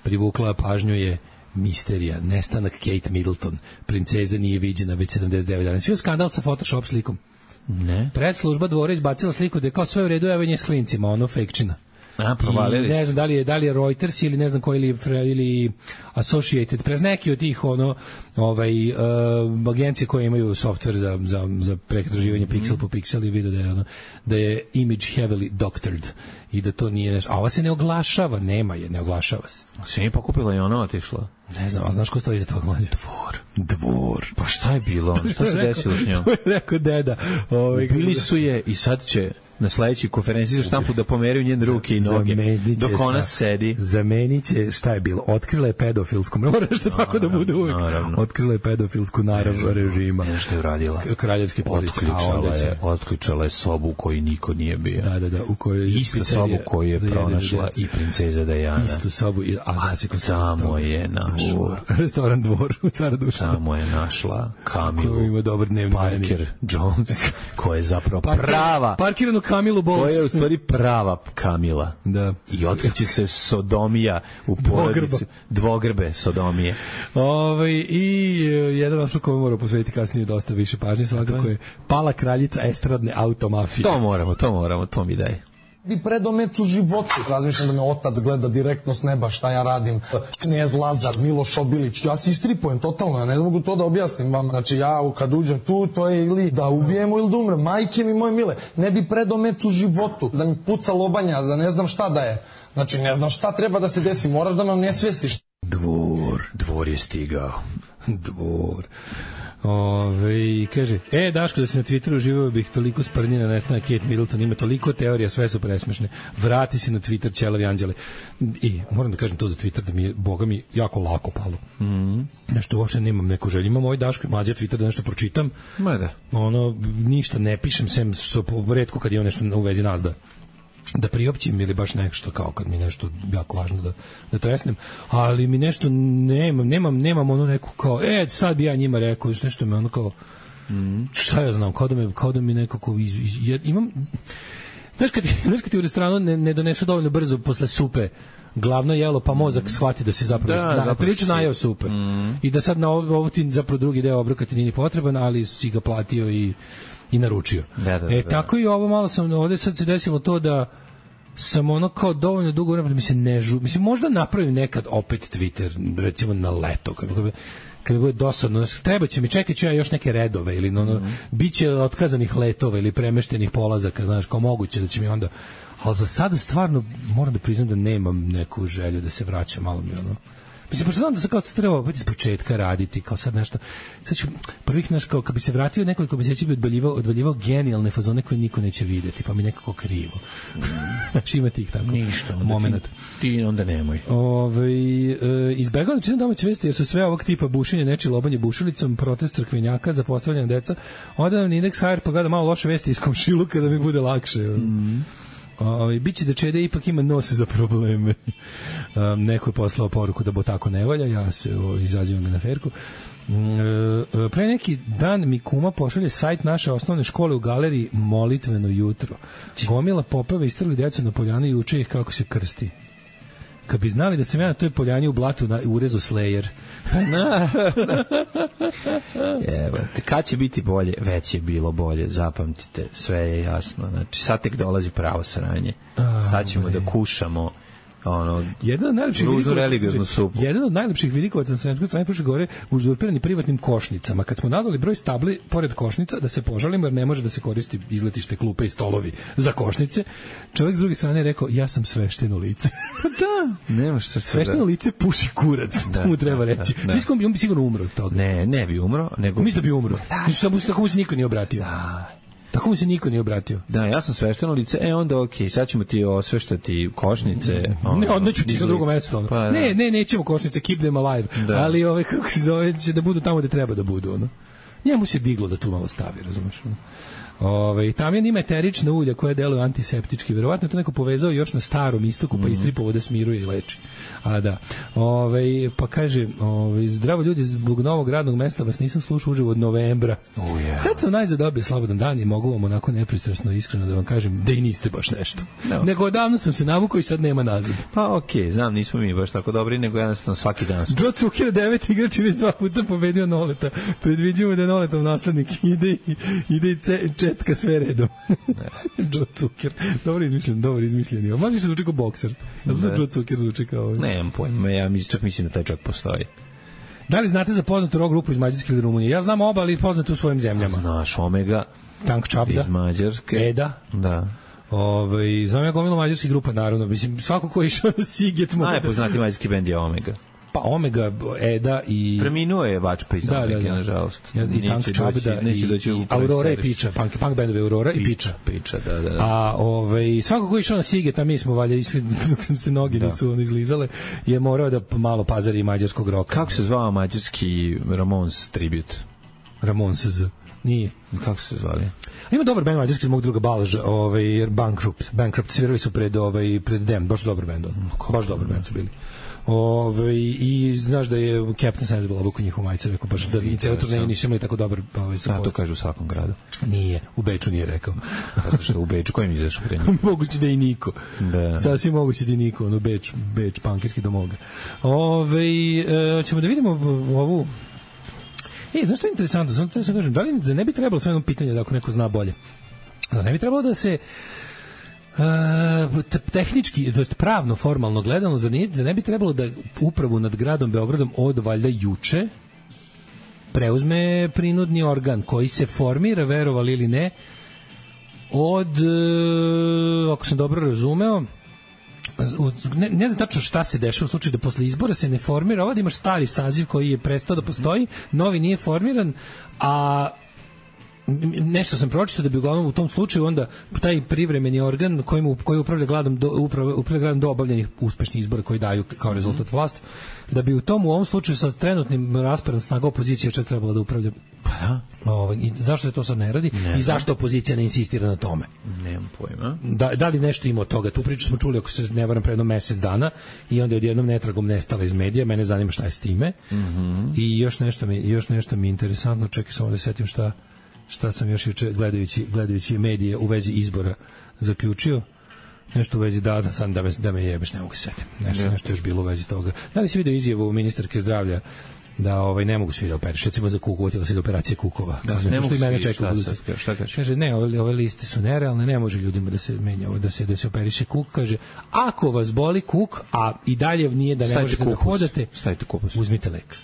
privukla pažnju je misterija, nestanak Kate Middleton, princeza nije viđena već sedamdeset devet dana. Svi je skandal sa Photoshop slikom. Ne. Predslužba Dvora izbacila sliku da je kao sve u redu, evo nje s klincima, ono fejkčina. A, provalili. Ne znam da li je da li je Reuters ili ne znam koji ili ili Associated Press, neki od tih ono ovaj uh, agencije koje imaju softver za za za pretraživanje mm. piksel po piksel i video da je ono, da je image heavily doctored i da to nije nešto. A ova se ne oglašava, nema je, ne oglašava se. Se nije pokupila i ona otišla. Ne znam, a znaš ko stoji iza toga mlađe? Dvor. Dvor. Pa šta je bilo? Šta se desilo s njom? To je rekao deda. Ovaj bili su je i sad će na sledećoj konferenciji za štampu da pomeraju njene ruke i noge dok ona sedi. Zamenit će, šta je bilo? Otkrila je pedofilsku, mora što tako da bude uvijek. Otkrila je pedofilsku narav režima. Ne što je uradila. Kraljevske policije. Otključala je, otključala je sobu u kojoj niko nije bio. Da, da, da. U kojoj istu sobu koju je pronašla i princeza Dajana. Istu sobu, a tamo je našla. Restoran Dvor u Cara Duša. Tamo je našla Kamilu. Koji ima dobar dnevni Parker Jones, koja je zapravo prava. Parkiranu Kamilu Bols. Koja je u stvari prava Kamila. Da. I otkriće se sodomija u porodici. Dvogrbe sodomije. Ove, I jedan naslov koji moramo posvetiti kasnije dosta više pažnje, svakako je Pala kraljica estradne automafije. To moramo, to moramo, to mi daj. Bi predo meč u životu. Razmišljam da me otac gleda direktno s neba šta ja radim. Knez Lazar, Miloš Obilić. Ja se istripujem totalno, ja ne mogu to da objasnim vam. Znači ja kad uđem tu, to je ili da ubijemo ili da umrem. Majke mi moje mile, ne bi predo meč u životu. Da mi puca lobanja, da ne znam šta da je. Znači ne znam šta treba da se desi, moraš da nam ne svestiš. Dvor, dvor je stigao. Dvor. Ove, kaže, e, Daško, da se na Twitteru živeo bih toliko sprnjena nestana Kate Middleton, ima toliko teorija, sve su presmešne. Vrati se na Twitter, ćelavi anđele. I moram da kažem to za Twitter, da mi je, boga mi, jako lako palo. Mm -hmm. Nešto uopšte nemam neku želju. Imam ovaj Daško i mlađa Twitter da nešto pročitam. Ma da. Ono, ništa ne pišem, sem što retko kad je nešto u vezi nas da da priopćim ili baš nešto kao kad mi nešto jako važno da, da tresnem, ali mi nešto nemam, nemam, nemam ono neku kao, e, sad bi ja njima rekao, nešto me ono kao, mm. šta ja znam, kao da, me, kao da mi nekako iz, iz, iz, imam, znaš kad, znaš kad ti u restoranu ne, ne donesu dovoljno brzo posle supe glavno jelo, pa mozak mm. shvati da se zapravo, da, da, prilično najeo supe mm. i da sad na ovo, ovo ti zapravo drugi deo obroka ti nije potreban, ali si ga platio i i naručio. Da, da, e, da. tako i ovo malo sam, ovde sad se desilo to da sam ono kao dovoljno dugo vremena da mi se ne žu, mislim možda napravim nekad opet Twitter, recimo na leto, kad bi, kad bi bude dosadno, treba će mi, čekat ću ja još neke redove ili ono, mm -hmm. bit će otkazanih letova ili premeštenih polazaka, znaš, kao moguće da će mi onda, ali za sada stvarno moram da priznam da nemam neku želju da se vraćam, malo mi ono, Mislim, pošto znam da se kao treba opet iz početka raditi, kao sad nešto, sad ću prvih naš, kao kad bi se vratio nekoliko meseci bi odvaljivao, odvaljivao genijalne fazone koje niko neće videti, pa mi nekako krivo. Znaš, ima tih tako ništa, moment. Ti, ti onda nemoj. Ove, e, izbegao da čitam domaće vesti jer su sve ovog tipa bušenje, nečije lobanje bušilicom, protest crkvenjaka za postavljanje deca. Onda nam Index H R pa gleda malo loše vesti iz komšiluka da mi bude lakše. Mm. Ove, biće da Čede ipak ima nos za probleme. Um, neko je poslao poruku da bo tako ne valja, ja se o, izazivam ga na ferku. E, pre neki dan mi kuma pošalje sajt naše osnovne škole u galeriji Molitveno jutro. Gomila popeva istrali decu na poljani i uče ih kako se krsti. Kad bi znali da sam ja na toj poljani u blatu na urezu Slayer. Evo, kad će biti bolje? Već je bilo bolje, zapamtite, sve je jasno. Znači, sad tek dolazi pravo sranje. Sad ćemo da kušamo ono, jedan od najlepših religioznu supu. Jedan od najlepših vidikovaca na Sremskoj strani prošle gore uzurpirani privatnim košnicama. Kad smo nazvali broj stabli pored košnica da se požalimo jer ne može da se koristi izletište, klupe i stolovi za košnice, čovjek s druge strane je rekao ja sam svešteno lice. Pa da, nema što se svešteno lice puši kurac, da, to mu treba da, reći. Da, da. Svi on bi sigurno umro od toga. Ne, ne bi umro, nego mislim da bi umro. Mislim da tako mu se niko nije obratio. Da. Tako mu se niko nije obratio. Da, ja sam svešteno lice, e onda okej, okay, sad ćemo ti osveštati košnice. Ono, ne, odneću ti za drugo mesto. Pa, da. Ne, ne, nećemo košnice, keep them alive. Da. Ali ove, kako se zove, će da budu tamo gde treba da budu. Ono. Njemu se diglo da tu malo stavi, razumiješ? Ove, tamjan ima eterična ulja koja deluje antiseptički. Verovatno je to neko povezao još na starom istoku, pa mm -hmm. istripovo da smiruje i leči. A da. Ove, pa kaže, ove, zdravo ljudi, zbog novog radnog mesta vas nisam slušao uživo od novembra. Oh, yeah. Sad sam najzad dobio slobodan dan i mogu vam onako nepristrasno iskreno da vam kažem da i niste baš nešto. No. Nego odavno sam se navukao i sad nema nazad. Pa okej, okay, znam, nismo mi baš tako dobri, nego jednostavno svaki dan smo. Joe Zucker, devet igrač i već dva puta pobedio Noleta. Predviđujemo da je Noletov naslednik. Ide, ide i ce, četka sve redom. Joe Zucker. Dobro izmišljen, dobro izmišljen. Malo više zvuči kao bokser. Da Joe Zucker zvuči kao... Nemam pojma, ja mislim, čak mislim da taj čak postoji. Da li znate za poznatu rock grupu iz Mađarske ili Rumunije? Ja znam oba, ali poznate u svojim zemljama. Znaš, Omega. Tank Čabda. Iz Mađarske. Eda. Da. Ove, znam ja gomilu mađarskih grupa, naravno. Mislim, svako ko je išao na Siget... Najpoznati mađarski bend je Omega. Pa Omega, Eda i... Preminuo je Vačpa iz da, Omega, da, da. nažalost. Ja, I Tank Čabda i, i Aurora i Piča, punk, punk bandove Aurora i Piča. Piča, da, da, da. A ovaj, svako ko je išao na Siget, a mi smo valjda išli dok nam se noge da. nisu izlizale, je morao da malo pazari mađarskog roka. Kako se zvao mađarski Ramones tribute? Ramones Z. Nije. Kako se zvali? Ima dobar bend mađarski iz mog druga Balž, ovaj, Bankrupt. Bankrupt svirali su pred, ovaj, pred Dem, baš dobar bend. Baš dobar bend su bili. Ove, i znaš da je Captain Sensible obuku njihovu majicu, rekao baš da cijelo turneje nisu imali tako dobar ovaj, support. A to kaže u svakom gradu. Nije, u Beču nije rekao. Zato što u Beču, kojim izašao pre njih? Moguće da i niko. Da. Sasvim moguće da i niko, ono Beč, Beč, pankirski domoga. Ove, e, ćemo da vidimo ovu... E, znaš što je interesantno? Znam da se kažem, da li ne bi trebalo sve jedno pitanje da ako neko zna bolje? Da ne bi trebalo da se... Uh, tehnički, to jest pravno, formalno gledano, za ne, za ne bi trebalo da upravu nad gradom Beogradom od valjda juče preuzme prinudni organ koji se formira, verovali ili ne, od, uh, ako sam dobro razumeo, ne, ne znam tačno šta se dešava u slučaju da posle izbora se ne formira, ovdje imaš stari saziv koji je prestao da postoji, novi nije formiran, a nešto sam pročitao da bi uglavnom u tom slučaju onda taj privremeni organ kojim koji upravlja gradom do upravlja, upravlja gradom do obavljenih uspešnih izbora koji daju kao rezultat vlast, da bi u tom u ovom slučaju sa trenutnim rasporedom snaga opozicija čak trebala da upravlja. Pa da. Ovaj, i zašto se to sad ne radi ne, i zašto opozicija ne insistira na tome? Nemam pojma. Da, da li nešto ima od toga? Tu priču smo čuli ako se ne varam pre jedno mesec dana i onda je odjednom netragom nestala iz medija. Mene zanima šta je s time. Mm-hmm. I još nešto mi još nešto mi je interesantno, čekaj samo da setim šta šta sam još juče gledajući, gledajući medije u vezi izbora zaključio. Nešto u vezi da, da, sam, da, me, da me jebeš, ne mogu se setiti. Nešto, yeah. nešto još bilo u vezi toga. Da li si vidio izjavu ministarke zdravlja da ovaj, ne mogu svi da operiš, recimo za kuku, utila se da operacije kukova. Da, kaže, ne mogu mene svi, šta, šta, šta kaže? Kaže, ne, ove, ove liste su nerealne, ne može ljudima da se menja, da se, da se operiše kuk. Kaže, ako vas boli kuk, a i dalje nije da ne stavite možete kupus. da hodate, stavite kupus. Uzmite lek.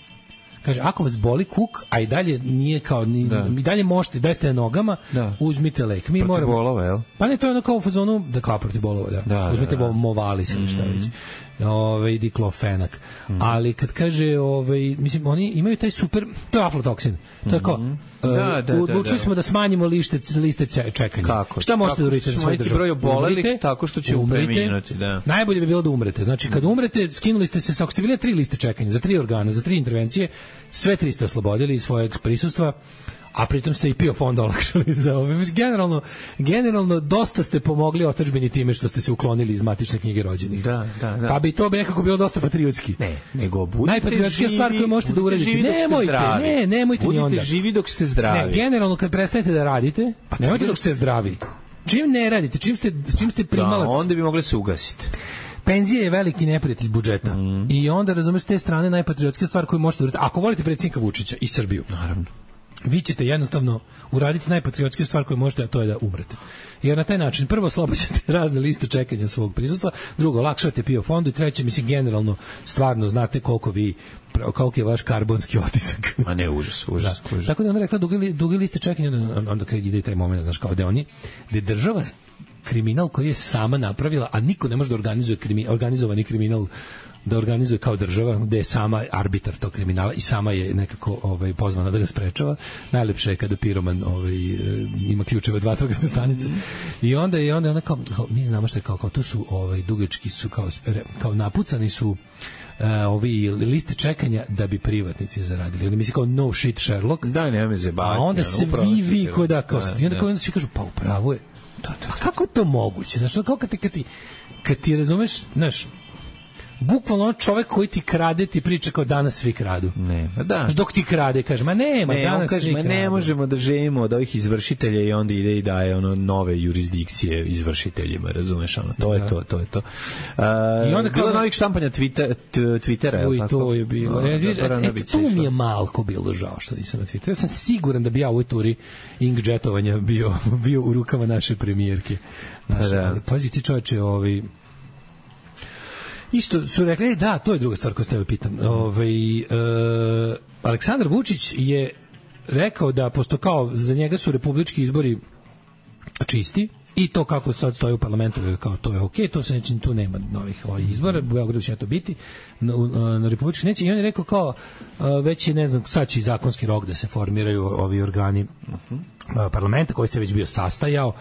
kaže, ako vas boli kuk, a i dalje nije kao, ni, da. i dalje možete, da ste na nogama, da. uzmite lek. Mi protiv moramo, bolova, jel? Pa ne, to je ono kao u fazonu, da kao protiv bolova, da. da uzmite da, da. Movalis ili šta mm. već. Ove, diklofenak. Mm. Ali kad kaže, ove, mislim, oni imaju taj super, to je aflatoksin. To je kao, mm. uh, da, da, odlučili da, da. smo da smanjimo liste, liste čekanja. Kako? Šta možete da uradite za svoju državu? Broj obolelih tako što će preminuti, da. Najbolje bi bilo da umrete. Znači, kad umrete, skinuli ste se, ako ste bili tri liste čekanja, za tri organa, za tri intervencije, sve tri ste oslobodili iz svojeg prisustva, a pritom ste i P I O fond olakšali za ove. Generalno, generalno dosta ste pomogli otadžbini time što ste se uklonili iz matične knjige rođenih. Da, da, da. Pa bi to nekako bilo dosta patriotski. Ne, nego budite najpatriotskija stvar koju možete da uradite. Nemojte, ne, nemojte ni onda. Budite živi dok ste zdravi. Ne, generalno kad prestanete da radite, pa nemojte dok ste zdravi. Čim ne radite, čim ste, čim ste primalac... Da, onda bi mogli se ugasiti. Penzija je veliki neprijatelj budžeta. Mm. I onda, razumeš, s te strane najpatriotskija stvar koju možete da uradite. Ako volite predsjednika Vučića i Srbiju, naravno, vi ćete jednostavno uraditi najpatriotskiju stvar koju možete, a to je da umrete. Jer na taj način prvo oslobađate razne liste čekanja svog prisustva, drugo olakšavate P I O fondu i treće, mislim, generalno stvarno znate koliko vi koliko je vaš karbonski otisak. A ne, užas, užas. Da. Užas. Tako da ona rekla dugi, dugi liste čekanja, onda, onda kad ide taj moment, znaš, kao da oni, da je država kriminal koji je sama napravila, a niko ne može da organizuje krimi, organizovani kriminal da organizuje kao država, gde je sama arbitar tog kriminala i sama je nekako ovaj, pozvana da ga sprečava. Najlepše je kada piroman ovaj, ima ključeve od vatrogasne stanice. Mm. I onda je onda, onda kao, kao, mi znamo što je kao, kao tu su ovaj, dugački su kao, kao napucani su uh, ovi liste čekanja da bi privatnici zaradili. Oni misli kao no shit Sherlock. Da, nema me zebati. A onda svi vi koji da, kao, da, i onda, kao, onda svi kažu, pa upravo je. Da, da, da. A kako je to moguće? Znaš, kao kad ti, kad ti, kad ti razumeš, znaš, bukvalno čovjek koji ti krade ti priča kao danas svi kradu. Ne, pa da. Dok ti krade, kaže, ma nema, ne, danas kaže, svi kradu. Ne možemo da živimo od ovih izvršitelja i onda ide i daje ono nove jurisdikcije izvršiteljima, razumeš, ono, to da. je to, to je to. Uh, I onda bilo novih štampanja Twitter, Twittera, uj, to je bilo. No, e, e, e, tu mi je malko bilo žao što nisam na Twitteru. Ja sam siguran da bi ja u ovoj turi inkjetovanja bio, bio u rukama naše premijerke. Naše, da. Ali, pazi ti čovječe, ovi isto su rekli, da, to je druga stvar koju ste pitam. Ovaj e, Aleksandar Vučić je rekao da pošto kao za njega su republički izbori čisti i to kako sad stoji u parlamentu kao to je okej, okay, to se neće, tu nema novih ovih izbora, u Beogradu će to biti, na, na republički neće. I on je rekao kao već je, ne znam, sad će zakonski rok da se formiraju ovi organi uh-huh. parlamenta koji se već bio sastajao.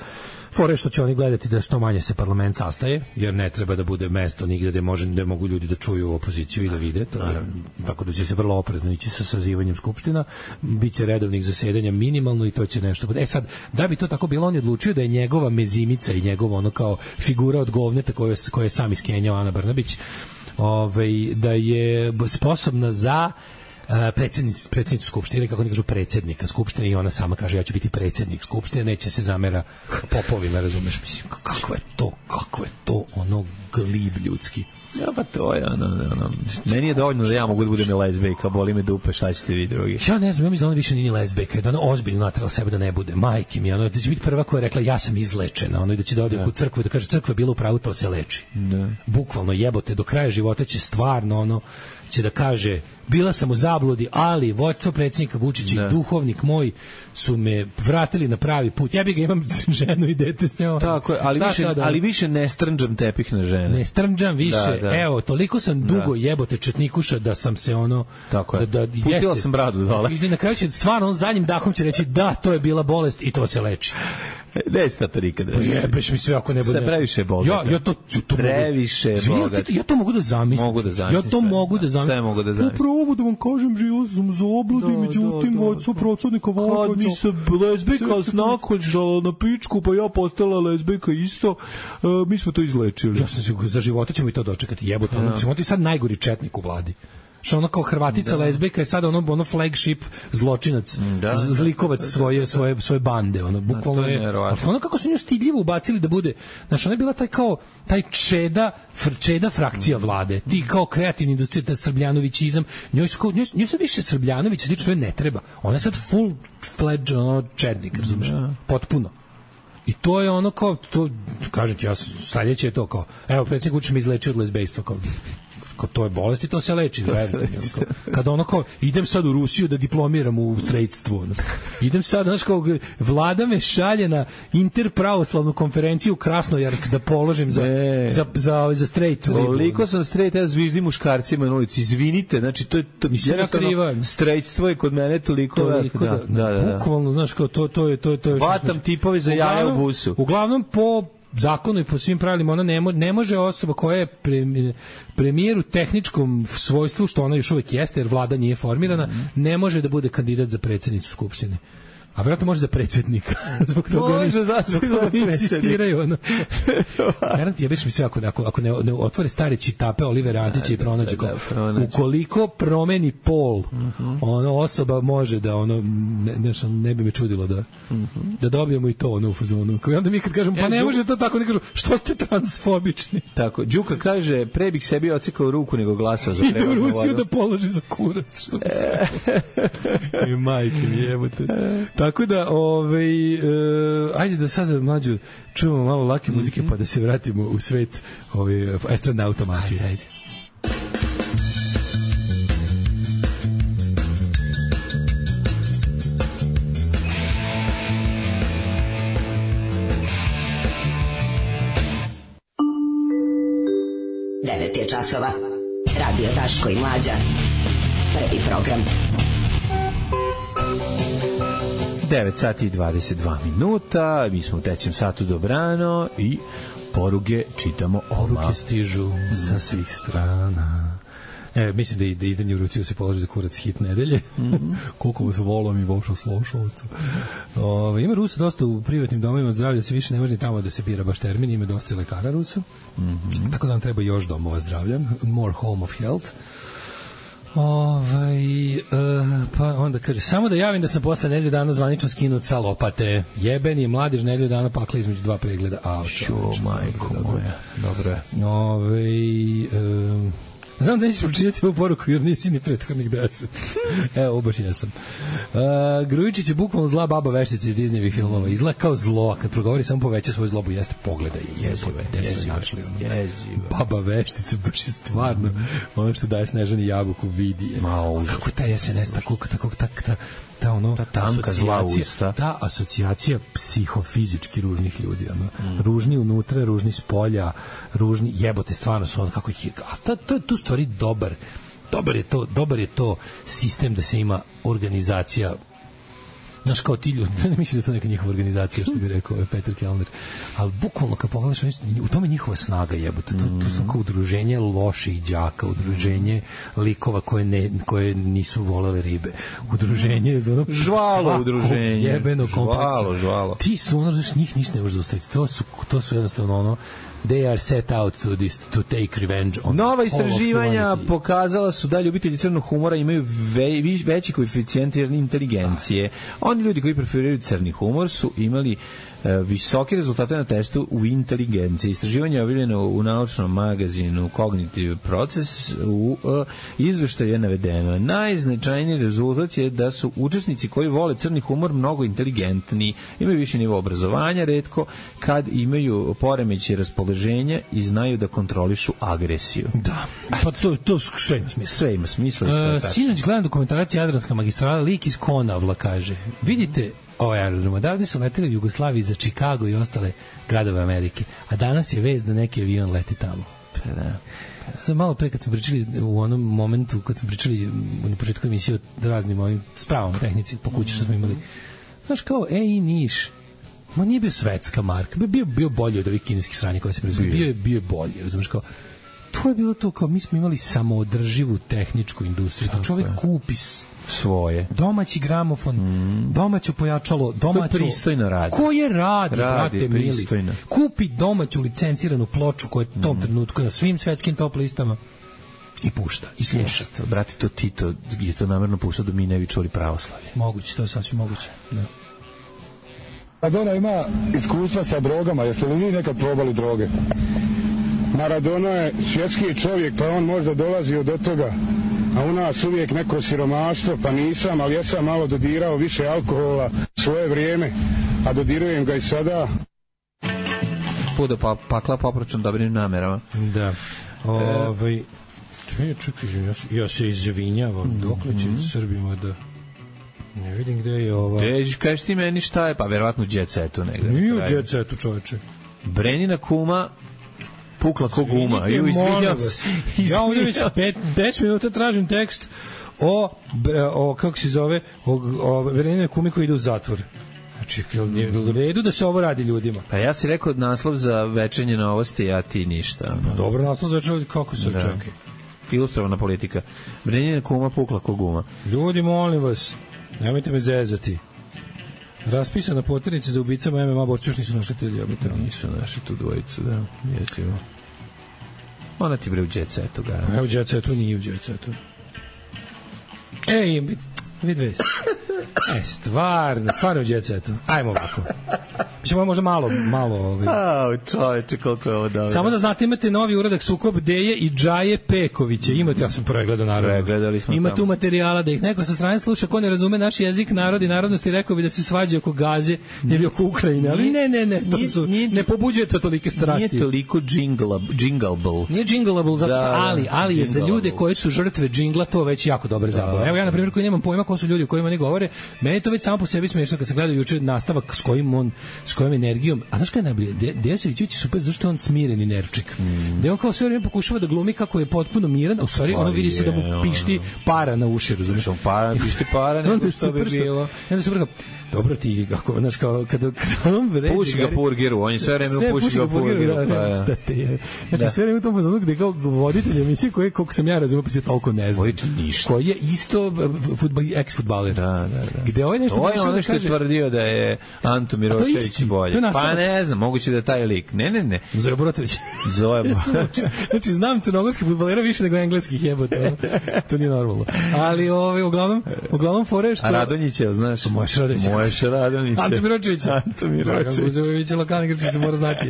Fore što će oni gledati da što manje se parlament sastaje, jer ne treba da bude mesto nigde gde, može, gde mogu ljudi da čuju opoziciju i da vide. To je, tako da će se vrlo oprezno ići sa sazivanjem skupština, biće redovnih zasedanja minimalno i to će nešto. E sad, da bi to tako bilo, on je odlučio da je njegova mezimica i njegova ono kao figura od govneta koju, koju je sam iskenjao Ana Brnabić, ovaj, da je sposobna za predsjednicu predsjednicu skupštine, kako oni kažu predsjednika skupštine, i ona sama kaže ja ću biti predsjednik skupštine, neće se zamera popovima, razumeš, mislim, kako je to, kako je to ono glib ljudski. Ja, pa to je ono, ono, meni je dovoljno da ja mogu da budem i lezbejka, boli me dupe, šta ćete vi drugi? Ja ne znam, ja mislim da ona više nije lezbejka, da ona ozbiljno natrala sebe da ne bude, majke mi, ono, da će biti prva koja je rekla ja sam izlečena, ono, i da će da ode da. u crkvu i da kaže crkva je bila u pravu, to se leči. Da. Bukvalno jebote, do kraja života će stvarno, ono, će da kaže bila sam u zabludi, ali vođstvo predsjednika Vučića i duhovnik moj su me vratili na pravi put. Ja bih ga imam ženu i dete s njom. Tako je, ali, više, ali više ne strnđam tepih na žene. Ne strnđam više. Da, da. Evo, toliko sam dugo da. jebote četnikuša da sam se ono... Tako je. Da, da, Putila jeste, sam bradu dole. I na kraju će stvarno on zadnjim dahom će reći da, to je bila bolest i to se leči. Neće to nikad reći. Jebeš mi sve ako ne bude. Se previše bogata. Ja, ja to, to previše bogata. Ja to mogu da zamislim. Mogu da zamislim. Ja to sve, mogu da zamislim. Sve mogu da zamislim. Upravo da vam kažem, živio sam za obludi, međutim, vođstvo procodnika vođa. Kad mi se lezbijka znakođala na pičku, pa ja postala lezbijka isto, uh, mi smo to izlečili. Ja sam se, za života ćemo i to dočekati, jebote. Ono, ćemo ti sad najgori četnik u vladi. Što ono kao Hrvatica da. lezbijka je sada ono ono flagship zločinac, da, zlikovac da, da, svoje svoje svoje bande, ono bukvalno je, je ono kako su nju stidljivo ubacili da bude, znači ona je bila taj kao taj čeda čeda frakcija vlade, ti kao kreativni industrija, taj srbljanovićizam, njoj su njoj, njoj su više Srbljanovića, znači što ne treba, ona je sad full fledged ono čednik, razumeš, da. potpuno. I to je ono kao to, kažem ti ja, sledeće je to kao, evo predsjednik Vučić me izlečio od lezbejstva, kao kao to je bolest i to se leči, kada ono kao, idem sad u Rusiju da diplomiram u strejtstvu, ono. Idem sad, znaš, kao, vlada me šalje na interpravoslavnu konferenciju u Krasnojarsk da položim za, e, za, za, za strejt. Toliko sam strejt, ja zviždim muškarcima na ulici, izvinite, znači, to je to, jednostavno, strejtstvo je kod mene toliko, toliko da, da, da, da. Bukvalno, znaš, kao, to, to je, to je, to je, vatam tipove za jaja u busu. Uglavnom, po zakonu i po svim pravilima, ona ne, mo, ne može osoba koja je pre, premijer u tehničkom svojstvu, što ona još uvek jeste, jer vlada nije formirana, mm-hmm. ne može da bude kandidat za predsjednicu Skupštine. A vjerojatno može za predsjednika. Zbog toga oni, zbog toga insistiraju. Ono. Garant, jebeš mi sve, ako, ako, ako ne, ne otvore stare čitape Olivera Antića i pronađe ko, ukoliko promeni pol, mm-hmm. ono, osoba može da, ono, ne, ne, ne bi me čudilo da, mm-hmm. da dobijemo i to, ono, u fazonu. I onda mi kad kažemo, pa ne Đu... može to tako, ne kažu, što ste transfobični? Tako, Đuka kaže, pre bih sebi ocikao ruku nego glasao za prevoznu vodu. Ide u Rusiju da položi za kurac, što bi se... I majke mi jebote. Tako da, ovaj, uh, ajde da sada mlađu čujemo malo lake muzike, mm-hmm. pa da se vratimo u svet ovaj, astronauta mafije. Ajde, ajde. devet je časova. Radio Daško i Mlađa. Prvi program. devet sati i dvadeset dva minuta, mi smo u trećem satu dobrano i poruge čitamo. Poruke stižu sa svih strana. E, mislim da, da izdanje u Rusiju se položi za kurac hit nedelje. Mm-hmm. Koliko vas volom i vošao slošovcu. Ove, ima Rusa dosta u privatnim domovima zdravlja, da se više ne može ni tamo da se bira baš termin, ima dosta lekara Rusa. Mm-hmm. Tako da nam treba još domova zdravlja. More home of health. Ovaj, uh, pa onda kaže, samo da javim da sam posle nedelju dana zvanično skinut sa lopate. Jeben je mladež nedelju dana pakla između dva pregleda. Au, čo, majko moja. Dobro je. Ovaj, um, znam da nećeš pročitati ovu poruku jer nisi ni prethodnih deset. Evo, baš jesam. Uh, Grujičić je bukvalno zla baba veštica iz Disneyevih filmova. Izgleda kao zlo, a kad progovori samo poveća svoju zlobu, jeste pogledaj. Jebote, gde su našli ono. Baba veštica, baš je stvarno ono što daje Snežani Jabuku vidi je. Malo, kako taj es en es, tako, tako, tako, ta, ta, ono, ta tanka zla usta. Ta asocijacija psihofizički ružnih ljudi. Ono. Mm. Ružni unutra, ružni s polja, ružni, jebote, stvarno su ono, kako ih je, a ta, to je tu stvari dobar. Dobar je to, dobar je to sistem da se ima organizacija. Znaš, kao ti ljudi, ne mislim da je to neka njihova organizacija, što bi rekao Petar Kellner, ali bukvalno kad pogledaš, u tome njihova snaga jebote, to, to su kao udruženje loših đaka, udruženje likova koje, ne, koje nisu volele ribe, udruženje ono, žvalo udruženje, jebeno kompleksa. Žvalo, žvalo. Ti su ono, znaš, njih ništa ne može zaustaviti, to su, to su jednostavno ono, they are set out to this to take revenge on nova istraživanja pokazala su da ljubitelji crnog humora imaju ve, veći koeficijent inteligencije. Oni ljudi koji preferiraju crni humor su imali visoke rezultate na testu u inteligenciji. Istraživanje je objavljeno u naučnom magazinu Cognitive Process. U uh, izveštaju je navedeno. Najznačajniji rezultat je da su učesnici koji vole crni humor mnogo inteligentni, imaju više nivo obrazovanja, retko kad imaju poremećaj raspoloženja i znaju da kontrolišu agresiju. Da, pa to, to sve ima smisla. Sve ima smisla i sve uh, tačno. Sinoć gledam dokumentaracija Jadranska magistrala, lik iz Konavla kaže, vidite ovaj aerodrom, odavde su leteli u Jugoslaviji za Chicago i ostale gradove Amerike, a danas je vest da neki avion leti tamo. Pa da. Sam malo pre kad smo pričali u onom momentu, kad smo pričali na početku emisije o raznim ovim spravom tehnici po kući što smo imali, znaš kao, e i Niš, ma nije bio svetska marka, bio, bio bolji od ovih kineskih sranja koje se proizvode, bio je bio bolji, razumiješ, kao, to je bilo to, kao mi smo imali samoodrživu tehničku industriju, to čovjek kupi svoje. Domaći gramofon, mm. domaće pojačalo, domaću... To je pristojno radi. Ko je radi, radi brate mili? Kupi domaću licenciranu ploču koja je u tom mm. trenutku na svim svetskim top listama i pušta, i sluša. Yes, brate, to Tito je to namerno pušta da mi ne bi čuli pravoslavlje. Moguće, to je sasvim moguće. Da. Maradona ima iskustva sa drogama, jeste li vi nekad probali droge? Maradona je svjetski čovjek, pa on možda dolazi od toga. A u nas uvijek neko siromaštvo, pa nisam, ali ja sam malo dodirao više alkohola svoje vrijeme, a dodirujem ga i sada. Pudo pa, pakla popročan dobrim namerama. Da. Ovaj... Ne, čekaj, ja, se, ja se izvinjavam, mm-hmm. dokle će Srbima da... Ne vidim gde je ova... Gde, kažeš ti meni šta je, pa verovatno u Jet Setu negde. Nije u Jet Setu, čoveče. Brenina kuma pukla ko guma. Ju, izvinjam se. Ja ovdje već deset minuta tražim tekst o, o kako se zove, o, o Brenina kumi koji ide u zatvor. Znači, je u redu da se ovo radi ljudima. Pa ja si rekao naslov za večernje novosti, a ti ništa. Pa dobro, naslov za večernje novosti, kako se očekaj? Ilustrovana politika. Brenina kuma pukla ko guma. Ljudi, molim vas, nemojte me zezati. Raspisana poternica za ubicama M M A borci još nisu našli te ljubite. Nisu našli tu dvojicu, da. Jesimo. Ona ti bre u Jet Setu, gara. Evo Jet Setu, nije u Jet Setu. Ej, vid vest. E, stvarno, stvarno u Jet Setu. Ajmo ovako. Mislim, možda malo, malo... Ovaj. Au, čoveče, koliko je ovo dobro. Samo da znate, imate novi uradak Sukob Deje i Džaje Pekovića. Imate, ja sam pregledao, naravno. Pregledali smo Ima tamo. tu materijala da ih neko sa strane sluša, ko ne razume naš jezik, narod i narodnosti, rekao bi da se svađa oko Gaze ili oko Ukrajine, ali ne, ne, ne, to nije, su, nije, ne pobuđuje to tolike strasti. Nije toliko džingleable. Nije džingleable, zato što, da, ali, ali je za ljude koji su žrtve džingla to već jako dobra zabava. Evo ja, na primjer, koji nemam pojma ko su ljudi o kojima ne govore, meni to već samo po sebi smiješno kad se gledaju juče nastavak s kojim on, s kojom energijom. A znaš kada je najbolje? De, Dejan Savićević je super zašto je on smireni nervčik. Mm. Da on kao sve vrijeme pokušava da glumi kako je potpuno miran, a u stvari ono vidi se da mu pišti para na uši, razumiješ? Para, pišti para, nego što bi bilo. Onda super kao, dobro ti, kako, znaš, kao, kada, kada on vređe... Puši ga purgiru, on je sve vreme puši ga purgiru. Da, da, znači, sve vreme u tom pozornu gde kao voditelj emisije koji, koliko sam ja razumio, pa se toliko ne zna. Koji je isto futbol, ex-futbaler. Da, da, da. Gde ovaj nešto... Ovo je ono što je tvrdio da je Anto Miročević bolje. Pa ne znam, moguće da je taj lik. Ne, ne, ne. Zoja Borotović. Zoja Borotović. Znači, znam crnogorskih futbolera više nego engleskih jebote. To nije normalno. Ali, ovaj, uglavnom, uglavnom fore što... A Radonjića, znaš? Moješ Radonjića. Moješ Radonjića. Anto Miročević. Anto Miročević. Guzović je lokalni igrač, se mora znati.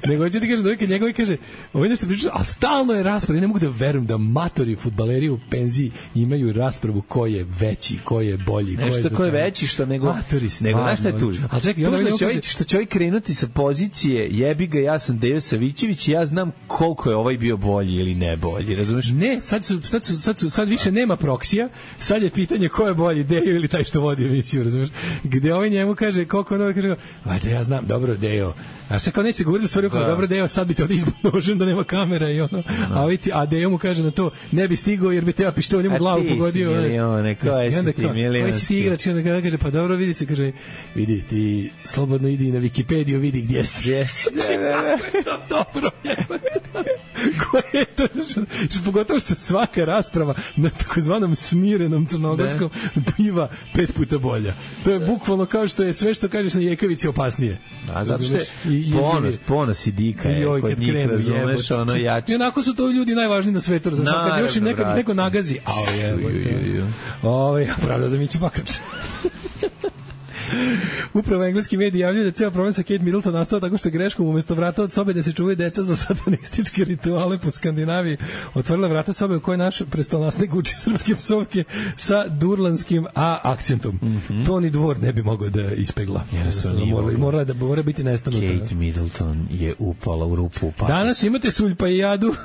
Nego će ti kaže, dojke njegovi kaže, ovo je nešto priča, ali stalno je rasprava. Ne mogu da verujem da matori futbaleri u penziji imaju raspravu ko je veći, ko je bolji, ko je nešto ko je veći što nego matori, nego znaš šta je tužno. Al čekaj, onda što čovjek što čovjek krenuti sa pozicije jebi ga, ja sam Dejo Savićević i ja znam koliko je ovaj bio bolji ili ne bolji, razumeš? Ne, sad su sad su sad su sad više nema proksija, sad je pitanje ko je bolji, Dejo ili taj što vodi emisiju, razumeš? Gde ovaj njemu kaže koliko ono kaže, ajde ja znam, dobro Dejo. A sad kao neće govoriti stvari kao dobro Dejo, sad bi te ovdje izbožen da nema kamera i ono. A ovaj ti, a Dejo mu kaže na to, ne bi stigao jer bi te ja pištoljem u glavu pogodio. Milione, koji si ti milionski. Koji si igrač, onda kada kaže, pa dobro, vidi se, kaže, vidi, ti slobodno idi na Wikipediju, vidi gdje si. Yes. Ne, ne, ne. To dobro, koje je to? Što, pogotovo što svaka rasprava na takozvanom smirenom crnogorskom biva pet puta bolja. To je bukvalno kao što je sve što kažeš na Jekavici opasnije. A zato što je ponos, ponos i dika je kod njih, razumeš, ono jače. I onako su to ljudi najvažniji na svetu, razumeš, kad još im neko, neko nagazi, ao je, ovo, pravda za Miću Bakrač. Upravo engleski mediji javljaju da ceo problem sa Kate Middleton nastao tako što je greškom umesto vrata od sobe da se čuvaju deca za satanističke rituale po Skandinaviji otvorila vrata sobe u kojoj naš prestolnasnik uči srpske psovke sa durlanskim A akcentom. Mm -hmm. To ni dvor ne bi mogao da ispegla. Morala, morala da mora biti nestano. Kate Middleton je upala u rupu. Patos. Danas imate Suljpa i Jadu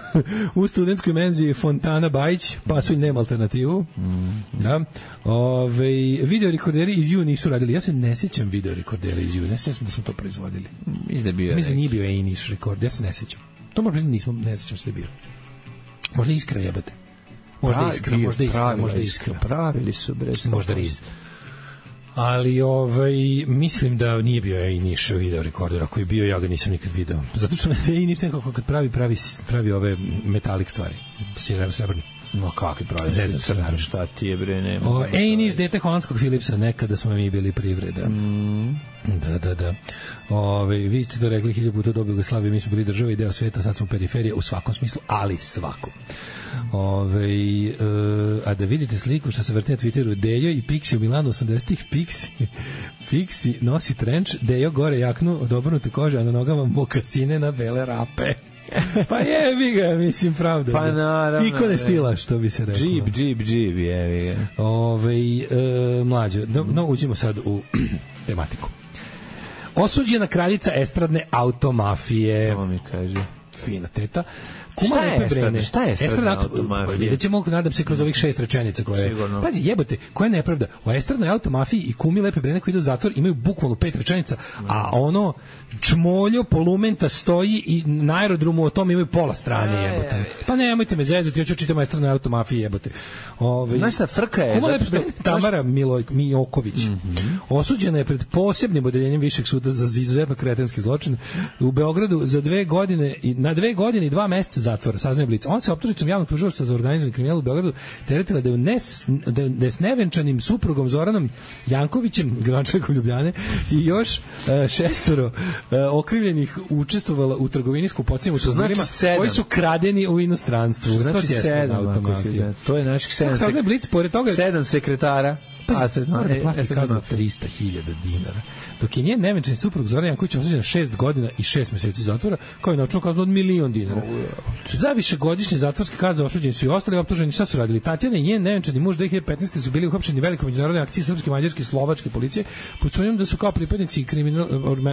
u studentskoj menzi Fontana Bajić, Pasulj nema alternativu. Mm. Da. Ove, video rekorderi iz Ju nisu radili. Ja se ne sjećam video rekordera iz Ju. Ne sjećam da smo to proizvodili. Mislim da bio. Mislim da nije bio Ejniš rekord. Ja se ne sjećam. To možda nismo, ne sjećam se da bio. Možda Iskra jebate. Možda Pra, Iskra, možda Iskra, možda Iskra. Pravili su brez. Možda Riz. Ali ovaj, mislim da nije bio Ejniš video rekorder. Ako je bio, ja ga nisam nikad video. Zato što Ejniš nekako kad pravi, pravi, pravi ove metalik stvari. Srebrni. No kakvi pravi, šta ti je bre, nema. O, Ejniš, dete holandskog Philipsa, nekada smo mi bili privreda. Mm. Da, da, da. Ove, vi ste to rekli hilju puta do Jugoslavije, mi smo bili država i deo sveta, sad smo periferija u svakom smislu, ali svakom. Ove, e, a da vidite sliku što se vrti na Twitteru, Dejo i Pixi u Milanu osamdesetih, Pixi, Pixi nosi trenč, Dejo gore jaknu od obrnute kože, a na nogama mokasine na bele rape. Pa jebi ga, mislim, pravda. Pa naravno. Ikone stila, što bi se rekao. Džib, džib, džib, jebi ga. Ove, e, mlađo, no, no, uđemo sad u tematiku. Osuđena kraljica estradne automafije. Ovo mi kaže. Fina teta. Kuma Lepe Brene. Šta je estradna automafija? Vidjet ćemo, nadam se, kroz ovih šest rečenica koje... Pazi, jebote, koja je nepravda. U estradnoj automafiji i Kumi Lepe Brene koji idu u zatvor imaju bukvalno pet rečenica, a ono čmoljo polumenta stoji i na aerodromu o tom imaju pola strane, jebote. Pa nemojte me zezati, hoću čitati o estradnoj automafiji, jebote. Ove, znaš šta, frka je... Kuma Lepe Brene, Tamara Miloj, Mijoković, mm-hmm. osuđena je pred posebnim odeljenjem Višeg suda za izuzetno kretenski zločin u Beogradu za dve godine i na dve godine i dva meseca zatvora, saznaje Blic. On se optužicom javnog tužilaštva za organizovani kriminal u Beogradu teretila da je nes, da je s nevenčanim suprugom Zoranom Jankovićem, gradonačelnikom Ljubljane, i još uh, šestoro uh, okrivljenih učestvovala u trgovini s skupocima automobilima znači koji su kradeni u inostranstvu. Znači to sedam, automatija. To je naših sedam, sek... Blic, pored toga... sedam sekretara. Pa se mora da plati kaznu trista hiljada dinara. Dok je njen nevenčani suprug Zoran Janković osuđen na šest godina i šest meseci zatvora, kao i novčanu kaznu od milion dinara. Za višegodišnje zatvorske kazne osuđeni su i ostali optuženi. Šta su radili? Tatjana i njen nevenčani muž dve hiljade petnaeste su bili uhapšeni u velikoj međunarodnoj akciji srpske, mađarske i slovačke policije pod sumnjom da su kao pripadnici kriminal,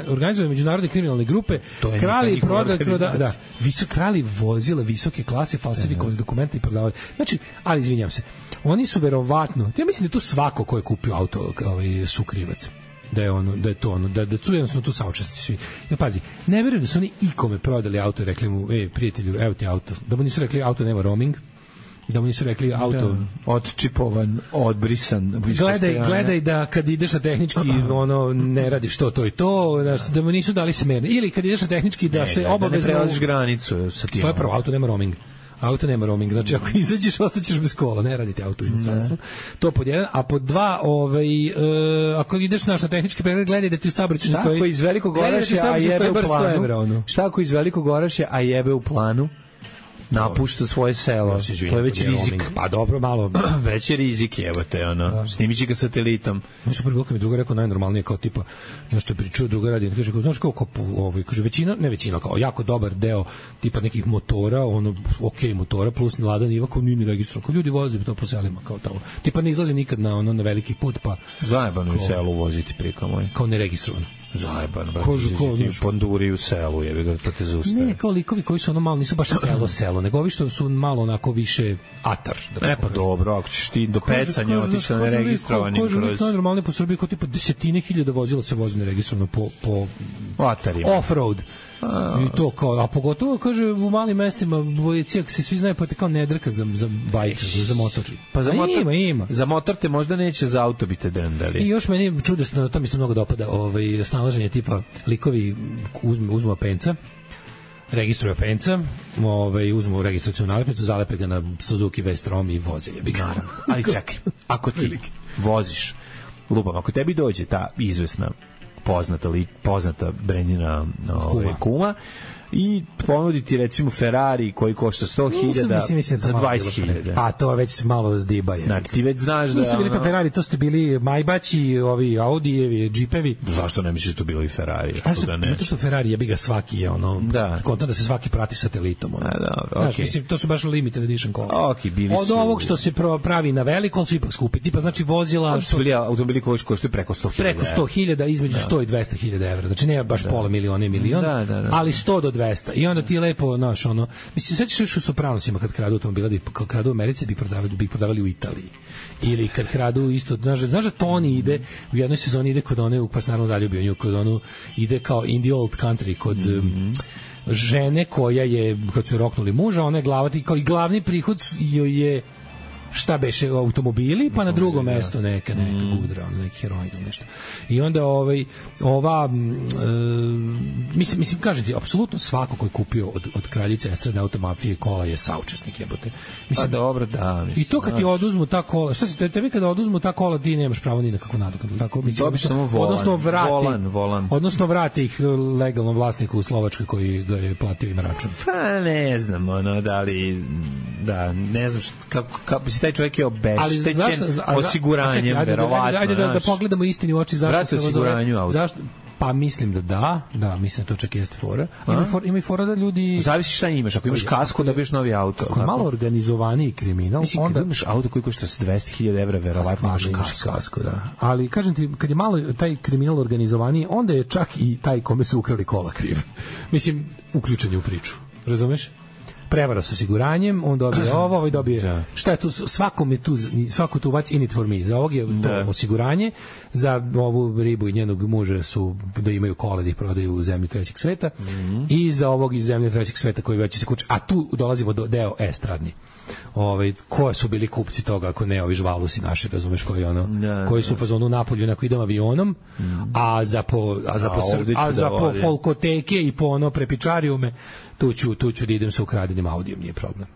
organizovane međunarodne kriminalne grupe krali i prodali da, da, visok krali vozila visoke klase, falsifikovali dokumenta i prodavali. Znači, ali izvinjavam se, oni su verovatno, ja mislim da tu svako ko je kupio auto ovaj sukrivac, da je ono, da je to ono, da da su jednostavno tu saučesnici svi. Ja pazi, ne verujem da su oni ikome prodali auto i rekli mu, ej prijatelju, evo ti auto. Da mu nisu rekli auto nema roaming, da mu nisu rekli auto da, odčipovan, odbrisan. Gledaj, gledaj da kad ideš na tehnički ono ne radiš to, to i to, da, da mu nisu dali smerne. Ili kad ideš na tehnički da ne, se obavezno ne prelaziš granicu sa tim. To je prvo, auto nema roaming. Auto nema roaming, znači ako izađeš ostaćeš bez kola, ne radite auto u inostranstvu. To pod jedan, a pod dva, ovaj, uh, ako ideš naš na tehnički pregled, gledaj da ti u saobraćaju stoji. Šta ako iz Velikog Orašja, a jebe u planu? Evra, šta ako iz Velikog Orašja, a jebe u planu? Napušta svoje selo. Ja, izvijem, to je već rizik. Roaming. Pa dobro, malo. Već je rizik, evo te, ono. Da. Snimići ga satelitom. Nešto prvi mi druga rekao najnormalnije, kao tipa, nešto je pričao, druga radi, kaže, znaš kao, kao ovaj, kaže, većina, ne većina, kao jako dobar deo tipa nekih motora, ono, ok motora, plus Lada Niva, kao nije ni registrovan, kao ljudi voze to po selima, kao tamo. Tipa ne izlaze nikad na, ono, na veliki put, pa... Zajebano u selu voziti prika moj. Kao neregistrovan. Zajebano, brate, ti ponduri u selu, jebi ga, to te zaustavi. Ne, kao likovi koji su ono malo, nisu baš selo, selo, nego ovi što su malo onako više atar. Da e pa dobro, ako ćeš ti do pecanja otići na neregistrovanim kroz... Kaže, lik normalno po Srbiji, kao tipa desetine hiljada vozila se vozi neregistrovano po, po atarima. Off-road. A, i to kao, a pogotovo kaže u malim mestima Bojecijak se svi znaju pa te kao ne drka za, za bajk, za motor. Pa za motor, ima, ima. Za motor te možda neće, za auto bi te drndali. I još meni čudesno, to mi se mnogo dopada, ovaj, snalaženje tipa likovi uzmu, uzmu penca, registruju penca, ovaj, uzmu registracijonu nalepnicu, zalepe ga na Suzuki V-Strom i voze je. Naravno, ali čekaj, ako ti voziš, lupam, ako tebi dođe ta izvesna poznata li poznata Brenina ove, kuma i ponuditi recimo Ferrari koji košta sto hiljada za dvadeset hiljada. Pa to već malo zdiba je. Znači ti već znaš da... Nisu bili to Ferrari, to ste bili Majbaći, ovi Audijevi, Džipevi. Zašto ne misliš da to bilo i Ferrari? Što, zato što Ferrari jebi ga svaki je ono, da. Konta da se svaki prati satelitom. Ono. A, dobro, znaš, okay. Mislim, to su baš limited edition kola. Okay, bili od su... ovog što se pravi na veliko, su ipak skupi. Tipa znači vozila... Što... Bili automobili koji koštaju preko sto hiljada. Preko sto hiljada, između da. sto i dvesta hiljada evra. Znači ne baš da. Pola miliona i milion, da, da, da. Ali sto do dvesta. I onda ti lepo, znaš, ono, mislim, sećaš još u Sopranosima kad kradu automobila, kad kradu u Americi, bi prodavali, bi prodavali u Italiji. Ili kad kradu isto, znaš, znaš da Tony ide, u jednoj sezoni ide kod one, pa se naravno zaljubio nju, kod onu, ide kao in the old country, kod mm-hmm. žene koja je, kad su roknuli muža, ona je glavati, kao i glavni prihod joj je šta beše automobili, pa na drugo mesto neka neka gudra, neki heroin ili nešto. I onda ovaj ova e, mislim mislim kažete apsolutno svako ko je kupio od od kraljice estradne automafije kola je saučesnik, jebote. Mislim pa dobro, da, mislim. I to kad ti oduzmu ta kola, šta se tebi kada oduzmu ta kola ti nemaš pravo ni na kakvu nadoknadu, tako mislim. Dobiš samo volan, odnosno vrati, volan, volan. Odnosno vrati ih legalnom vlasniku u Slovačkoj koji ga je platio im račun. Pa ne znam, ono da li da, ne znam kako kako taj čovjek je obeštećen osiguranjem, verovatno. Ajde da, da pogledamo istini u oči zašto se zove. Zašto? Pa mislim da da, da, mislim da to čak jeste fora. Ima for, ima i fora da ljudi... Zavisi šta imaš, ako imaš kasko dobiješ novi auto. Ako je malo organizovaniji kriminal, mislim, onda... imaš auto koji košta dvesta hiljada evra, verovatno imaš kasko. kasko da. Ali, kažem ti, kad je malo taj kriminal organizovaniji, onda je čak i taj kome su ukrali kola kriv. Mislim, uključen u priču. Razumeš? prevara s osiguranjem, on dobije ovo, ovaj dobije, da. Šta je tu, svakom je tu, svako tu what's in it for me, za ovog je to da. Osiguranje, za ovu ribu i njenog muža su da imaju kola da ih prodaju u zemlji trećeg sveta mm-hmm. i za ovog iz zemlje trećeg sveta koji već se kuće, a tu dolazimo do deo estradni. Ovaj ko su bili kupci toga ako ne ovi žvalusi naši, razumeš, koji ono da, koji su u fazonu Napolju neko idem avionom mm. a za po a za po a, a za po folkoteke i po ono prepičarijume tu ću tu ću da idem sa ukradenim audijom, nije problem.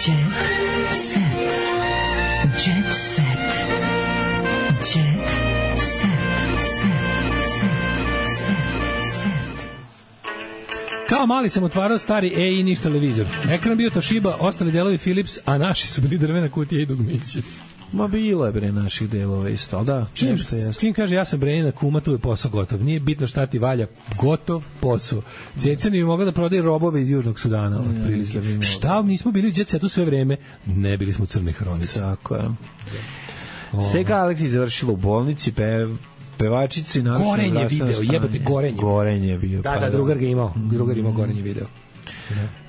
Jet set. Jet set. Jet Kao mali sam otvarao stari E I niš televizor. Ekran bio Toshiba, ostali delovi Philips, a naši su bili drvena kutija i dugmiće. Ma bilo je bre naših delova isto, ali da. Čim, čim kaže ja sam Brenina kuma, tu je posao gotov. Nije bitno šta ti valja, gotov posao. Ceceni bi mogla da prodaje robove iz Južnog Sudana. Ja, šta, nismo bili u Jet Setu sve vreme, ne bili smo u Crnoj hronici. Tako je. Sega Aleksić završila u bolnici, pe... pevačici naravno gorenje video, jebote gorenje. Gorenje bio. Da, da, drugar ga imao, drugar imao gorenje video.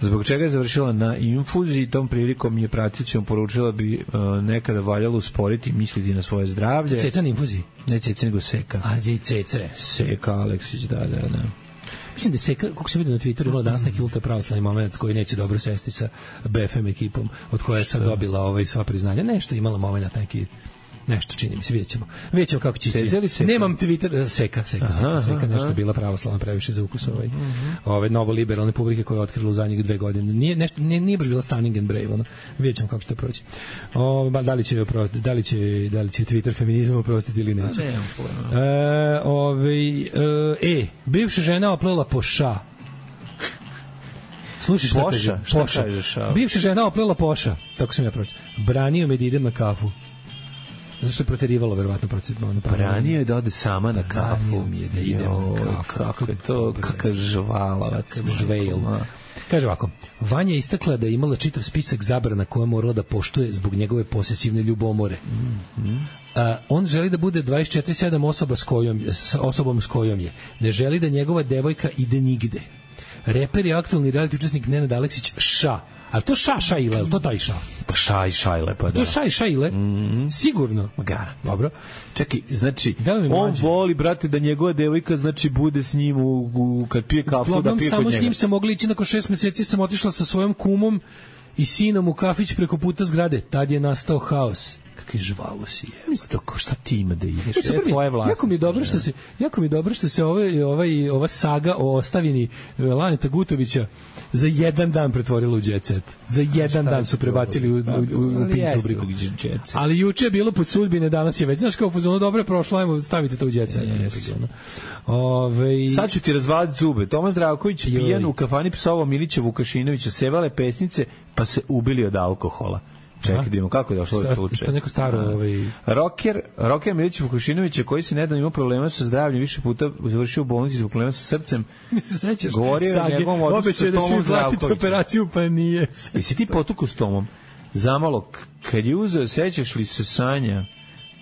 Zbog čega je završila na infuziji, tom prilikom je praticom poručila bi uh, nekada valjalo usporiti i misliti na svoje zdravlje. Ceca na infuziji? Ne Ceca, nego Seka. A, je Cece. Seka Aleksić, da, da, da. Mislim da Seka, kako se vidi na Twitteru, imala danas neki ultra pravoslavni moment koji neće dobro sesti sa B F M ekipom, od koje je sad dobila ovaj sva priznanja. Nešto imala moment neki nešto čini mi se, vidjet ćemo. Vidjet ćemo kako će ići. Nemam Twitter, seka, seka, seka, seka, nešto je bila pravoslavna previše za ukus ovaj, ove novo liberalne publike koje je otkrila u zadnjih dve godine. Nije, nešto, nije, nije baš bila stunning and brave, ono. Vidjet ćemo kako će to proći. O, da, li će, da, li će, da li će Twitter feminizam oprostiti ili neće. Ne, e, ove, e, bivša žena oplela po ša. Slušaj šta Poša, šta Poša. Kažeš, bivša žena oplela Poša, tako sam ja proći. Branio me da idem na kafu. Zato što je proterivalo, verovatno, procedno. Branio je da ode sama na kafu. Branio mi je da idem na kafu. Kako je to, kakav žvalavac. Žvejl. Kaže ovako, Vanja je istakla da je imala čitav spisak zabrana koje morala da poštuje zbog njegove posesivne ljubomore. Mm-hmm. A, on želi da bude dvadeset četiri sedam osoba s kojom, s osobom s kojom je. Ne želi da njegova devojka ide nigde. Reper je aktualni reality učesnik Nenad Aleksić Ša. A to Ša Šajle, to taj Ša? Pa Šaj Šajle, pa da. To Šaj Šajle? Mm-hmm. Sigurno. Magara. Dobro. Čekaj, znači, on mađe? Voli, brate, da njegova devojka, znači, bude s njim u, u, kad pije kafu, Lodom, da pije kod njega. Samo s njim sam mogla ići, nakon šest meseci sam otišla sa svojom kumom i sinom u kafić preko puta zgrade. Tad je nastao haos. Kakvi žvalu si je. Mislim, to ko šta ti ima da ideš? E, je tvoje vlasti. Jako mi je dobro što se, jako mi je dobro što se ovaj, ovaj, ova saga o ostavini Laneta Gutovića za jedan dan pretvorilo u Jet Set. Za jedan dan su prebacili u, u, u, u Pink rubriku. Ali juče je bilo pod sudbine, danas je već. Znaš kao pozvano, dobro je prošlo, ajmo stavite to u Jet Set. Ove... Sad ću ti razvaliti zube. Tomas Zdravković pijan u kafani psovao Milića Vukašinovića, sevale pesnice, pa se ubili od alkohola. Čekaj, vidimo kako je došlo do slučaja. To neko staro, ovaj rocker, rocker Milić Vukašinović koji se nedavno imao problema sa zdravljem, više puta završio u bolnici zbog problema sa srcem. Se sećaš? Govorio o njegovom odnosu sa Tomom Zdravkovićem. Operaciju pa nije. Jesi ti potukao s Tomom? Zamalo, kad je uzeo, sećaš li se Sanja?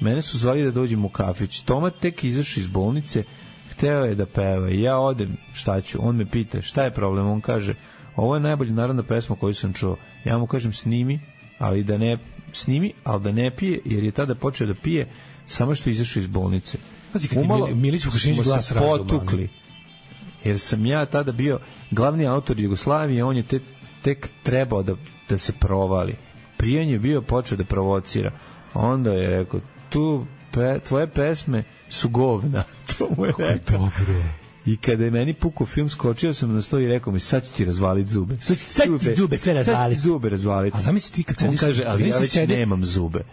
Mene su zvali da dođem u kafić. Toma tek izašao iz bolnice, hteo je da peva. Ja odem, šta ću? On me pita, šta je problem? On kaže, ovo je najbolja narodna pesma koju sam čuo. Ja mu kažem, snimi, ali da ne snimi, ali da ne pije, jer je tada počeo da pije samo što je izašao iz bolnice. Pazi, kad Umalo, ti Milić Vukašinović glas razuma. Potukli. Jer sam ja tada bio glavni autor Jugoslavije, on je te, tek trebao da, da se provali. Prijen je bio počeo da provocira. Onda je rekao, tu pe, tvoje pesme su govna. To mu je rekao. Dobro. I kada je meni pukao film, skočio sam na sto i rekao mi, sad ću ti razvaliti zube. Sad ću sad zube, zube sve razvaliti. Sad zube razvaliti. A zamisli ti kad sediš... On kaže, ali ja već sedi... nemam zube.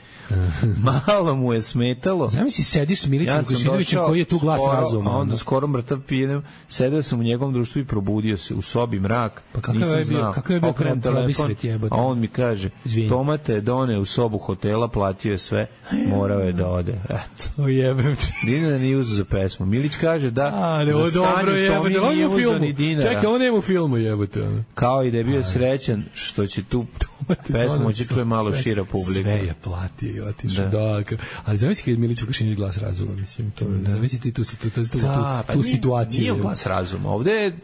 Malo mu je smetalo. Zamisli sediš s Milićem ja Vukašinovićem koji je tu glas skoro, razuma. A onda skoro mrtav pijenem, sedeo sam u njegovom društvu i probudio se u sobi mrak. Pa kakav je bio, kakav je bio okrenem telefon, a on mi kaže, Toma te done u sobu hotela, platio je sve, morao je da ode. Eto. O jebem ti. Dina nije uzeo za pesmu. Milić kaže da a, ne, za dobro jebote, on je u filmu. Čekaj, on je u filmu jebote. Kao i da je bio srećan što će tu Pesmu će čuje malo šira publika. Sve je platio i otišao. Da. Da, ali zamisli kad je Milić Vukašinić glas razuma, mislim, to da. Zamisli ti tu, tu, tu, tu, da, tu, tu nije, situaciju. Nije glas razuma, ovde je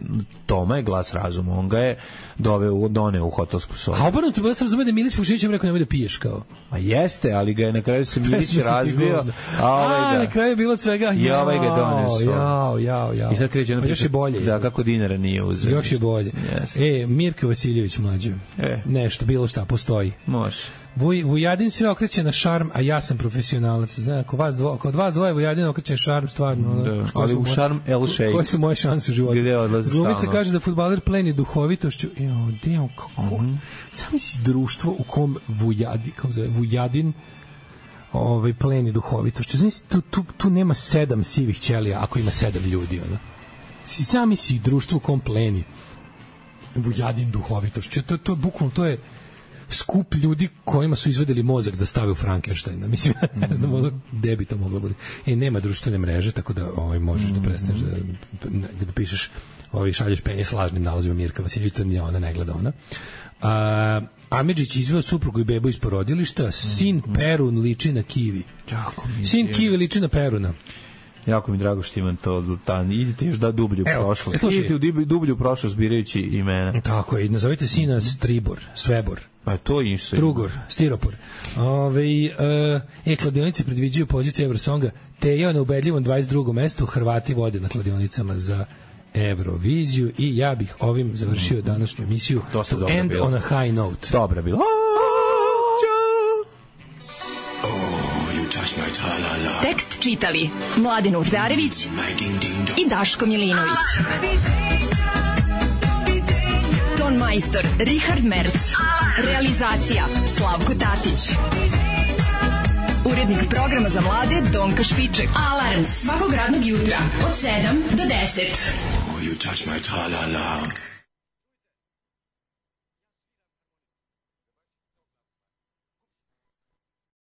Toma je glas razuma, on ga je doveo, doneo u hotelsku sobu. A obrnuto, glas razume da je Milić Vukašinić im rekao nemoj da piješ kao. A jeste, ali ga je na kraju se Milić razbio, a ovaj ga... A, na kraju je bilo od svega, i ovaj ga doneo sobu. Jao, jao, jao. I sad kreće ono... Pa još je bolje. Da, kako dinara nije uzeo. Još je bolje. Yes. E, Mirka Vasiljević mlađe. E. Nešto, bilo šta, postoji. Može. Vuj, Vujadin sve okreće na šarm, a ja sam profesionalac. Znam, kod vas, dvo, kod vas dvoje Vujadin okreće šarm, stvarno. Da, ali u šarm El Sheikh. Koje su moje šanse u životu? Gde odlazi stalno? Glumica kaže da fudbaler pleni duhovitošću. Jo, deo, kako? Mm -hmm. Sami si društvo u kom Vujadin, kako zove, Vujadin ovaj, pleni duhovitošću. Znači, tu, tu, tu nema sedam sivih ćelija ako ima sedam ljudi. Ono. Si sami si društvo u kom pleni Vujadin duhovitošću. To, to, bukvalno, to je skup ljudi kojima su izvedeli mozak da stave u Frankensteina. Mislim, ne znam, ono, gde bi to moglo biti. E, nema društvene mreže, tako da ovaj, možeš da prestaneš da, da pišeš, ovaj, šalješ penje s lažnim nalazima Mirka Vasiljević, to nije ona, ne gleda ona. A, Amidžić izveo suprugu i bebu iz porodilišta, sin Perun liči na kivi. Jako mi sin kivi liči na Peruna. Jako mi drago što imam to, tan. Idite još da dublju u prošlost. Idite u dublju prošlost birajući imena. Tako je, nazovite sina Stribor, Svebor. Pa to je isto. Strugor, Stiropor. Ove, e, e, kladionice predviđaju poziciju Eurosonga, Teja na ubedljivom dvadeset drugom mestu, Hrvati vode na kladionicama za Euroviziju i ja bih ovim završio današnju emisiju. Dosta to end bilo. On a high note. Dobro bilo. Tekst čitali Mladin Urdarević i Daško Milinović. Ton majstor Richard Merc. Realizacija Slavko Tatić. Urednik programa za mlade Donka Špiček. Alarms svakog radnog jutra od sedam do deset. Oh, you touch my tra-la-la.